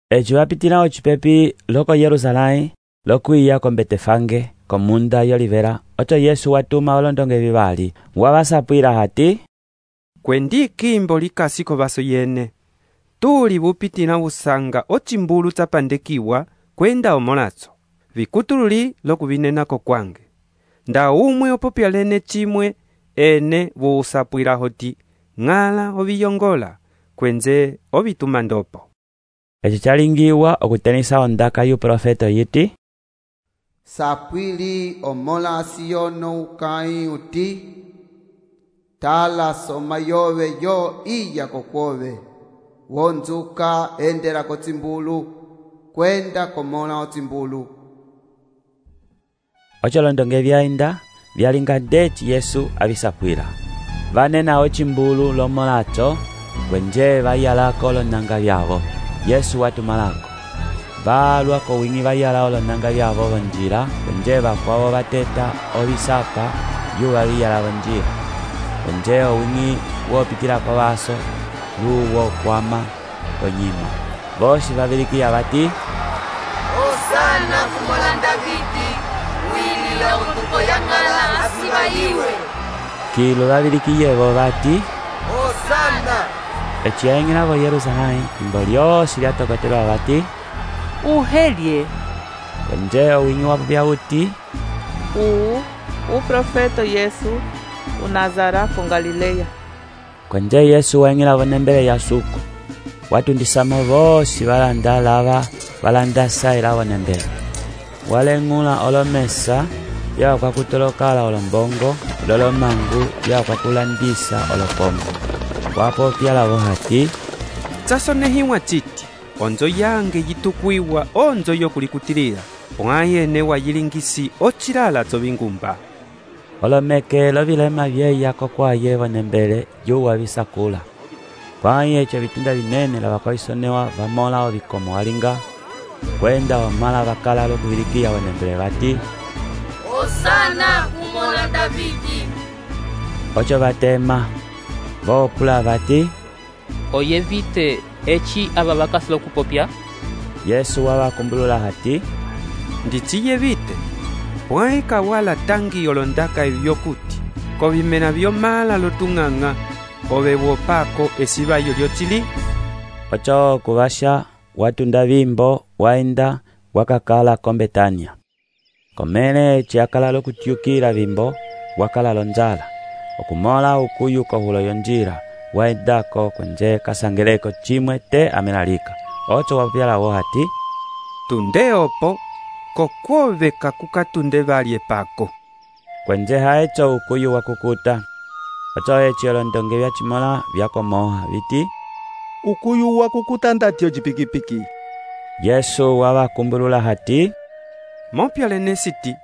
Eci vapitila ocipepi loko Yerusalém lokwiya ko Betefange komunda y'olivela. Oco Yesu watuma olondonge vivali wavasapwila hati: kwendi kimbo likasi ko vaso yene tuli vupitila vusanga ocimbulu tsapandekiwa kwenda omolatso vikutululi lokuvinenako kwange. Nda umwe opopya lene chimwe ene vuusapwila hoti ng'ala oviyongola kwenze ovituma ndopo. Eci chalingiwa okutenisa ondaka y'uprofeta yiti: sapwili omola siyono ukai uti tala soma yove yo iya kokwove wonzuka endela kotsimbulu kwenda komola otsimbulu. Oco londonge vyaenda vyalinga ndeci Yesu avisapwila vanena ocimbulu lomolaco kwenje vayalako olonanga vyavo Yesu watumalako. Valwa ko wing'i vayala olonanga vyavo vonjila kwenje vakwavo vateta ovisapa yuva viyala vonjila. Kwenje owing'i wopitila ko vaso luwo kwama onyima. Vosi vavilikiya vati: Hosana kumolanda viti wilila utuko yang'ala asiba iwe. Kilo vavilikiyevo vati: Hosana. Eci yaing'ilavo Yerusalém imbo lyosi lyatokotelwa vati: uhelye. Kwenje owing'i wapopya uti: uprofeta Yesu unazara ko Galileya. Kwenje Yesu waing'ilavo nembele ya suku watundisamo vosi valanda lava valandasa ilavo nembele. Waleng'ula olomesa vyakwakutolokala olombongo lolomangu vyakwakulandisa olopombo. Wapopya lavo hati: tsasonehiwa citi onzo yange yitukwiwa onzo yokulikutilila pwãyi ene wayilingisi ocilala tsovingumba. Olomeke lovilema vyeya kokwaye vonembele yuwa visakula. Pwãyi eco vitunda vinene lavakolisonewa vamola ovikomo walinga kwenda wamala vakala lokuvilikiya vonembele vati: Hosana kumola Davidi. Oco vatema vopula vati: oyevite eci ava vakasi lokupopya. Yesu wavakumbulula hati: ndiciyevite pwãyi kawala tangi olondaka evyokuti kovimena vyomala lotung'ang'a ove wopako esivayo lyocili. Oco kuvasha watunda vimbo waenda wakakala ko Betania. Komene eci akala lokutyukila vimbo wakala lonjala okumola ukuyu kohulo yonjila waendako kwenje kasangeleko chimwe te amelalika. Oco wapyalawo hati: tunde opo kokwoveka kukatunde valye pako. Kwenje haeco ukuyu wakukuta. Oco eci olondonge vyachimola vyakomoha viti: ukuyu wakukuta ndatyo cipikipiki. Yesu wavakumbulula hati: mopya lene siti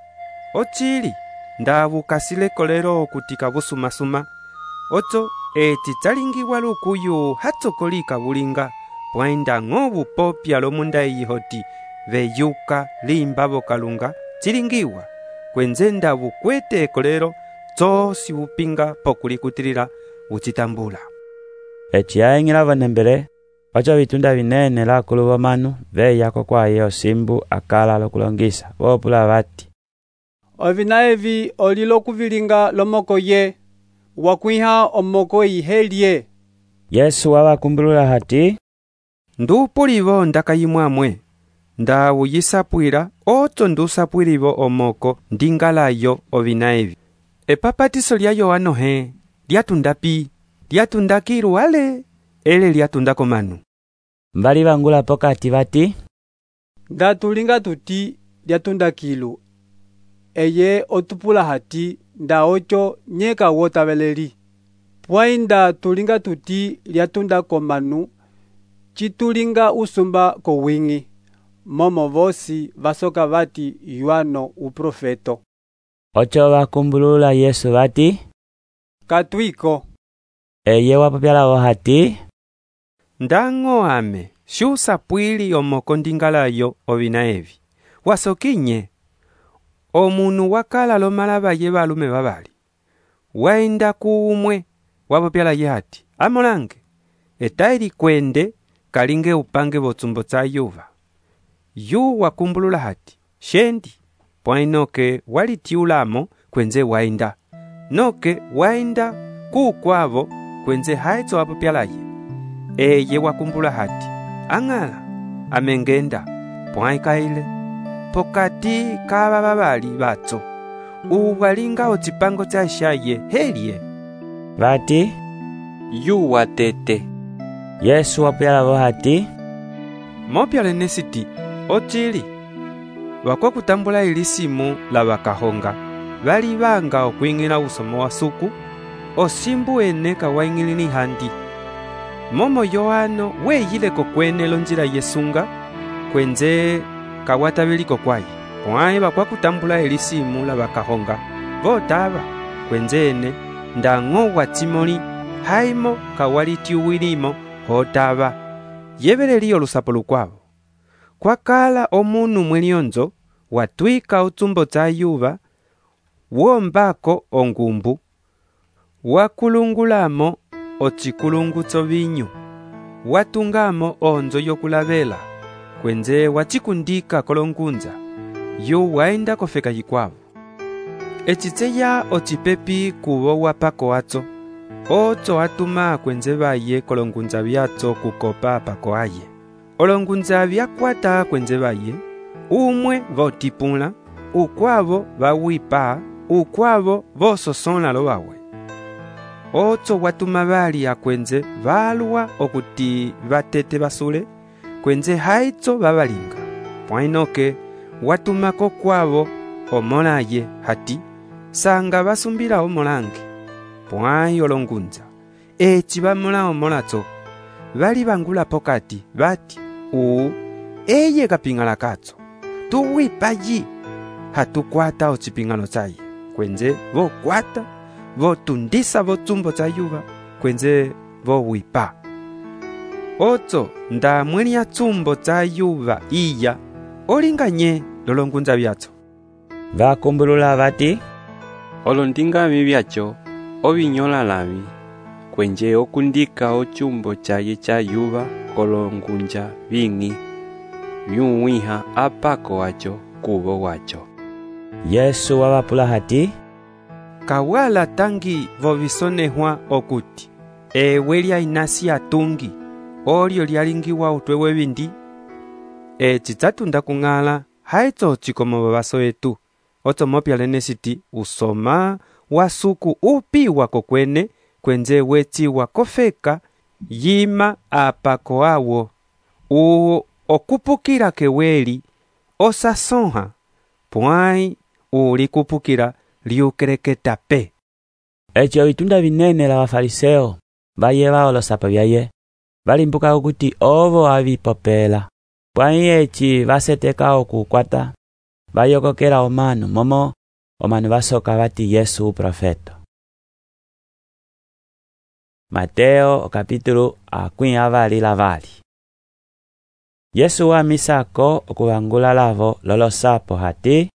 ocili ndavukasile kolelo okutika vusumasuma Ocho eci chalingiwa lukuyu hatsokolika bulinga pwainda ng'obu popya lomunda eyihoti veyuka limbavo kalunga chilingiwa kwenzenda bukwete ekolero tsosi upinga pokulikutilila buchitambula. Eci yaeng'ela vanembele ocho vitunda vinene lakulu vamanu veyako kwaye osimbu akala lokulongisa vopula vati, ovina evi olilo kuvilinga lomoko ye wakwiha omoko ihelye. Yesu wabakumbulula hati, ndupulivo ndakayimwamwe ndawuyisapwila ocho ndusapwilivo omoko ndingalayo ovina evi. Epapatiso lya Yohano he lyatundapi? Lyatunda kilu ale ele lyatunda komanu. Mbali bangula pokati bati, ndatulinga tuti lyatunda kilu eye otupula hati nda ocho nyeka wotabeleli. Pwainda tulinga tuti lyatunda komanu chitulinga usumba kowingi momo vosi vasoka vati Yohano uprofeto. Ocho bakumbulula Yesu bati, katwiko. Eye wapapyalawo hati, ndang'o ame shusapwili omoko ndingalayo ovina evi. Wasokinye omunu wakala lomalabaye balume babali waenda kuumwe wapapyalaye hati, amolange etaili kwende kalinge upange botsumbo tsa yuva. Yu wakumbulula hati, shendi pwainoke walitiulamo kwenze waenda, noke waenda kukwavo kwenze haitso wapapyalaye. Eye wakumbula hati, ang'ala amengenda pwaikaile pokati kaba babali batso uwalinga ochipango cha shaye helye bati, yu watete. Yesu wapyalawo hati, mopyale nesiti ochili wakwa kutambula ilisimu la bakahonga bali banga okwing'ila usomo wa suku osimbu ene kawaing'ilini handi. Momo Yohano weyileko kwene lonjila yesunga kwenze kawatabiliko kwaye pwaye bakwa kutambula elisimu la bakahonga botaba kwenze ene ndang'o watsimoli haimo kawalitiuwilimo hotaba yebeleli olusapo lukwabo. Kwakala omunu mwelionzo watwika utsumbo tsa yuva wombako ongumbu wakulungulamo ochikulungutso vinyu watungamo onzo yokulabela kwenze wachikundika kolongunza yu waenda kofeka yikwavo. Echitseya ochipepi kubo wapako atso ocho atuma kwenze baye kolongunza byatso kukopa pako aye. Olongunza byakwata kwenze baye umwe votipula ukwavo bawipa ukwavo vososonla lo bawe. Ocho watuma bali akwenze balwa okuti batete basule kwenze haitso babalinga. Pwainoke watumako kwavo omolaye hati sanga basumbila omolange. Pwai olongunza echi bamola omolatso bali bangula pokati bati eye kapingala katso tuwipayi hatukwata ochipingalo chaye kwenze vokwata votundisa votsumbo tsa yuva kwenze vowipa. Ocho nda mwelia tsumbo tsa yuva iya olinganye lolongunza byatso. Bakumbulula bati, olondingami byacho obinyola lami kwenje okundika ochumbo chaye cha yuva kolongunja bing'i byuwiha apako wacho kubo wacho. Yesu wabapula hati, kawala tangi vovisonehwa okuti ewe lya inasi atungi olyo lyalingiwa utwewe bindi echitsatunda kung'ala haitso chikomo babaso etu. Ocho mopyale nesiti usoma wasuku upiwa kokwene kwenze wechiwa kofeka yima apako awo okupukira keweli osasonha pwai uli kupukira liukereketa pe. Echo bitunda binene la bafariseo bayeba olosapo byaye balimbuka ukuthi ovo abipopela pwai echi baseteka okukwata bayokokera omanu momo omanu basoka bati Yesu uprofeto. Mateo kapítulo 22. Yesu wamisako okuvangula lavo lolosapo hati: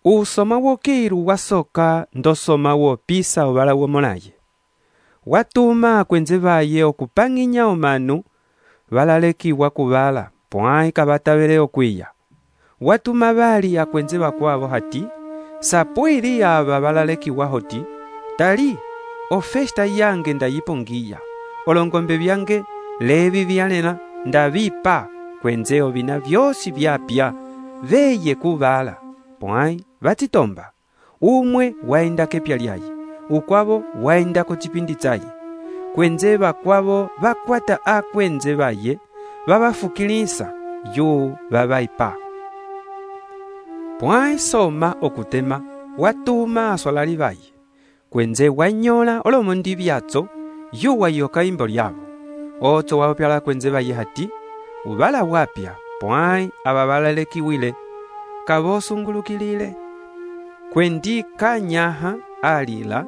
usoma wokiru wasoka ndosoma wopisa ovala womolaye. Watuma akwenze vaye okupanginya omanu valalekiwa kuvala pwai kavatavele okwiya. Watuma vali akwenze vakwavo hati: sapwili ava valalekiwa hoti, tali ofesta yange ndayipongiya, olongombe vyange levi vyalela ndavipa kwenze ovina vyosi vyapya veye kuvala. Pwai vatitomba, umwe waenda kepya lyaye, ukwavo waenda kuchipindi chaye. Kwenze vakwavo vakwata akwenze vaye vavafukilisa yu vavaipa. Pwai soma okutema watuma asolali vaye. Kwenze wanyola olomondi vyatso yu wayoka imbo lyavo. Otso wapyala kwenze vaye hati: uvala wapya pwai ava valalekiwile kavosungulukilile. Kwendi kanyaha alila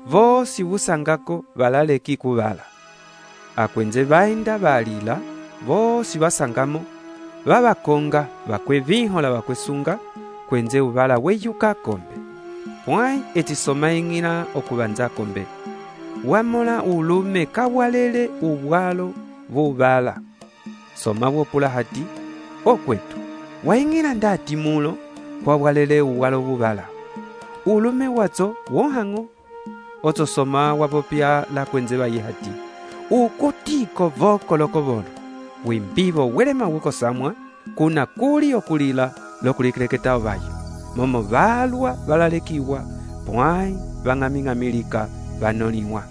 vosi vusangako valaleki kuvala. Akwenze vaenda valila vosi vasangamo vavakonga vakwe vinhola vakwesunga kwenze uvala weyuka kombe. Pwai etisoma ing'ila okuvanza kombe. Wamola ulume kawalele ubwalo vuvala. Soma wopula hati: okwetu waing'ila ndati mulo kwa walele uwalo vuvala. Ulume watso wohang'o. Otso soma wapopya la kwenze vaye hati: ukutiko vokoloko volo wimbivo welema wukosamwa kuna kuli okulila lokulikileketao vayo. Momo valwa valalekiwa pwai vang'aming'amilika vanoliwa.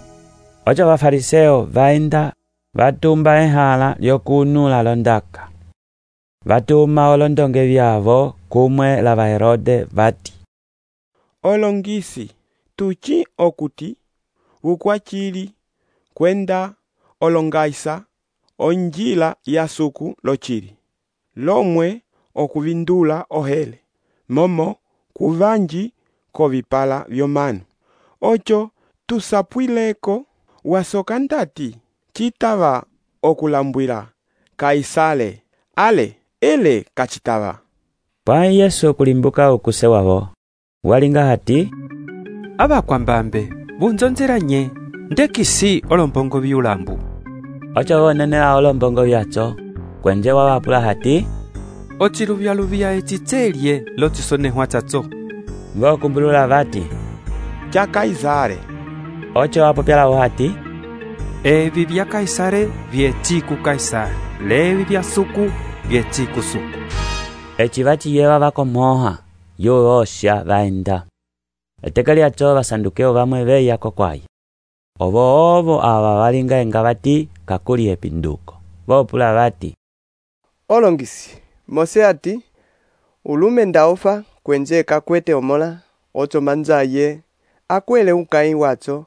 Ocho vafariseo vaenda vatumba ehala lyokunula londaka. Vatuma olondonge vyavo kumwe la Herode vati: olongisi tuchi okuti ukwachili kwenda olongaisa onjila ya suku lochili lomwe okuvindula ohele momo kuvanji kovipala vyomanu. Ocho tusapwileko wasoka ndati chitava okulambwila Kaisale ale ele kachitava. Pwai Yesu kulimbuka ukuse wavo walinga hati: abakwambambe bunzonzeranye ndekisi olombongo vyulambu. Ocho wonenela olombongo vyatso kwenje wawapula hati: ochiluvya echitselye lotisonehwa tsatso. Vokumbulula vati: cha Kaisare. Ocho wapopyalawo hati: evi vya Kaisare vyechiku Kaisare, levi vya suku vyechiku suku. Echi vachiyewa vakomoha yu osha vaenda. Eteka lyatso vasandukeo vamwe veyako kwaye. Ovo ava valinga enga vati kakuli epinduko. Vopula vati: olongisi Mose ati ulume ndaofa kwenje kakwete omola otso manzaye akwele ukai watso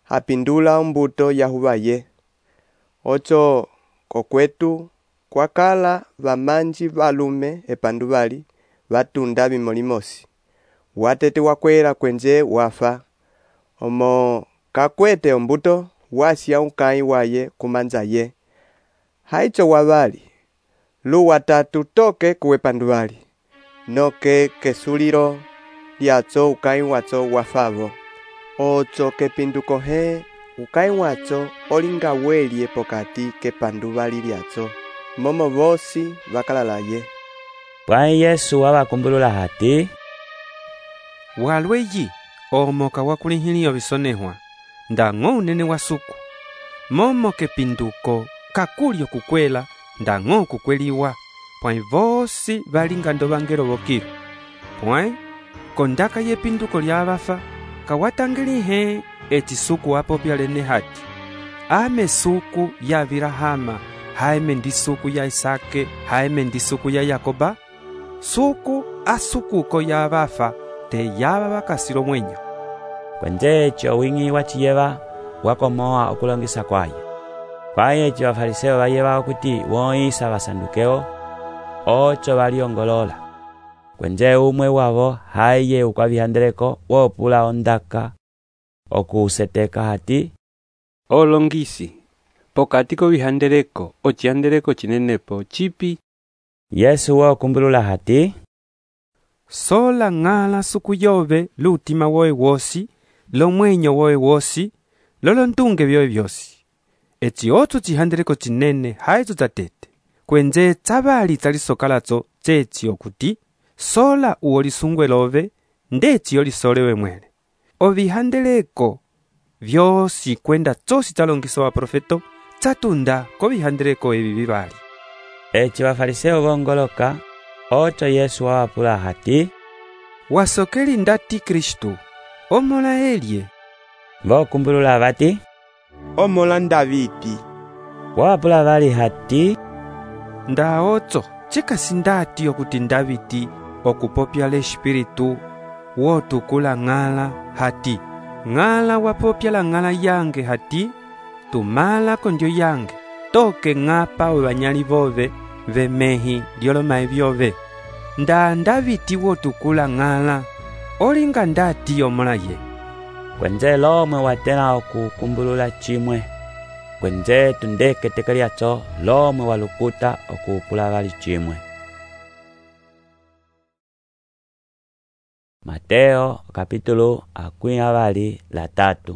apindula mbuto yahuvaye. Otso kokwetu kwakala vamanji valume epandu vali vatunda bimolimosi. Watete wakwela kwenje wafa. Omo kakwete ombuto wasya ukai waye kumanzaye. Haicho wavali lu watatu toke kuwepandu vali. Noke kesuliro lyatso ukai watso wafavo. Otso kepinduko he ukai watso olinga welie pokati kepandu vali lyatso. Momo vosi vakalalaye. Pwai Yesu wabakumbulula hati: walweyi omoka wakulihiliyo bisonehwa ndang'o unene wa suku. Momo kepinduko kakulyo kukwela ndang'o kukweliwa. Pwai vosi valinga ndovangelo vokiru. Pwai kondaka yepinduko lyavafa kawatangilihe echisuku wapopya lene hati: ame suku ya Abrahama, haime ndi suku ya Isake, haime ndi suku ya Yakoba. Suku asukuko ya vafa te yava vakasilo mwenyo. Kwenje echo wingi wachiyeva wakomoa okulongisa kwaye. Kwaye echo vafariseo vayeva okuti woisa vasandukeo ocho valiongolola. Kwenje umwe wavo haiye ukwavihandeleko wopula ondaka okuseteka hati: Olongisi, pokati kovihandeleko ocihandeleko cinenepo cipi? Yesu wakumbulula hati, sola ng'ala suku yove lutima woe wosi, lomwenyo woe wosi, lolontunge vyoe vyosi. Eci otso cihandeleko cinene haizo zatete, kwenze tsavali tsalisokalazo tseci okuti, sola uolisungwe love, ndeci olisolewe mwele. Ovihandeleko vyosi kwenda tsosi talongisa wa profeto, tsatunda kovihandeleko evi vivali. Eci vafariseo vongoloka, ocho Yesu wawapula hati, wasokeli ndati Kristu, omola elie. Vokumbulula vati, omola Davidi. Wawapula vali hati, nda otso chikasi ndati okuti Davidi okupopya l'Espiritu wotukula ng'ala hati, ng'ala wapopya la ng'ala yange hati, tumala kondyo yange, toke ng'apa wevanyali vove vemehi lyolomae vyove. Nda Davidi wotukula ng'ala, olinga ndati omola ye. Kwenze lomwe watena okukumbulula chimwe, kwenze tundeke tekeliacho lomwe walukuta okupula vali chimwe. Mateo kapítulo 23.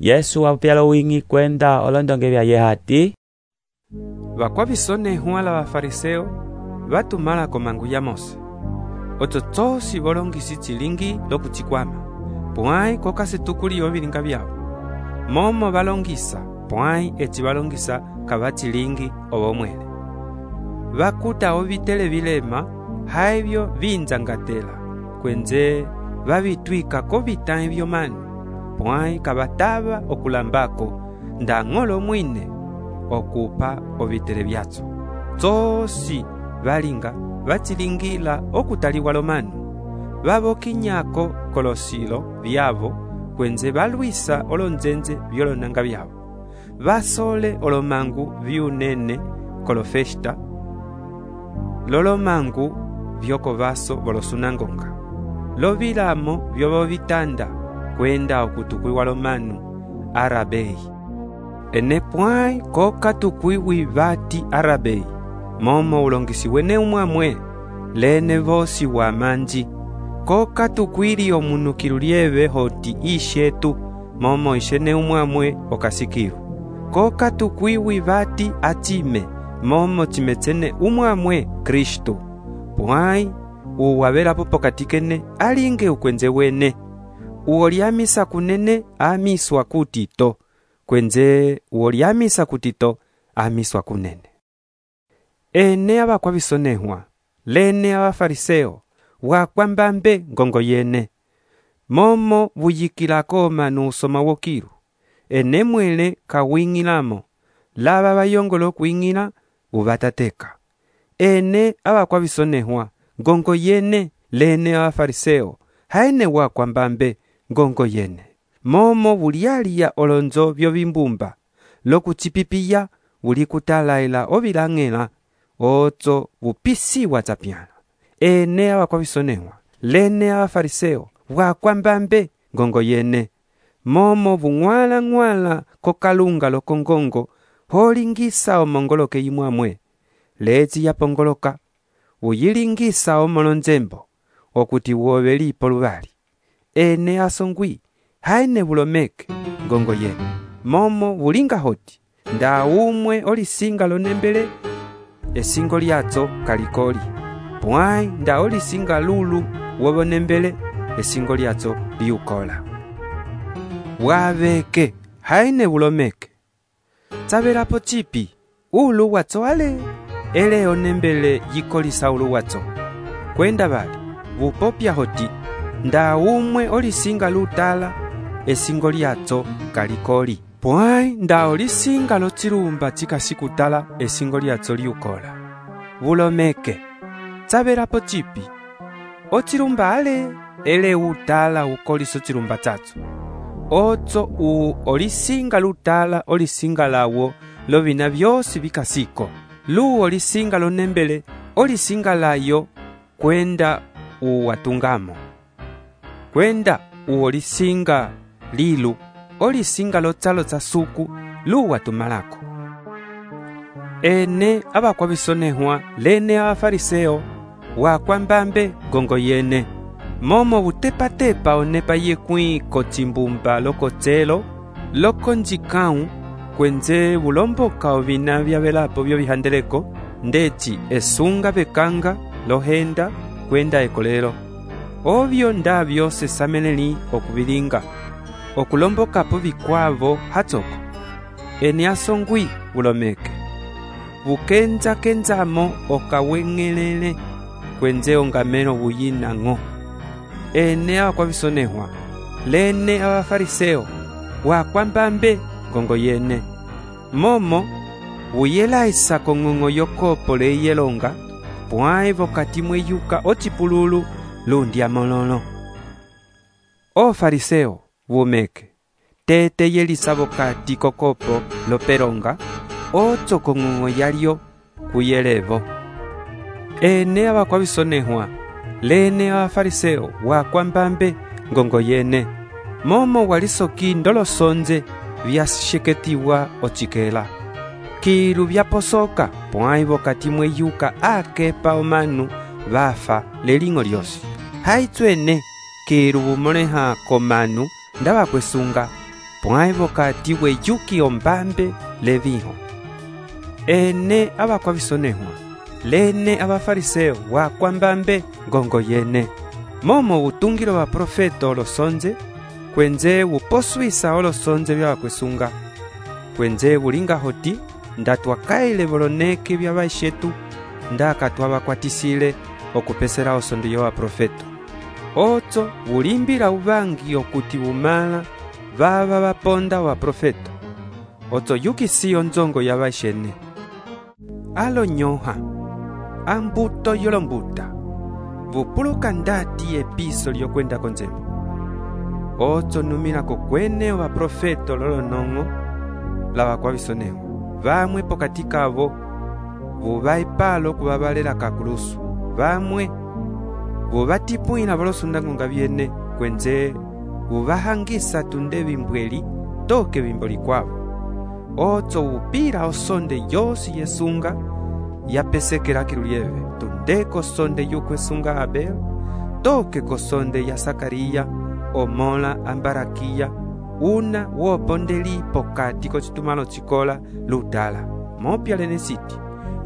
Yesu wapyala wingi kwenda olondonge vya yehati, vakwavisonehwa la vafariseo vatumala komangu ya Mose, oto tsosi volongisi chilingi lokuchikwama, pwai kokasitukuli ovilinga vyao. Momo valongisa, pwai eci valongisa kavachilingi ovomwele. Vakuta ovitele vilema, haivyo vinzangatela, kwenze vavitwika kovitae vyomani, pwai kavatava okulambako nda ng'olo mwine okupa ovitele vyatso. Tsosi valinga vachilingila okutaliwa lomanu, vavokinyako kolosilo vyavo, kwenze valwisa olonzenze vyolonanga vyavo. Vasole olomangu vyunene kolofesta, lolomangu vyokovaso volosunangonga, lovilamo vyovovitanda kwenda okutukwiwa lomanu arabei. Ene pwai kokatukwiwi vati arabei, momo ulongisi wene umwamwe, lene vosi wa manji. Kokatukwili omunukilu lieve hoti ishetu, momo ishene umwamwe okasikiru. Kokatukwiwi vati atime, momo chimetsene umwamwe Kristu. Pwai uwavelapo pokatikene alinge ukwenze wene, uoliamisa kunene amiswa kutito, kwenze uoliamisa kutito amiswa kunene. Ene avakwavisonehwa, lene avafariseo, wakwambambe ngongo yene, momo vuyikilako manu usoma wokilu, ene mwele kawingilamo, lava vayongolo kuingila uvatateka. Ene avakwavisonehwa, ngongo yene, lene avafariseo, haene wakwambambe ngongo yene, momo vulialia olonzo vyovimbumba, lokuchipipiya vulikutalaila ovilang'ela, otso vupisiwa tsapyana. Ene avakwavisonehwa, lene avafariseo, wakwambambe ngongo yene, momo vung'wala kokalunga lokongongo, holingisa omongoloke imwamwe, lezi yapongoloka, uyilingisa omolonzembo, okuti wovelipo luvali. Ene asongwi, haene vulomeke ngongo yene, momo vulinga hoti, nda umwe olisinga lonembele, esingo lyatso kalikoli, pwai nda olisinga lulu wovonembele, esingo lyatso liukola. Waveke, haene vulomeke. Tsavelapo chipi, ulu watso ale, ele onembele yikolisa ulu watso. Kwenda vali, vupopya hoti, nda umwe olisinga lutala, esingo lyatso kalikoli. Pwai nda olisinga lochilumba chikasikutala, esingo lyatso liukola. Vulomeke, tsavelapo chipi, ochilumba ale, ele utala ukoliso chilumba chatso. Otso olisinga lutala olisinga lawo, lovina vyosi vikasiko. Lu olisinga lonembele, olisinga layo, kwenda uwatungamo. Kwenda uolisinga lilu, olisinga lotsalo tsa suku luwa tumalako. Ene abakwavisonehwa lene abafariseo wakwambambe gongo yene momo butepatepa onepa yekwĩ kocimbumba lokotselo lokonjikãwu kwenze bulomboka ovina vyavelapo vyovihandeleko ndeci esunga bekanga lohenda kwenda ekolelo ovyo nda vyose sameneli okuvilinga okulombokapo vikwavo hatsoko ene asongwi bulomeke bukenza-kenzamo okaweng'elele kwenze ongamelo buyinang'o. Ene abakwavisonehwa lene abafariseo wakwambambe gongo yene momo buyelaisa kong'ong'o yokopo leyelonga pwãe vokati mweyuka ocipululu lundi amololo. Ofariseo bumeke tete yelisa vokati kokopo loperonga otso kong'ong'o yalyo kuyelevo. Ene abakwavisonehwa lene abafariseo wakwambambe ngongo yene momo walisoki ndolosonze vyasheketiwa ocikela kilu vyaposoka pwãi vokati mweyuka akepa omanu vafa leling'o lyosi haitswene kilu bumoleha komanu ndabakwesunga pwãi vokati weyuki ombambe leviho. Ene abakwavisonehwa lene abafariseo wakwambambe ngongo yene momo butungilo baprofeta olosonze kwenze buposwisa olosonze byabakwesunga kwenze bulinga hoti ndatwakaile boloneke byabaishetu ndaka twabakwatisile okupesera osondo yobaprofeta otso bulimbila ubangi okuti bumala baba baponda baprofeta otso yukisi onzongo yabaishene alonyoha ambuto yolombuta bupuluka ndati episo lyokwenda konzembo otso numila kokwene baprofeta lolonong'o labakwavisonehwa bamwe pokati kabo bubaipalo kubabalela kakulusu bamwe bubatipwila bolosundangonga byene kwenze bubahangisa tunde bimbweli toke bimboli kwabo otso bupila osonde yosi yesunga yapesekela kilulieve tunde kosonde yukwesunga Abel toke kosonde ya Sakariya omola ambarakiya una wopondeli pokati kocitumalo cikola ludala mopya lene siti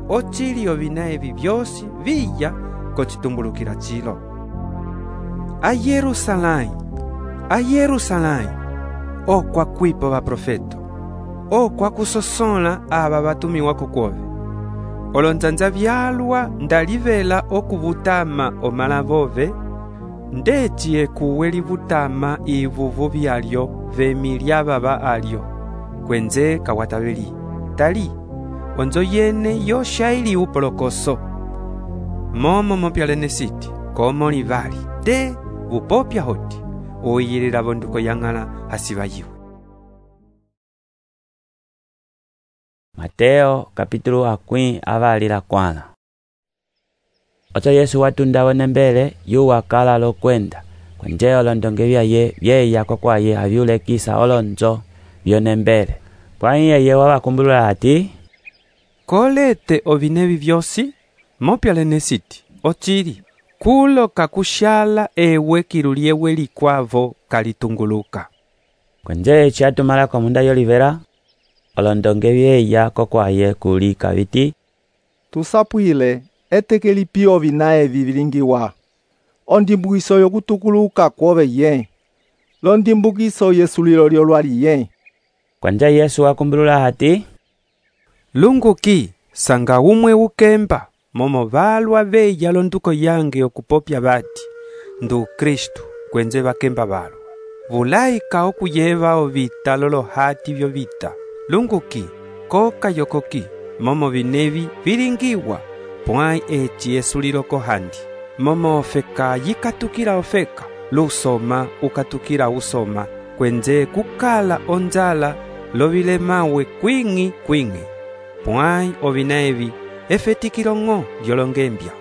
ocili ovina evi vyosi viya kocitumbulukila cilo. Ayerusalai okwakwipo baprofeto okwakusosola aba batumiwa kokwove olonzanza vyalwa ndalivela okuvutama omalavove ndeci ekuwe livutama ivuvu vyalyo vemilya baba alyo kwenze kawataveli tali onzo yene yoshaili upolokoso momo mopyalene siti komo livali te bupopya hoti uyilila vonduko yang'ala hasibayiwe. Mateo kapítulo akwĩ avalila kwana. Oto Yesu watunda wonembele yu wakala lokwenda kwenje olondonge byaye byeya kokwaye abyulekisa olonzo byonembele pwãi yeye wabakumbulula ati kolete ovinevi vyosi mopyalene siti ocili kulo kakushala ewe kiluliewe likwavo kalitunguluka kwenje eci atumala kwa munda yolivela olondonge byeya kokwaye kuli kabiti tusapwile eteke lipio vinae vivilingiwa ondimbukiso yokutukuluka kwove ye londimbukiso yesulilo lyolwali ye kwenje Yesu wakumbulula ati lunguki sanga umwe ukemba momo balwa beya londuko yange okupopya bati ndu Kristu kwenze bakemba balwa bulaika okuyeva ovita lolohati vyo vita lunguki koka yokoki momo binevi bilingiwa pwãi eci esulilo kohandi momo ofeka yikatukila ofeka lusoma ukatukila usoma kwenze kukala onzala lovilemawe kwing'i pwãi ovina evi efetikilong'o lyolongembya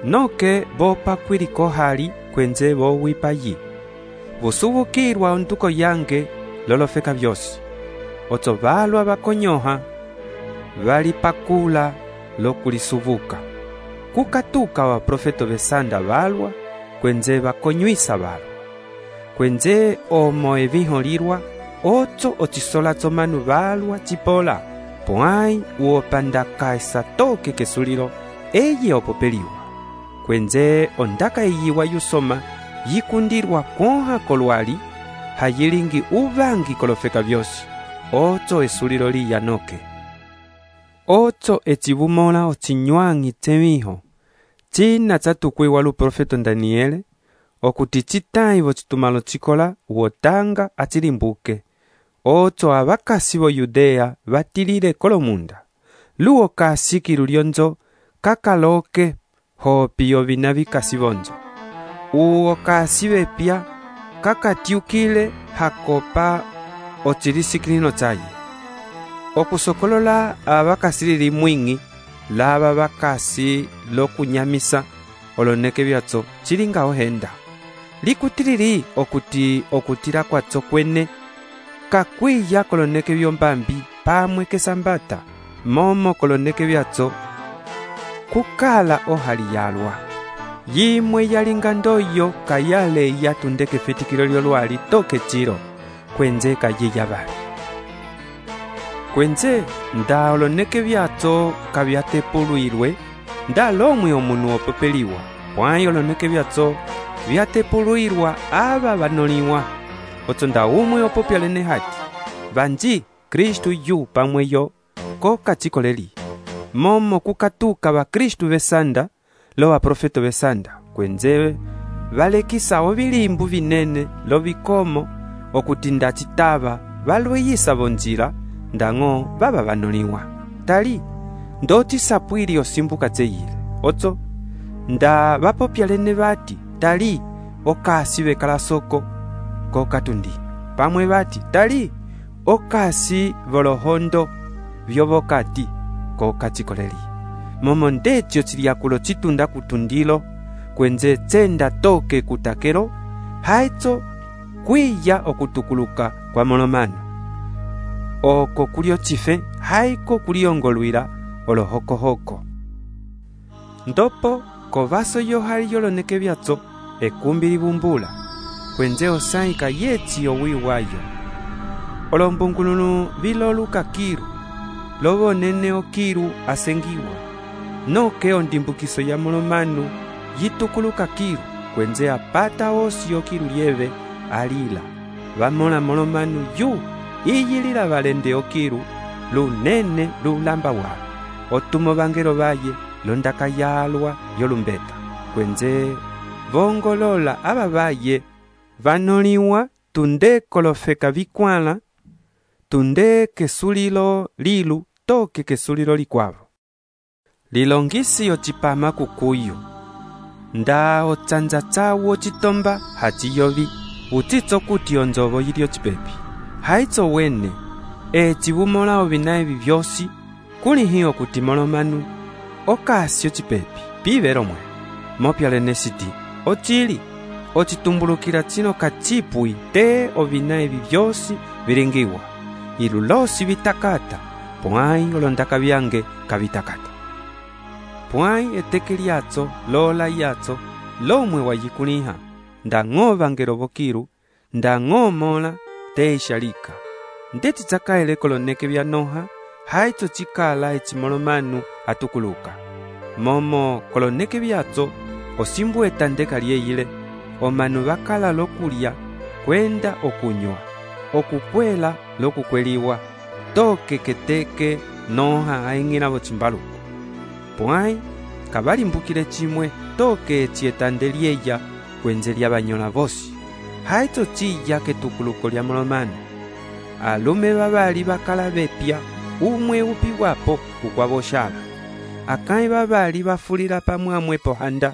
noke bopakwilikohali kwenze bowipayi busubukilwa onduko yange lolofeka vyosi. Otso valwa vakonyoha valipakula lokulisuvuka. Kukatuka wa profeto vesanda valwa kwenze vakonywisa valwa. Kwenze omo eviholirwa otso ocisolatso manu valwa cipola. Pwai uopandaka esatoke kesulilo eye opopeliwa. Kwenze ondaka eyiwa yusoma yikundirwa konha kolwali hayilingi uvangi kolofeka vyosi. Otso esulilo liyanoke. Otso ecivumola ocinywangi temiho. Cina tsatukwiwa lu profeto Daniele okuti citai vocitumalo cikola wotanga acilimbuke. Otso abakasi vo Yudea vatilile kolomunda. Luo kasi lionzo kakaloke hopi ovina vikasi vonzo. Uo kasi vepya kakatiukile hakopa ocilisikilino tsaye. Okusokolola abakasi lili mwingi lava bakasi lokunyamisa oloneke vyatso cilinga ohenda. Likutilili okuti okutila kwatso kwene kakwiya koloneke vyombambi pamwe kesambata momo koloneke vyatso kukala ohali yalwa. Yimwe yalinga ndoyo kayale yatundeke fetikilo lyolwali toke ciro kwenze kayiya bali. Kwenze nda oloneke vyatso kavyatepulwilwe nda lomwe omunu opopeliwa. Pwai oloneke vyatso vyatepulwilwa aba vanoliwa. Otso nda umwe opopyalene hati vanji Kristu yu pamweyo ko kacikoleli. Momo kukatuka wa Kristu vesanda lo wa profeto vesanda kwenze valekisa ovilimbu vinene lo vikomo okuti nda citava valweyisa vonjila ndango baba vanoliwa. Tali ndoti sapwili osimbuka tseyile. Otso nda vapopyalene vati tali okasi vekala soko ko katundi. Pamwe vati tali okasi volohondo vyovokati ko kacikoleli. Momo ndetyo ciliakulo citunda kutundilo kwenze tsenda toke kutakelo haitso kwiya okutukuluka kwa molomano. Oko kulio cife haiko kuliongolwila olohokohoko. Ndopo kovaso yohali yoloneke vyatso ekumbi libumbula kwenze osaika yetsi owiwayo. Olombungulunu viloluka kiru lobo nene okiru asengiwa. Noke ondimbukiso ya molomanu yitukuluka kiru kwenze apata osi okiru lieve alila. Vamola molomanu yu iyilila valende okiru lunene lulamba walo. Otumo vangelo vaye londaka yalwa yolumbeta. Kwenze vongolola aba vaye vanoliwa tunde kolofeka vikwala tunde kesulilo lilu toke kesulilo likwavo. Lilongisi ocipama kukuyu. Nda ocanja tsawo citomba haciyovi utitso kuti onzovo yili ocipepi. Haitso wene civumola ovina evi vyosi kulihi okuti molomanu okasi ocipepi pivero mwe. Mopyalene siti ocili ocitumbulukila cino kacipui te ovina evi vyosi vilingiwa. Ilulosi vitakata pwai olondaka vyange kavitakata. Pwai eteke lyatso lola yatso lomwe wayikuliha ndango vangelo vokiru ndango mola te ishalika. Ndeti tsakaele koloneke vyanoha haitso cikala ecimolomanu atukuluka. Momo koloneke vyatso osimbu etandeka lyeyile omanu vakala lokulya kwenda okunywa okukwela lokukweliwa toke keteke noha aing'ila vocimbaluku. Pwai kavalimbukile cimwe toke ecietande lyeya kwenze lya vanyola vosi. Haitso ciya ketukuluko lya molomanu. Alume vavali vakala vepya umwe upiwapo ukwavoshala. Akai vavali vafulila pamwamwe pohanda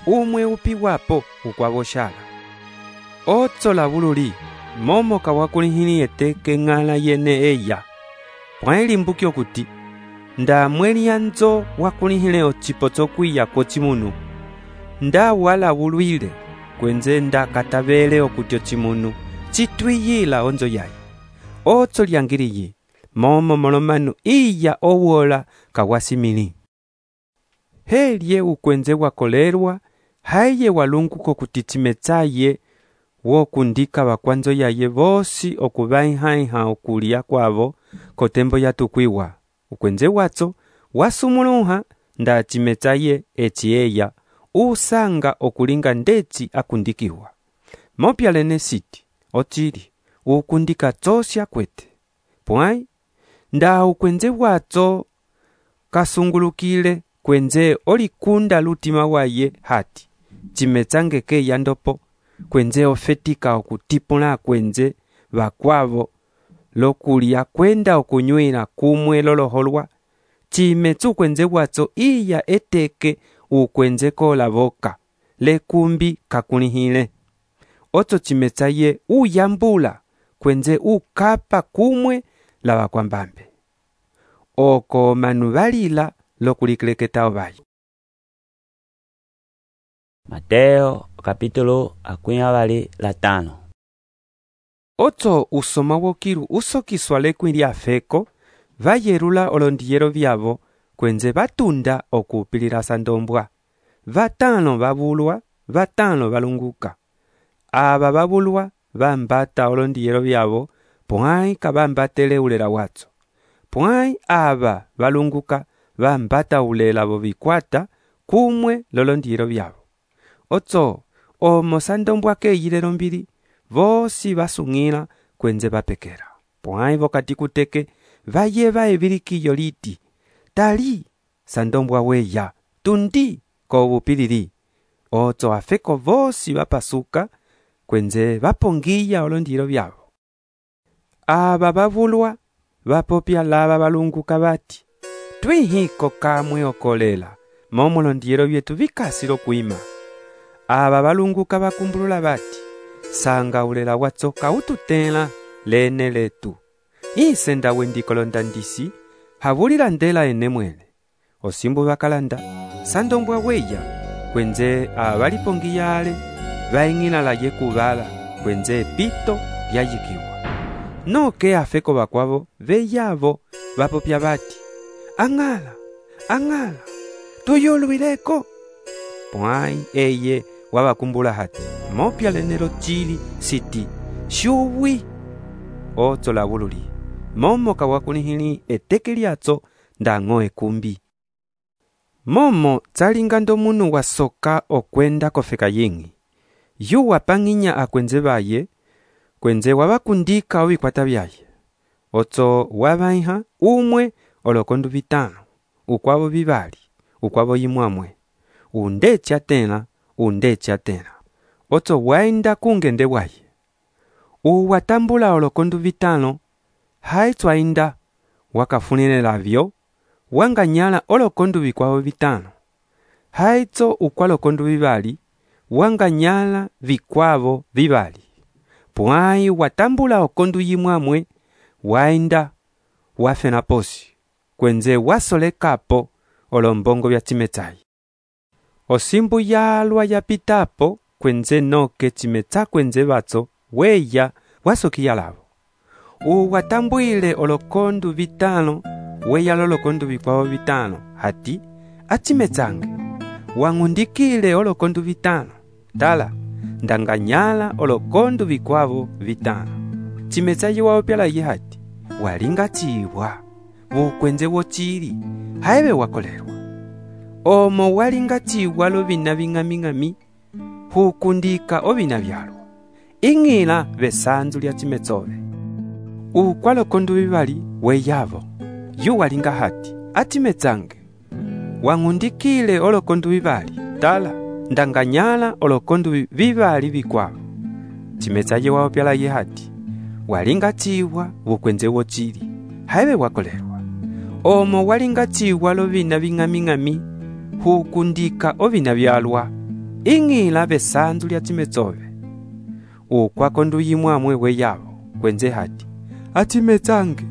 umwe upiwapo ukwavoshala. Otso la vululi momo kawakulihini eteke ng'ala yene eya. Pwai limbuki okuti nda mweli yanzo wakulihile ocipo tsokwiya kocimunu. Nda wala vulwile kwenze nda katavele okuti ocimunu citwiyila onzo yayi. otso lyangiliyi momo molomanu iya owola kawasimili. Helye ukwenze wakolerwa haye walunguko kutichimetsaye wokundika bakwanzo yaye bosi okubaiha okulia kwabo kotembo yatukwiwa. Ukwenze watso wasumuluha nda chimetsaye echieya usanga okulinga ndeci akundikiwa. Mopyalene siti otili ukundika tsosya kwete. Pwai nda ukwenze watso kasungulukile kwenze olikunda lutima waye hati chimetsangeke yandopo kwenze ofetika okutipula kwenze bakwabo lokulia kwenda okunywela kumwe loloholwa chimetsu kwenze watso iya eteke ukwenze kola boka lekumbi kakulihile. Otso chimetsaye uyambula kwenze ukapa kumwe la bakwambambe. Oko manu balila lokulikeleketao bayi. Mateo capítulo 25. Otso usoma wokiru usokiswa lekwili afeko vayerula olondiyero byabo kwenze batunda okupilira sandombwa. Batano babulwa, batano balunguka. Aba babulwa bambata olondiyero byabo pwai kabambatele ulela watso. Pwai aba balunguka bambata ulela bobikwata kumwe lolondiyero byabo. Otso omo sandombwa keyilelo mbili vosi basungila kwenze bapekera. Pwai vokati kuteke vayeba ebilikiyo liti tali sandombwa weya tundi ko bupilili. Otso afeko vosi bapasuka kwenze bapongiya olondiyero byabo. Aba babulwa bapopya laba balunguka bati twihiko kamwe okolela momo olondiyero byetu bikasilo kuima. Aba balunguka bakumbulula bati sanga ulela watso kaututela lene letu. Isenda wendikolonda ndisi habulila ndela enemwele. Osimbu bakalanda sandombwa weya kwenze abalipongiyale baingila la yekubala kwenze pito lyayikiwa. Noke afeko bakwabo beyabo bapopya bati angala tuyolwileko. Pwai eye wabakumbula hati mopya lenero chili siti shuwi. Otso la bululi momo kawakunihili eteke lyatso ndango ekumbi. Momo tsalingando munu wasoka okwenda kofeka yingi. Yu wapanginya akwenze baye kwenze wabakundika obikwata byaye. Otso wabaiha umwe olokondu bitano ukwabo bibali ukwabo yimwamwe undecha tena. Otso waenda kungende waye uwatambula olokondu bitano haitso ainda wakafunile labyo wanganyala olokondu bikwabo bitano haitso ukwalokondu bibali wanganyala bikwabo bibali. Pwai watambula okondu yimwamwe waenda wafena posi kwenze wasolekapo olombongo bya chimetsayi. Osimbu yalwa yapitapo kwenze noke chimetsa kwenze batso weya wasokiya labo. Uwatambuile olokondu bitano weya lolokondu bikwabo bitano hati achimezange wang'undikile olokondu bitano tala ndanganyala olokondu bikwabo bitano chimezayi wao pyala yihati walinga chiwa bukwenze wochili haibe wakolerwa omo walinga chiwa lobina bing'ami hukundika obina byalwa ing'ila besanzu lya chimetsobe ukwalokondu bibali weyabo yu walinga hati atimezange wang'undikile olokondu bibali tala ndanganyala olokondu bibali bikwabo chimezayi wao pyala yihati walinga chiwa bukwenze wochili haibe wakolerwa omo walinga chiwa lobina bing'ami hukundika obina byalwa ing'ila besanzu lya chimetsobe ukwakondu yimwamwe weyabo kwenze hati atimezange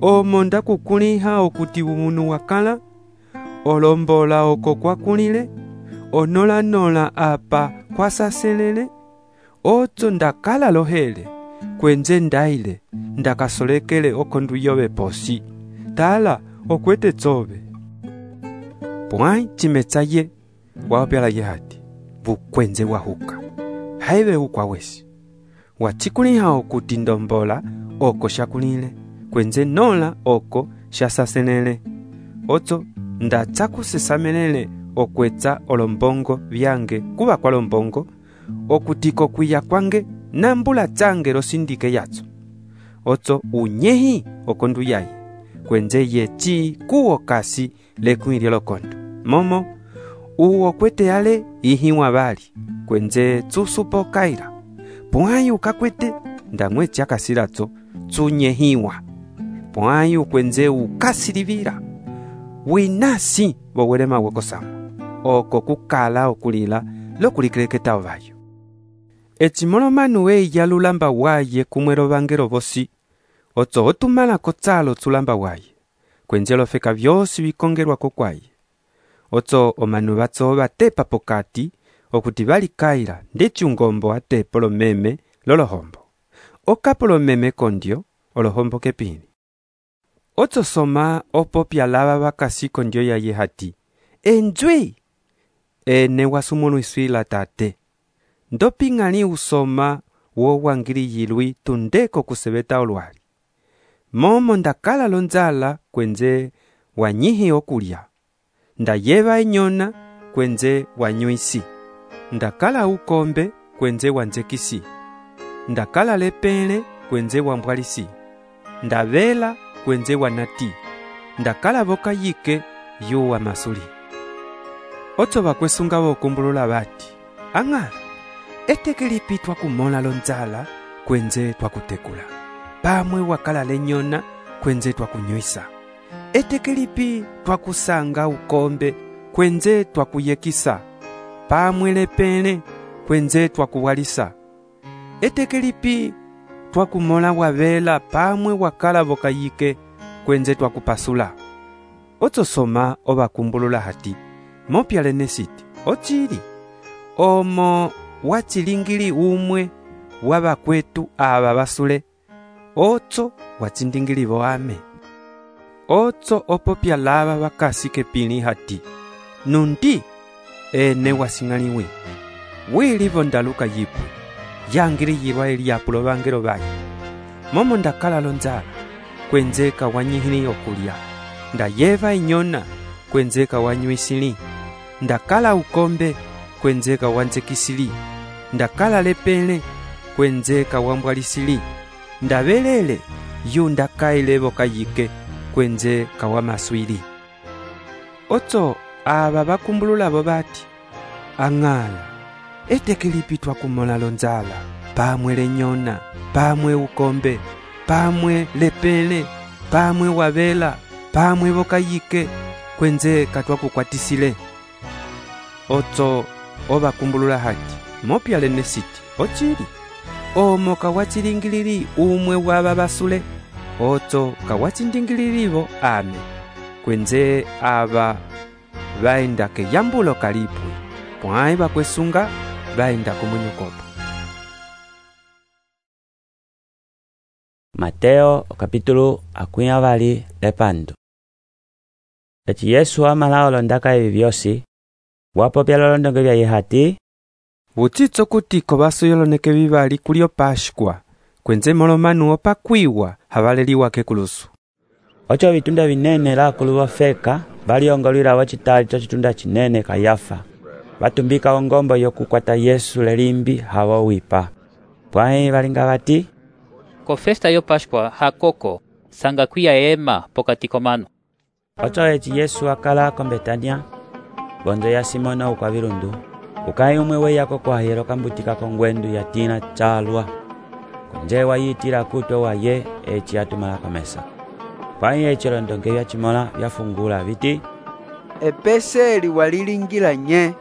omo ndakukuliha okuti umunu wakala olombola oko kwakulile onola apa kwasaselele otso ndakala lohele kwenze ndaile ndakasolekele okondu yove posi tala okwete tsove pwai chimetsa ye waopyala ye hati vukwenze wahuka haive ukwa wesi wachikuliha okuti ndombola oko shakulile kwenze nola oko shasasenele otso ndatsakusesamelele okwetsa olombongo vyange kuva kwa lombongo okutiko kwiya kwange nambula tsange losindike yatso otso unyehi okondu yaye kwenze yechi kuwo kasi lekwilye lokondo momo uwo kwete ale ihiwa bali kwenze tsusupo kaira pwayu kakwete ndamwechi akasilatso tsunyehiwa pwayu kwenze ukasilivira winasi bowelema wekosamo oko kukala okulila lokulikeleketa ovayo echimolomanu weya lulamba waye kumwelo vangelo vosi otso otumala kotsalo tsulamba waye kwenze lofeka vyosi vikongelwako kwaye otso omanu vatso vatepa pokati okuti valikaila ndeci ungombo atepo lomeme lolohombo okapo lomeme kondyo olohombo kepini otso soma opopya lava vakasi kondyo yaye hati enjwi ene wasumunu iswila tate ndoping'ali usoma wowangili yilwi tundeko kuseveta olwali momo ndakala lonzala kwenze wanyihi okulya ndayeva enyona kwenze wanywisi ndakala ukombe kwenze wanzekisi ndakala lepele kwenze wambwalisi ndavela kwenze wanati ndakala voka yike yuwa masuli otso vakwesunga vokumbulula vati ang'ala etekelipi twakumola lonzala kwenze twakutekula pamwe wakala lenyona kwenze twakunywisa etekelipi twakusanga ukombe kwenze twakuyekisa pamwe lepele kwenze twakuwalisa etekelipi twakumola wavela pamwe wakala vokayike kwenze twakupasula otso soma ovakumbulula hati mopyalene siti ochili omo wachilingili umwe wavakwetu ava vasule otso wachindingili voame otso opopya lava vakasi kepili hati nundi ene wasing'aliwe wilivo ndaluka yipwe yangili yilwa eliapulo vangelo vaye momo ndakala lonzala kwenzeka wanyihili okulya ndayeva enyona kwenzeka wanywisili ndakala ukombe kwenzeka wanzekisili ndakala lepele kwenzeka wambwalisili ndavelele yu ndakaile vokayike kwenze kawamaswili otso ava vakumbululavo vati ang'ala etekelipi twakumola lonzala pamwe lenyona pamwe ukombe pamwe lepele pamwe wavela pamwe vokayike kwenze katwakukwatisile otso ovakumbulula hati mopyalene siti ochili omo kawachilingilili umwe wava vasule otso kawachindingililivo ame kwenze ava vaenda keyambulo kalipwi pwai vakwesunga vaenda kumunyukopo. Mateo capítulo akwia vali lepando. Eci Yesu amala olondaka evi vyosi wapopya lolondonge vyaye hati vutsitso kutiko vasuyoloneke vivali kulio Pashkwa kwenze molomanu opakwiwa havaleliwa kekulusu ocho vitunda vinene lakulu vofeka valiongolwila wachitali cho chitunda chinene Kayafa vatumbika ongombo yokukwata Yesu lelimbi hawo wipa pwai valinga vati ko festa yo Pashkwa hakoko sanga kwia ema pokati komano ocho eci Yesu akala ko Betania bondo ya Simona ukwa virundu ukai umwe weyako kwahiro kambutika kongwendu ya tina chalwa konje wayitira kutwe waye eci atumala komesa pwai eci londonge vya chimola vyafungula viti epeseli walilingila nye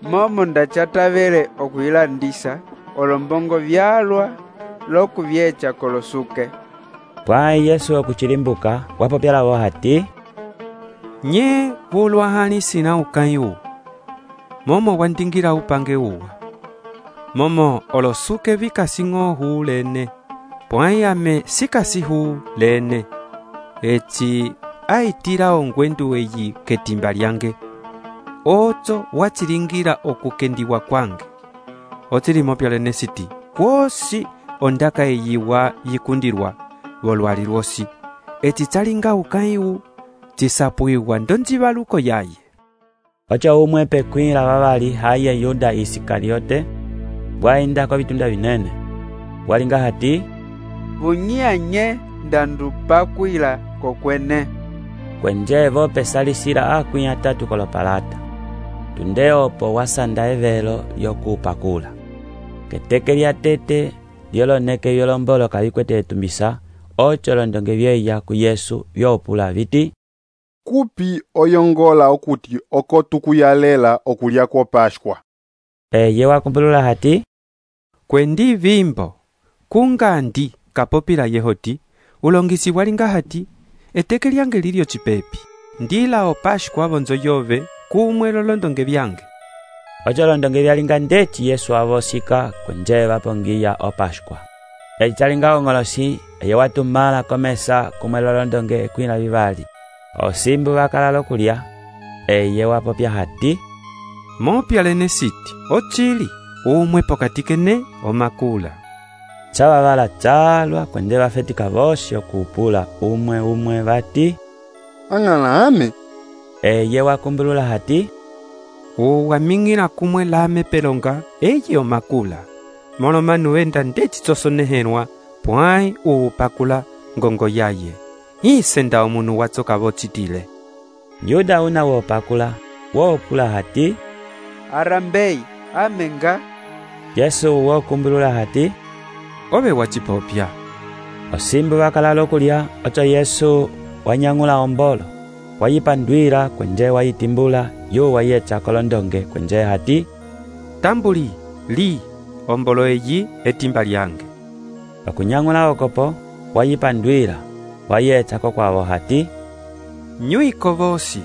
momo ndachatavele okuilandisa olombongo vyalwa lokuvyecha kolosuke pwai Yesu okuchilimbuka wapopyalawo hati nye vulwa hali sina ukayu momo wandingira upange uwa momo olosuke vikasing'o huu lene, pwãyi ame sikasi huu lene. Eci aitira ongwendu eyi ketimba lyange, oco wachilingira okukendiwa kwange. Ocilimo pyalene siti, kwosi ondaka eyiwa yikundirwa volwali lwosi. Eci calinga ukãyiwu cisapuiwa ndonjivaluko yaye. Oco umwe pekwĩla vavali haye Yuda Isikariote, bwaenda kwa vitunda vinene. Bwalinga hati, vunyanye ndandupakwila kokwene. Kwenje vope salisila akwĩ atatu kolopalata. Tunde opo wasanda evelo yokupakula. Keteke lya tete lyoloneke yolombolo kavikwete etumbisa, oco londonge vyeya ku Yesu vyopula viti, kupi oyongola okuti oko tukuyalela okulya kwa Pashkwa. Eye wakumbulula hati, kwendi vimbo kungandi kapopila yehoti ulongisi walinga hati eteke lyange lilyo cipepi ndila o Pashkwa vonzo yove kumwe lolondonge vyange. Oco londonge vyalinga ndeci Yesu avosika kwenje vapongiya o Pashkwa. Eci calinga ongolosi eye watumala komesa kumwe lolondonge ekwĩla vivali. Osimbu vakalala okulya, eye wapopya hati, mopyalene siti, ocili umwe pokati kene omakula. Cavavala calwa kwenje vafetika vosi okupula umwe vati, ang'ala ame. Eye wakumbulula hati, uwaming'ila kumwe lame pelonga eye omakula. Molomanu enda ndeci cosonehenwa pwãyi uupakula ngongo yaye. Isenda omunu watsoka vocitile. Yuda una wopakula, wopula hati, arambei amenga. Yesu wokumbulula hati, ove wacipopya. Osimbu vakalala okulya, oco Yesu wanyang'ula ombolo, wayipandwila kwenje wayitimbula, yu wayecha kolondonge kwenje hati, tambuli, li, ombolo eyi etimba lyange. Okunyang'ula okopo, wayipandwila, wayecha kokwavo hati, nyuiko vosi,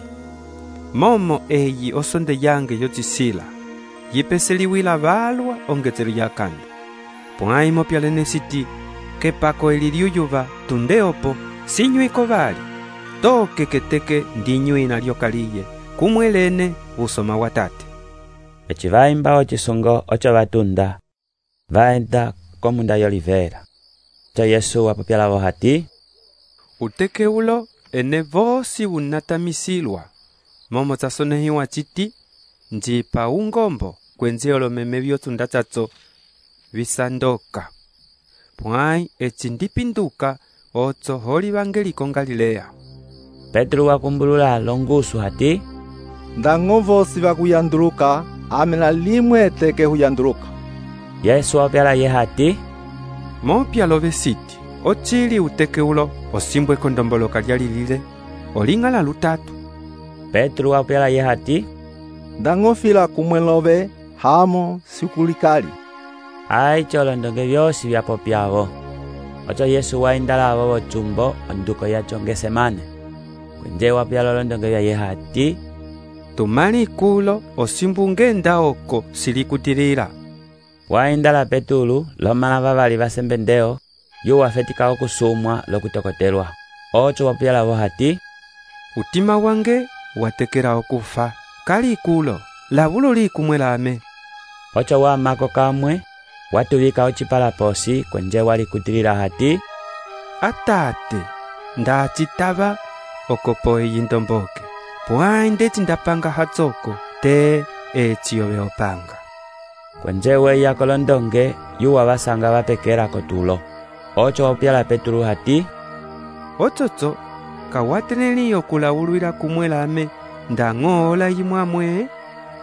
momo eyi osonde yange yocisila, yipeseliwila valwa ongetselo ya kando. Pwãyi mopyalene siti, kepako eliliuyuva tunde opo, si nyuiko vali, toke keteke ndi nyuina lyokaliye, kumwe lene usoma watate. Eci vaimba ocisongo oco vatunda, vaenda komunda yolivera. Co Yesu wapopyalavo hati, uteke ulo ene vosi unatamisilwa, momo casonehiwa citi, njipa ungombo kwenze olomeme vyotunda caco visandoka. Pwãyi eci ndipinduka oco holi vangeliko Galilea. Petro wakumbulula longusu hati, ndang'o vosi vakuyanduluka, amena limwe eteke huyanduluka. Yesu wapyala ye hati, mopyalove siti, ocili uteke ulo osimbwe kondomboloka lyalilile, oling'ala lutatu. Petro wapyala ye hati, ndang'o fila kumwe love hamo sikulikali. Ai colondonge vyosi vyapopyavo. Oco Yesu waindalavo vocumbo onduko yaco Ngesemane. Kwenje wapyala olondonge vya ye hati, tumali kulo osimbu ngenda oko silikutilila. Waindala Petulu lomala vavali vasembendeo, yu wafetika okusumwa lokutokotelwa. Oco wapyalavo hati, utima wange watekela okufa, kali kulo lavulo likumwe lame. Oco wamako kamwe, watuvika ocipalaposi kwenje walikutilila hati, atate, ndacitava okopo eyi ndomboke, pwãyi ndeci ndapanga hatsoko te eci yove opanga. Kwenje weya kolondonge yu wavasanga vapekela kotulo. Oco wapyala Petulu hati, ococo kawateneli okulawulwila kumwe lame ndang'oola yimwamwe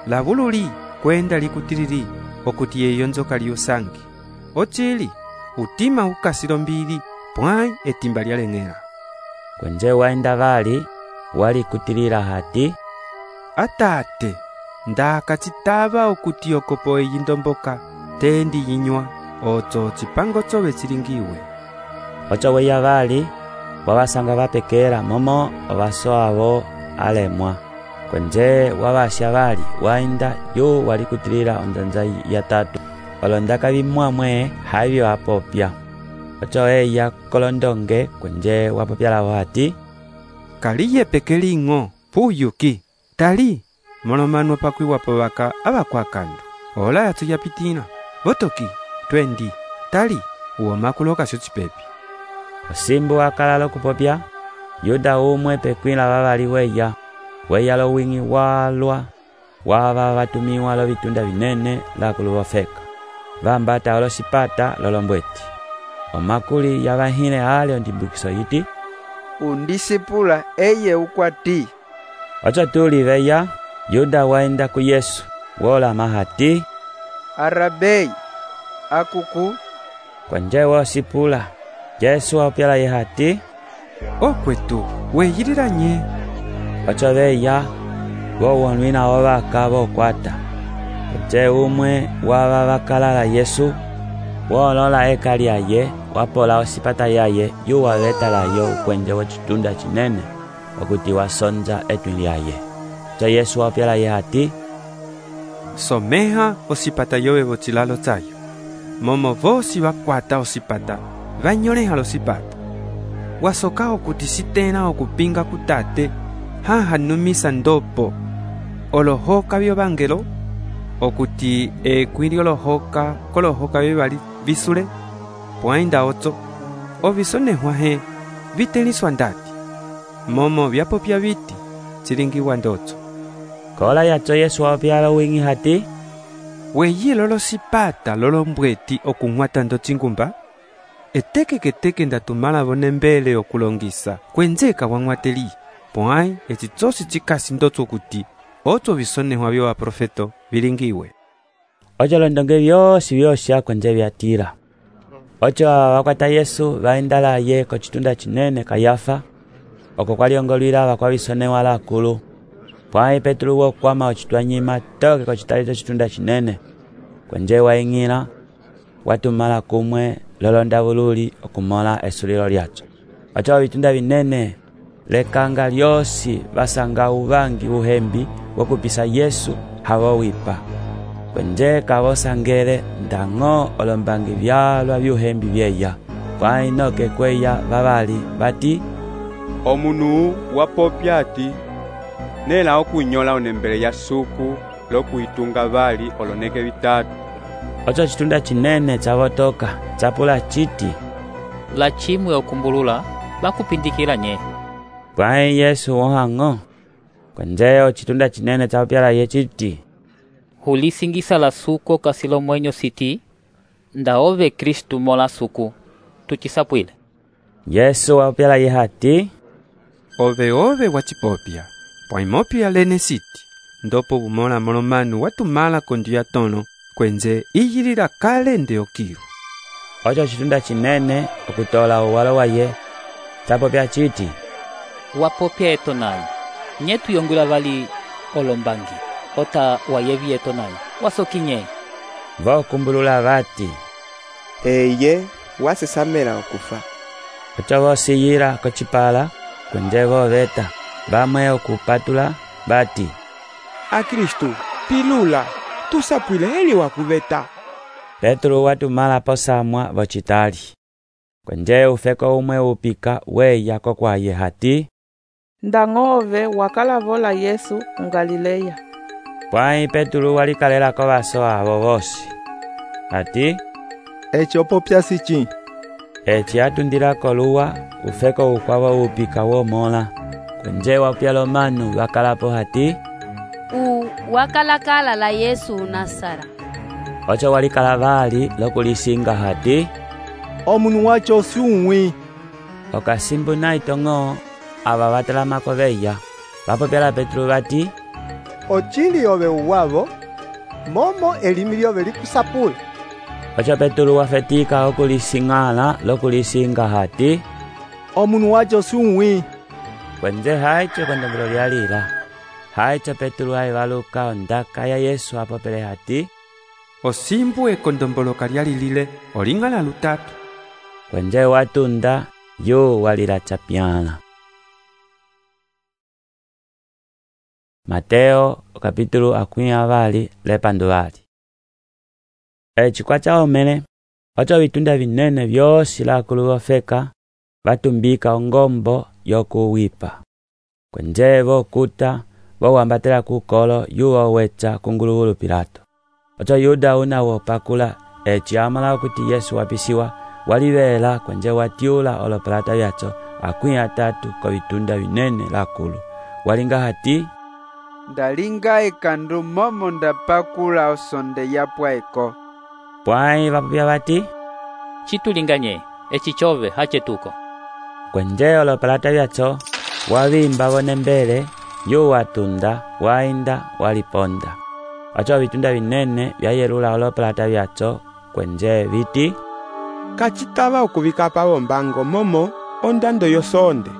lavululi kwenda likutilili okuti yeyo nzoka lyusangi. Ocili utima ukasilo mbili pwãyi etimba lyaleng'ela. Kwenje waenda vali walikutilila hati, atate, ndakacitava okuti okopo eyi ndomboka tendi yinywa oco cipango cove cilingiwe. Oco weya vali wavasanga vapekela momo ovasoavo alemwa. Kwenje wavasya vali wainda yu walikutilila onzanza ya tatu. olondaka vimwamwe havi wapopya. Ocho eya kolondonge kwenje wapopya lavo hati, kaliye pekeling'o puyuki tali molomano pakwiwapo vaka avakwakandu ola yatsu yapitina votoki twendi tali uwomakuloka sho cipepi. Osimbu wakala lokupopya, Yuda umwe pekwila vavali weya lo wingi walwa wava vatumiwa lo vitunda vinene lakulu vofeka vambata olosipata lolombweti. Omakuli yavahile ale ondimbukiso yiti, undisipula eye ukwati. Ocho tuli veya Yuda waenda ku Yesu wolama hati, Arabei akuku kwenje wosipula. Yesu wapyala ye hati, okwetu weyilila nye. Ocho veya wowonwina wovaka vokwata. Kwenje umwe wava vakalala Yesu wolola eka lyaye wapola osipata yaye yuwavetalayo ukwenje wocitunda cinene okuti wasonza etwi lyaye. Cho Yesu wapyala ye hati, someha osipata yowe vocilalo tsayo momo vosi vakwata osipata vanyoleha losipata wasoka okuti sitena okupinga kutate hahanumisa ndopo olohoka vyovangelo okuti ekwili olohoka kolohoka vyevali visule pwainda otso ovisonehwa he viteliswa ndati momo vyapopya viti cilingiwa ndotso. Kola yacho Yesu wapyala wingi hati, weyilo losipata lolombweti okung'wata ndo cingumba etekeketeke ndatumala vonembele okulongisa kwenzeka wang'wateli pwai eci tsosi cikasi ndotso kuti otso visonehwa vyo aprofeto vilingiwe. Ocho londonge vyosi vyosha kwenje vyatira. Ocho vakwata Yesu vaenda laye kocitunda cinene Kayafa oko kwaliongolwila vakwavisonewa lakulu. Pwai Petro wokwama ocitwanyima toke kocitalito citunda cinene kwenje waing'ila watumala kumwe lolonda vululi okumola esulilo lyacho. Ocho vitunda vinene lekanga lyosi vasanga uvangi uhembi wokupisa Yesu havowipa kwenje kavosangele ndang'o olombangi vyalwa vyuhembi vyeya pwai noke kweya vavali vati, omunu wapopya ati nela okunyola onembele ya suku lokuitunga vali oloneke vitatu. Ocho citunda cinene cavotoka capula citi, la chimwe okumbulula bakupindikila nye. Pwai Yesu wohang'o kwenjeo citunda cinene capyala ye citi, hulisingisa la suku kasilo mwenyo siti ndaove Kristu mola suku tucisapwile. Yesu wapyala ye hati, ove wacipopya pwaimopya lene siti ndopo bumola molomanu watumala kondu ya tono kwenze iyilila kale nde okilu. Ocho citunda cinene okutola uwalo waye capopya citi, wapopya eto nayo nye tuyongwila vali olombangi ota wayevi eto nayo wasoki nye. Vokumbulula vati, eye wasesamela okufa. Ocho vosiyila kocipala kwenje voveta vamwe okupatula bati, Akristu pilula tusapwile heli wakuveta. Petro watumala posamwa vocitali kwenje ufeko umwe upika weya kokwaye hati, ndang'ove wakalavola Yesu mgalileya. Pwai Petro walikalelako vaso avo vosi hati, eci opopya sici. Eci atundilako luwa ufeko ukwavo upika womola kwenje wapyala omanu vakalapo hati, wakalakala la Yesu Nasara. Ocho walikala vali lokulisinga hati, omunu wacho si umwi. Okasimbu naitong'o ava vatalamako veya vapopyala Petro vati, ocili ove uwavo momo elimi lyove likusapula. Ocho Petro wafetika okulising'ala lokulisinga hati, omunu wacho si umwi. Kwenje haicho kondombelo lyalila haicho Petro aivaluka ondaka ya Yesu apopele hati, osimbu ekondomboloka lyalilile oling'ala lutatu. Kwenje watunda yu walila chapyala. Mateo kapítulo 20 lepanduvali. eci kwacaomene oco vitunda vinene vyosi lakulu vofeka vatumbika ongombo yokuwipa kwenje vokuta vowambatela kukolo yuwo weca kunguluhulu Pilato. Oco Yuda una wopakula eci amala okuti Yesu wapisiwa walivela kwenje watiula olopelata vyaco 30 ko vitunda vinene lakulu walinga hati ndalinga ekandu momo ndapakula osonde yapwaeko. Pwai vapupya vati citulinganye eci cove hacetuko. Kwenje olopelata vyaco wavimba vone mbele yu watunda wainda waliponda. Oco vitunda vinene vyayelula olopelata vyaco kwenje viti kacitava okuvika pavombango momo ondando yosonde.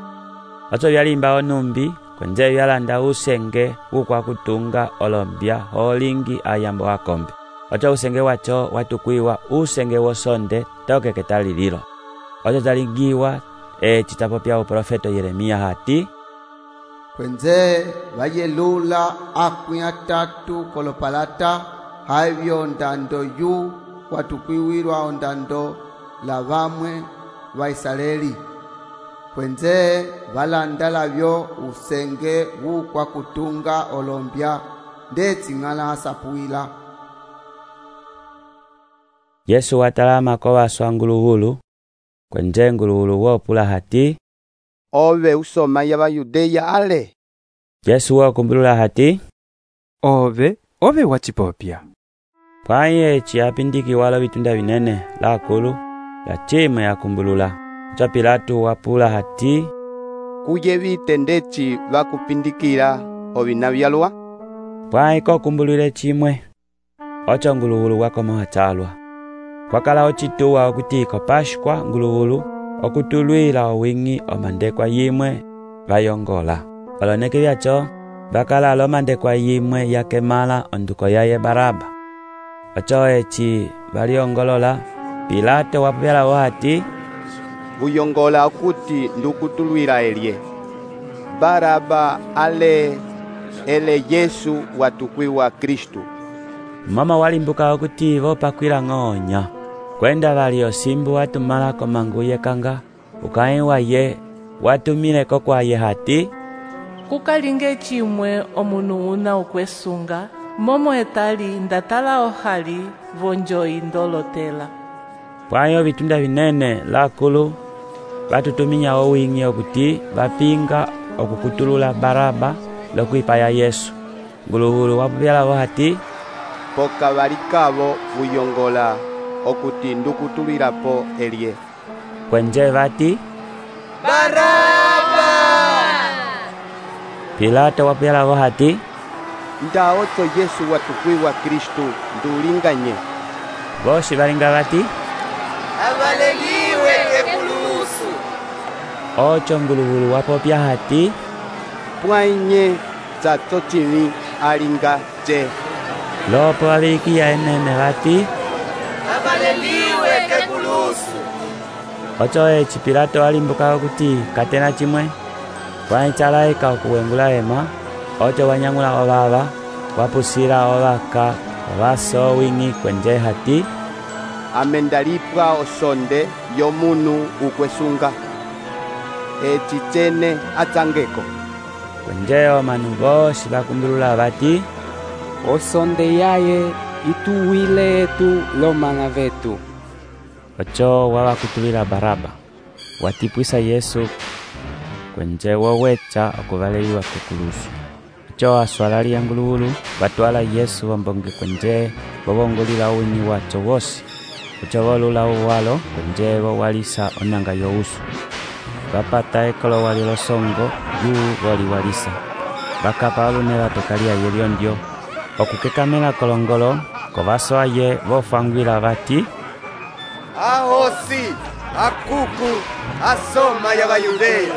Oco vyalimba onumbi kwenje vyalanda usenge ukwa kutunga olombya holingi ayambo wakombe. Oco usenge waco watukwiwa usenge wosonde tokeketa lililo. Oco zalingiwa citapopya uprofeto Yeremia hati kwenze vayelula 30 kolopalata havyo ondando yu watukwiwirwa ondando la vamwe va Israeli kwenze valanda lavyo usenge wukwa kutunga olombya ndetsing'ala asapuila. Yesu watalama ko waswa nguluhulu kwenje nguluhulu wopula hati ove usoma ya Bayudeya ale. Yesu wakumbulula hati ove wacipopya. Pwai eci apindiki walo vitunda vinene lakulu la chima yakumbulula. Oco Pilato wapula hati kuye vitendeci vakupindikila ovina vyalwa. Pwai ko kumbulule chimwe oco nguluhulu wakoma wacalwa kwakala ocituwa okutiko Pashkwa nguluhulu okutulwila owingi omandekwa yimwe vayongola. Oloneke vyaco vakala lomandekwa yimwe yakemala onduko yaye Baraba. Oco eci valiongolola Pilato wapupyala hati vuyongola okuti ndukutulwila elye Baraba ale ele Yesu watukwiwa Kristu. Mama walimbuka okuti vopakwila ng'onya kwenda vali osimbu watumala komangu yekanga ukai waye watumileko kwaye hati kukalinge chimwe omunu una ukwesunga momo etali ndatala ohali vonjoyi ndolotela. Pwayo vitunda vinene lakulu vatutuminya owingi okuti vapinga okukutulula Baraba lokwipaya Yesu. Nguluhulu wapupyala hati poka valikavo vuyongola okuti ndukutulwilapo elye kwenje vati Baraba. Pilato wapyala hati nda oco Yesu watukwiwa Kristu ndulinganye. Bosi valinga vati avaleliwe kekulusu. Oco nguluhulu wapopya hati pwainye zaco cili alinga je lopo avikiya enene vati avaleliwe kekulusu. Oco eci Pilato alimbuka okuti katena chimwe waicalaika okuwengula ema. Oco wanyang'ula ovava wapusila ovaka ovaso wingi kwenje hati amendalipwa osonde yomunu ukwesunga eci cene atsangeko. Kwenje omanu bosi vakumbulula vati osonde yaye ituwile etu lomana vetu. Oco wawakutulila Baraba watipwisa Yesu kwenje woweca okuvaleliwa kekulusu. Oco waswalalia nguluhulu vatwala Yesu wambonge kwenje vovongolila uwingi waco wosi. Oco volula uwalo kwenje vowalisa onanga yousu vapata ekolo walilo songo yu voliwalisa vakapa olune vatokalia yeliondio okukekamela kolongolo kovaso aye vofangwila vati ahosi akuku asoma ya Bayudeya.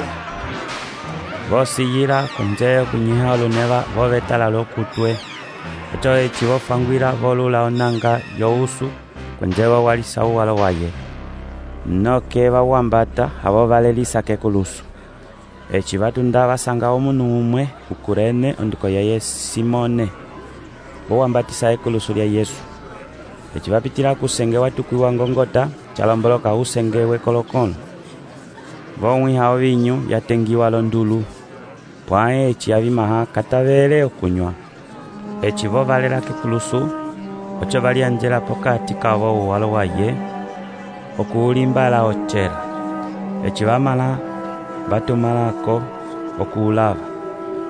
vosiyila kwenje okunyiha oluneva vovetala lokutwe. Oco eci vofangwila volula onanga yousu kwenje vowalisa uwalo waye noke vawambata avo valelisa kekulusu. Eci vatunda vasanga omunu umwe ukurene onduko yaye Simone vowambatisa ekulusu lya Yesu. eci vapitila kusenge watukwiwa ngongota calomboloka usenge wekolokono. Vomwiha ovinyu yatengiwa londulu, pwae eci avimaha katavele okunywa. Eci vovalela kekulusu, oco valianjela pokati kavo uwalo waye, okuulimbala ocela. Eci vamala vatumalako okuulava.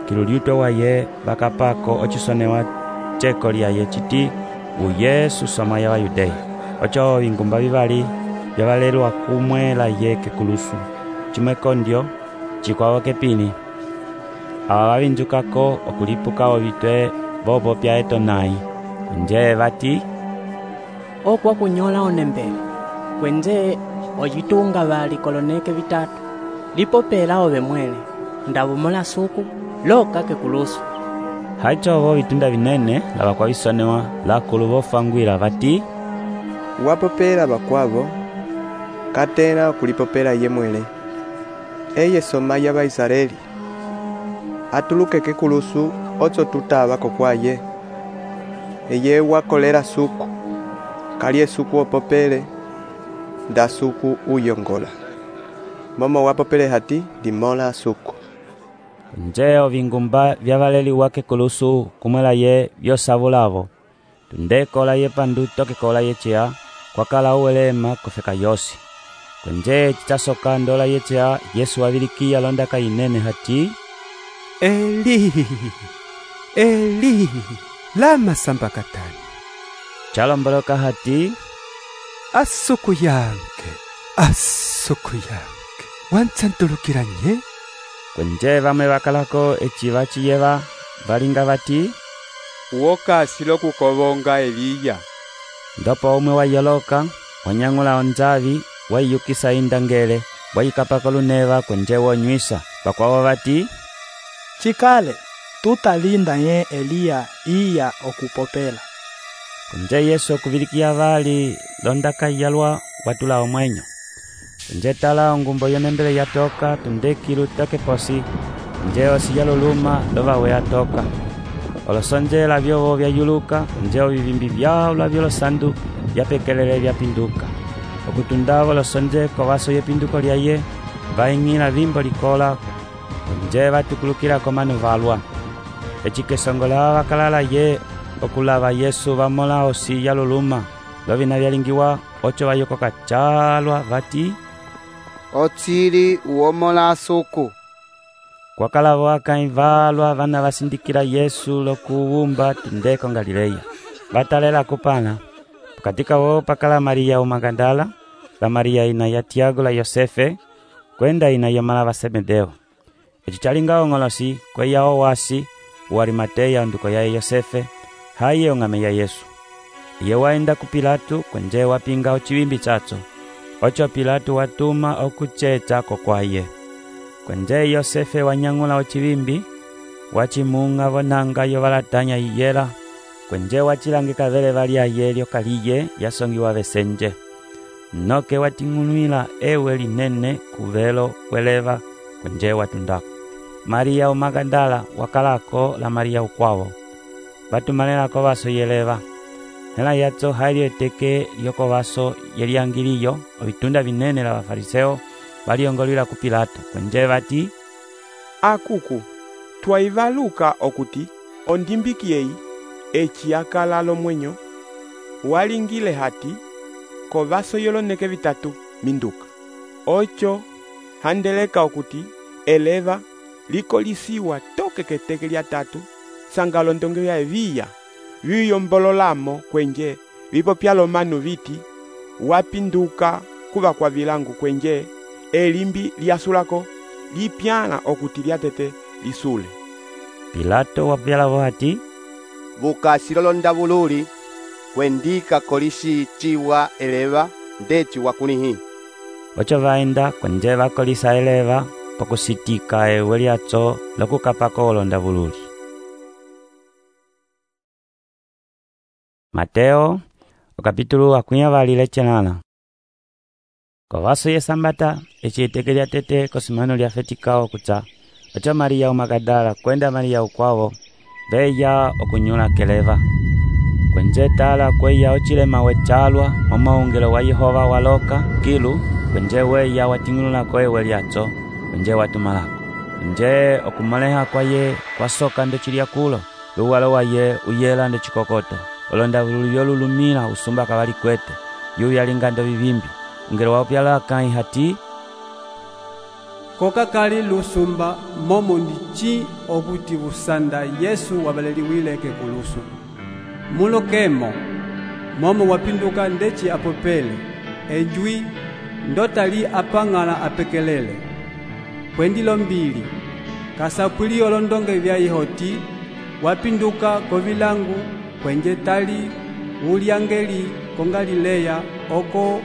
Kiluliutwe waye vakapako ocisonewa ceko lyaye citi uyesu soma ya Vayudeya. Oco vingumba vivali vyavalelwa kumwela ye kekulusu, cimwe kondyo cikwavo kepini. Ava vavinjukako okulipuka ovitwe vopopya etonai, nje vati okwa kunyola onembele kwenze oyitunga vali koloneke vitatu lipopela ove mwele ndavumola suku loka kekulusu. Haicovo vitunda vinene lava kwa visonewa lakulu vofangwila vati wapopela vakwavo katena okulipopela ye mwele. Eye soma ya Vaisraeli atuluke kekulusu oco tutavako kwaye. Eye wakolera suku kalye suku opopele nda suku uyongola. Momo wapopele hati limola suku. Nje ovingumba vyavaleliwa kekulusu kumwela ye vyosavulavo. Tundekola ye pandu tokekola ye cea kwakala uwelema kofeka yosi. Kwenje citasoka ndola ye cea Yesu wavilikia londaka inene hati Eli, Eli, lama sambakatani. Calomboloka hati asuku yange, wansantulukiranye. Kwenje vamwe vakalako eci vaciyeva valinga vati uokasilo kukovonga Eliya. Ndopo umwe wayoloka wanyang'ula onzavi waiyukisa indangele wayikapako luneva kwenje wonywisa. Vakwavo vati cikale tutalinda ye Eliya iya okupopela. Kwenje Yesu okuvilikia vali londaka yalwa watula omwenyo. Kwenje tala ongumbo yonembele yatoka tundekilu takeposi nje osi yaluluma lovawe yatoka. Olosonjela vyovo vyayuluka nje ovivimbi vyao vyolosandu vyapekelele vyapinduka. Okutundavo losonje kovaso yepinduko lyaye vaing'ila vimbo likola nje vatukulukila komanu valwa. Eci kesongola vakalala ye okulava Yesu vamola osi yaluluma lovina vyalingiwa oco vayokoka calwa vati otsili uomola suku. Kwakalavo akai valwa vana vasindikila Yesu lokuwumba tundeko Galileya. Vatalela kupana katika wo pakala Maria Magdala la Maria ina ya Tiago la Yosefe kwenda ina ya mala va Sebedeo. Eci calinga ongolosi kwe yao wasi uarimateya nduko ya Yosefe haye ongame ya Yesu. Iye waenda ku Pilato kwenje wapinga ocivimbi caco. Oco Pilato watuma okuchecha kokwaye. Kwenje Yosefe wanyang'ula ocivimbi wacimunga vonanga yo valatanya iyela. Kwenje wachilangika vele valia yelio kaliye yasongiwa vesenje. Noke wating'unwila ewe linene kuvelo kweleva kwenje watundako. Maria Magdala wakalako la Maria ukwavo. Batumalelako vaso yeleva. Hela yaco hailio eteke yoko vaso yeliangiliyo ovitunda vinene la Vafariseo valiongolwila ku Pilato kwenje vati akuku twaivaluka okuti ondimbikiyeyi eci akala lomwenyo walingile hati kovaso yoloneke vitatu minduka. Oco handeleka okuti eleva likolisiwa toke keteke lya tatu sangalo ndonge ya eviya viyombololamo kwenje vipopya lomanu viti wapinduka kuva kwa vilangu kwenje elimbi lyasulako lipyana okuti lyatete lisule. Pilato wapyalavo hati vukasi lolondavululi kwendika kolisi ciwa eleva ndeci wakunihi. Oco vaenda kwenje vakolisa eleva pokusitika ewe lyaco lokukapako olondavululi. Mateo okapitulu akunyavali chelana. Kovaso ye sambata eciiteke lya tete kosimano lya fetikao kuca oco Maria Magdala kwenda Maria ukwavo beya okunyula keleva. kwenje tala kweya ochilema wechalwa momaungelo wa Yehova waloka kilu kwenje weya watingulula koewe lyatso kwenje watumalako kwenje okumoleha kwaye kwasoka ndechilya kulo luwalo waye uyela ndechikokoto olonda lululumila usumba kawali kwete yu yalingando vivimbi ngelo wapyala kai hati koka kali lusumba momo ndichi okuti busanda Yesu wabaleliwileke kulusu mulokemo momo wapinduka ndechi apopele ejwi ndotali apangala apekelele kwendilo mbili kasapwili olondonge vya ihoti wapinduka kovilangu kwenje tali uliangeli kongalileya oko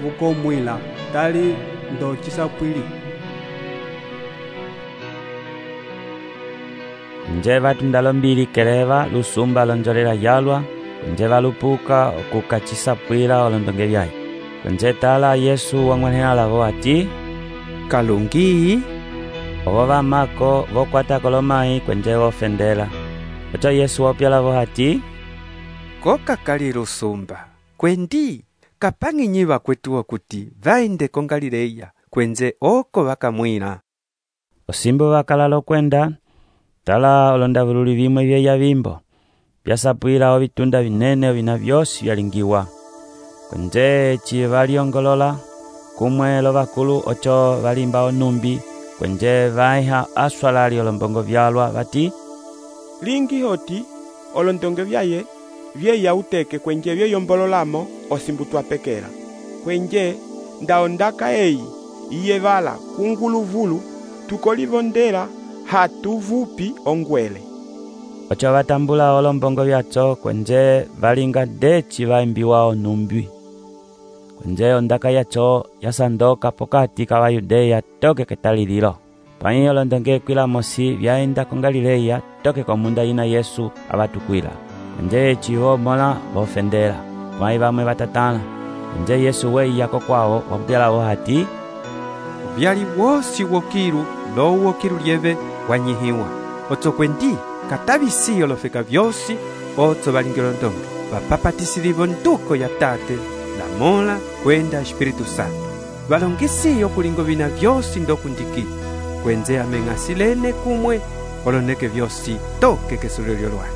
vukomwila tali ndo chisapwili nje vatundalo mbili keleva lusumba lonjolela yalwa kwenje valupuka okukachisapwila olondonge vyaye kwenje tala Yesu wang'wanela lavo ati kalungi ovo vamako vokwata kolomai kwenje vofendela ocho Yesu wopyalavo ati koka kali lusumba kwendi kapang'inyiva kwetu okuti vaende ko Galileya kwenze oko vakamwila osimbo vakalalo kwenda tala olondavululi vimwe vyeya vimbo vyasapwila ovitunda vinene vina vyosi vyalingiwa kwenje chivaliongolola kumwe lovakulu ocho valimba onumbi kwenje vaiha aswalali olombongo vyalwa vati lingi hoti olondonge vyaye vyeya uteke kwenje vyeyombolola osimbutwa pekera kwenje ndaondaka eyi iye vala kunguluvulu tukolivondela hatuvupi ongwele ocho vatambula olombongo vyatso kwenje valinga dechi vaimbiwa onumbi kwenje ondaka yacho yasandoka pokati ka Vayudeya toke ketalililo pwayi olondonge kwila mosi vyaenda ko Galileya toke komunda ina Yesu avatukwila kwenje chivo mola vofendela pwayi vamwe vatatana kwenje Yesu weiyako kwawo wapyalavo hati vyali wosi wokilu lowo kilu lyeve wanyihiwa otso kwendi katabisi olofeka vyosi otso valingilo ndonge vapapatisilivo nduko ya Tate la Mola kwenda Espiritu Santo valongisi okulingo vina vyosi ndokundiki kwenze ameng'asilene kumwe oloneke vyosi toke kesulilyo lwaye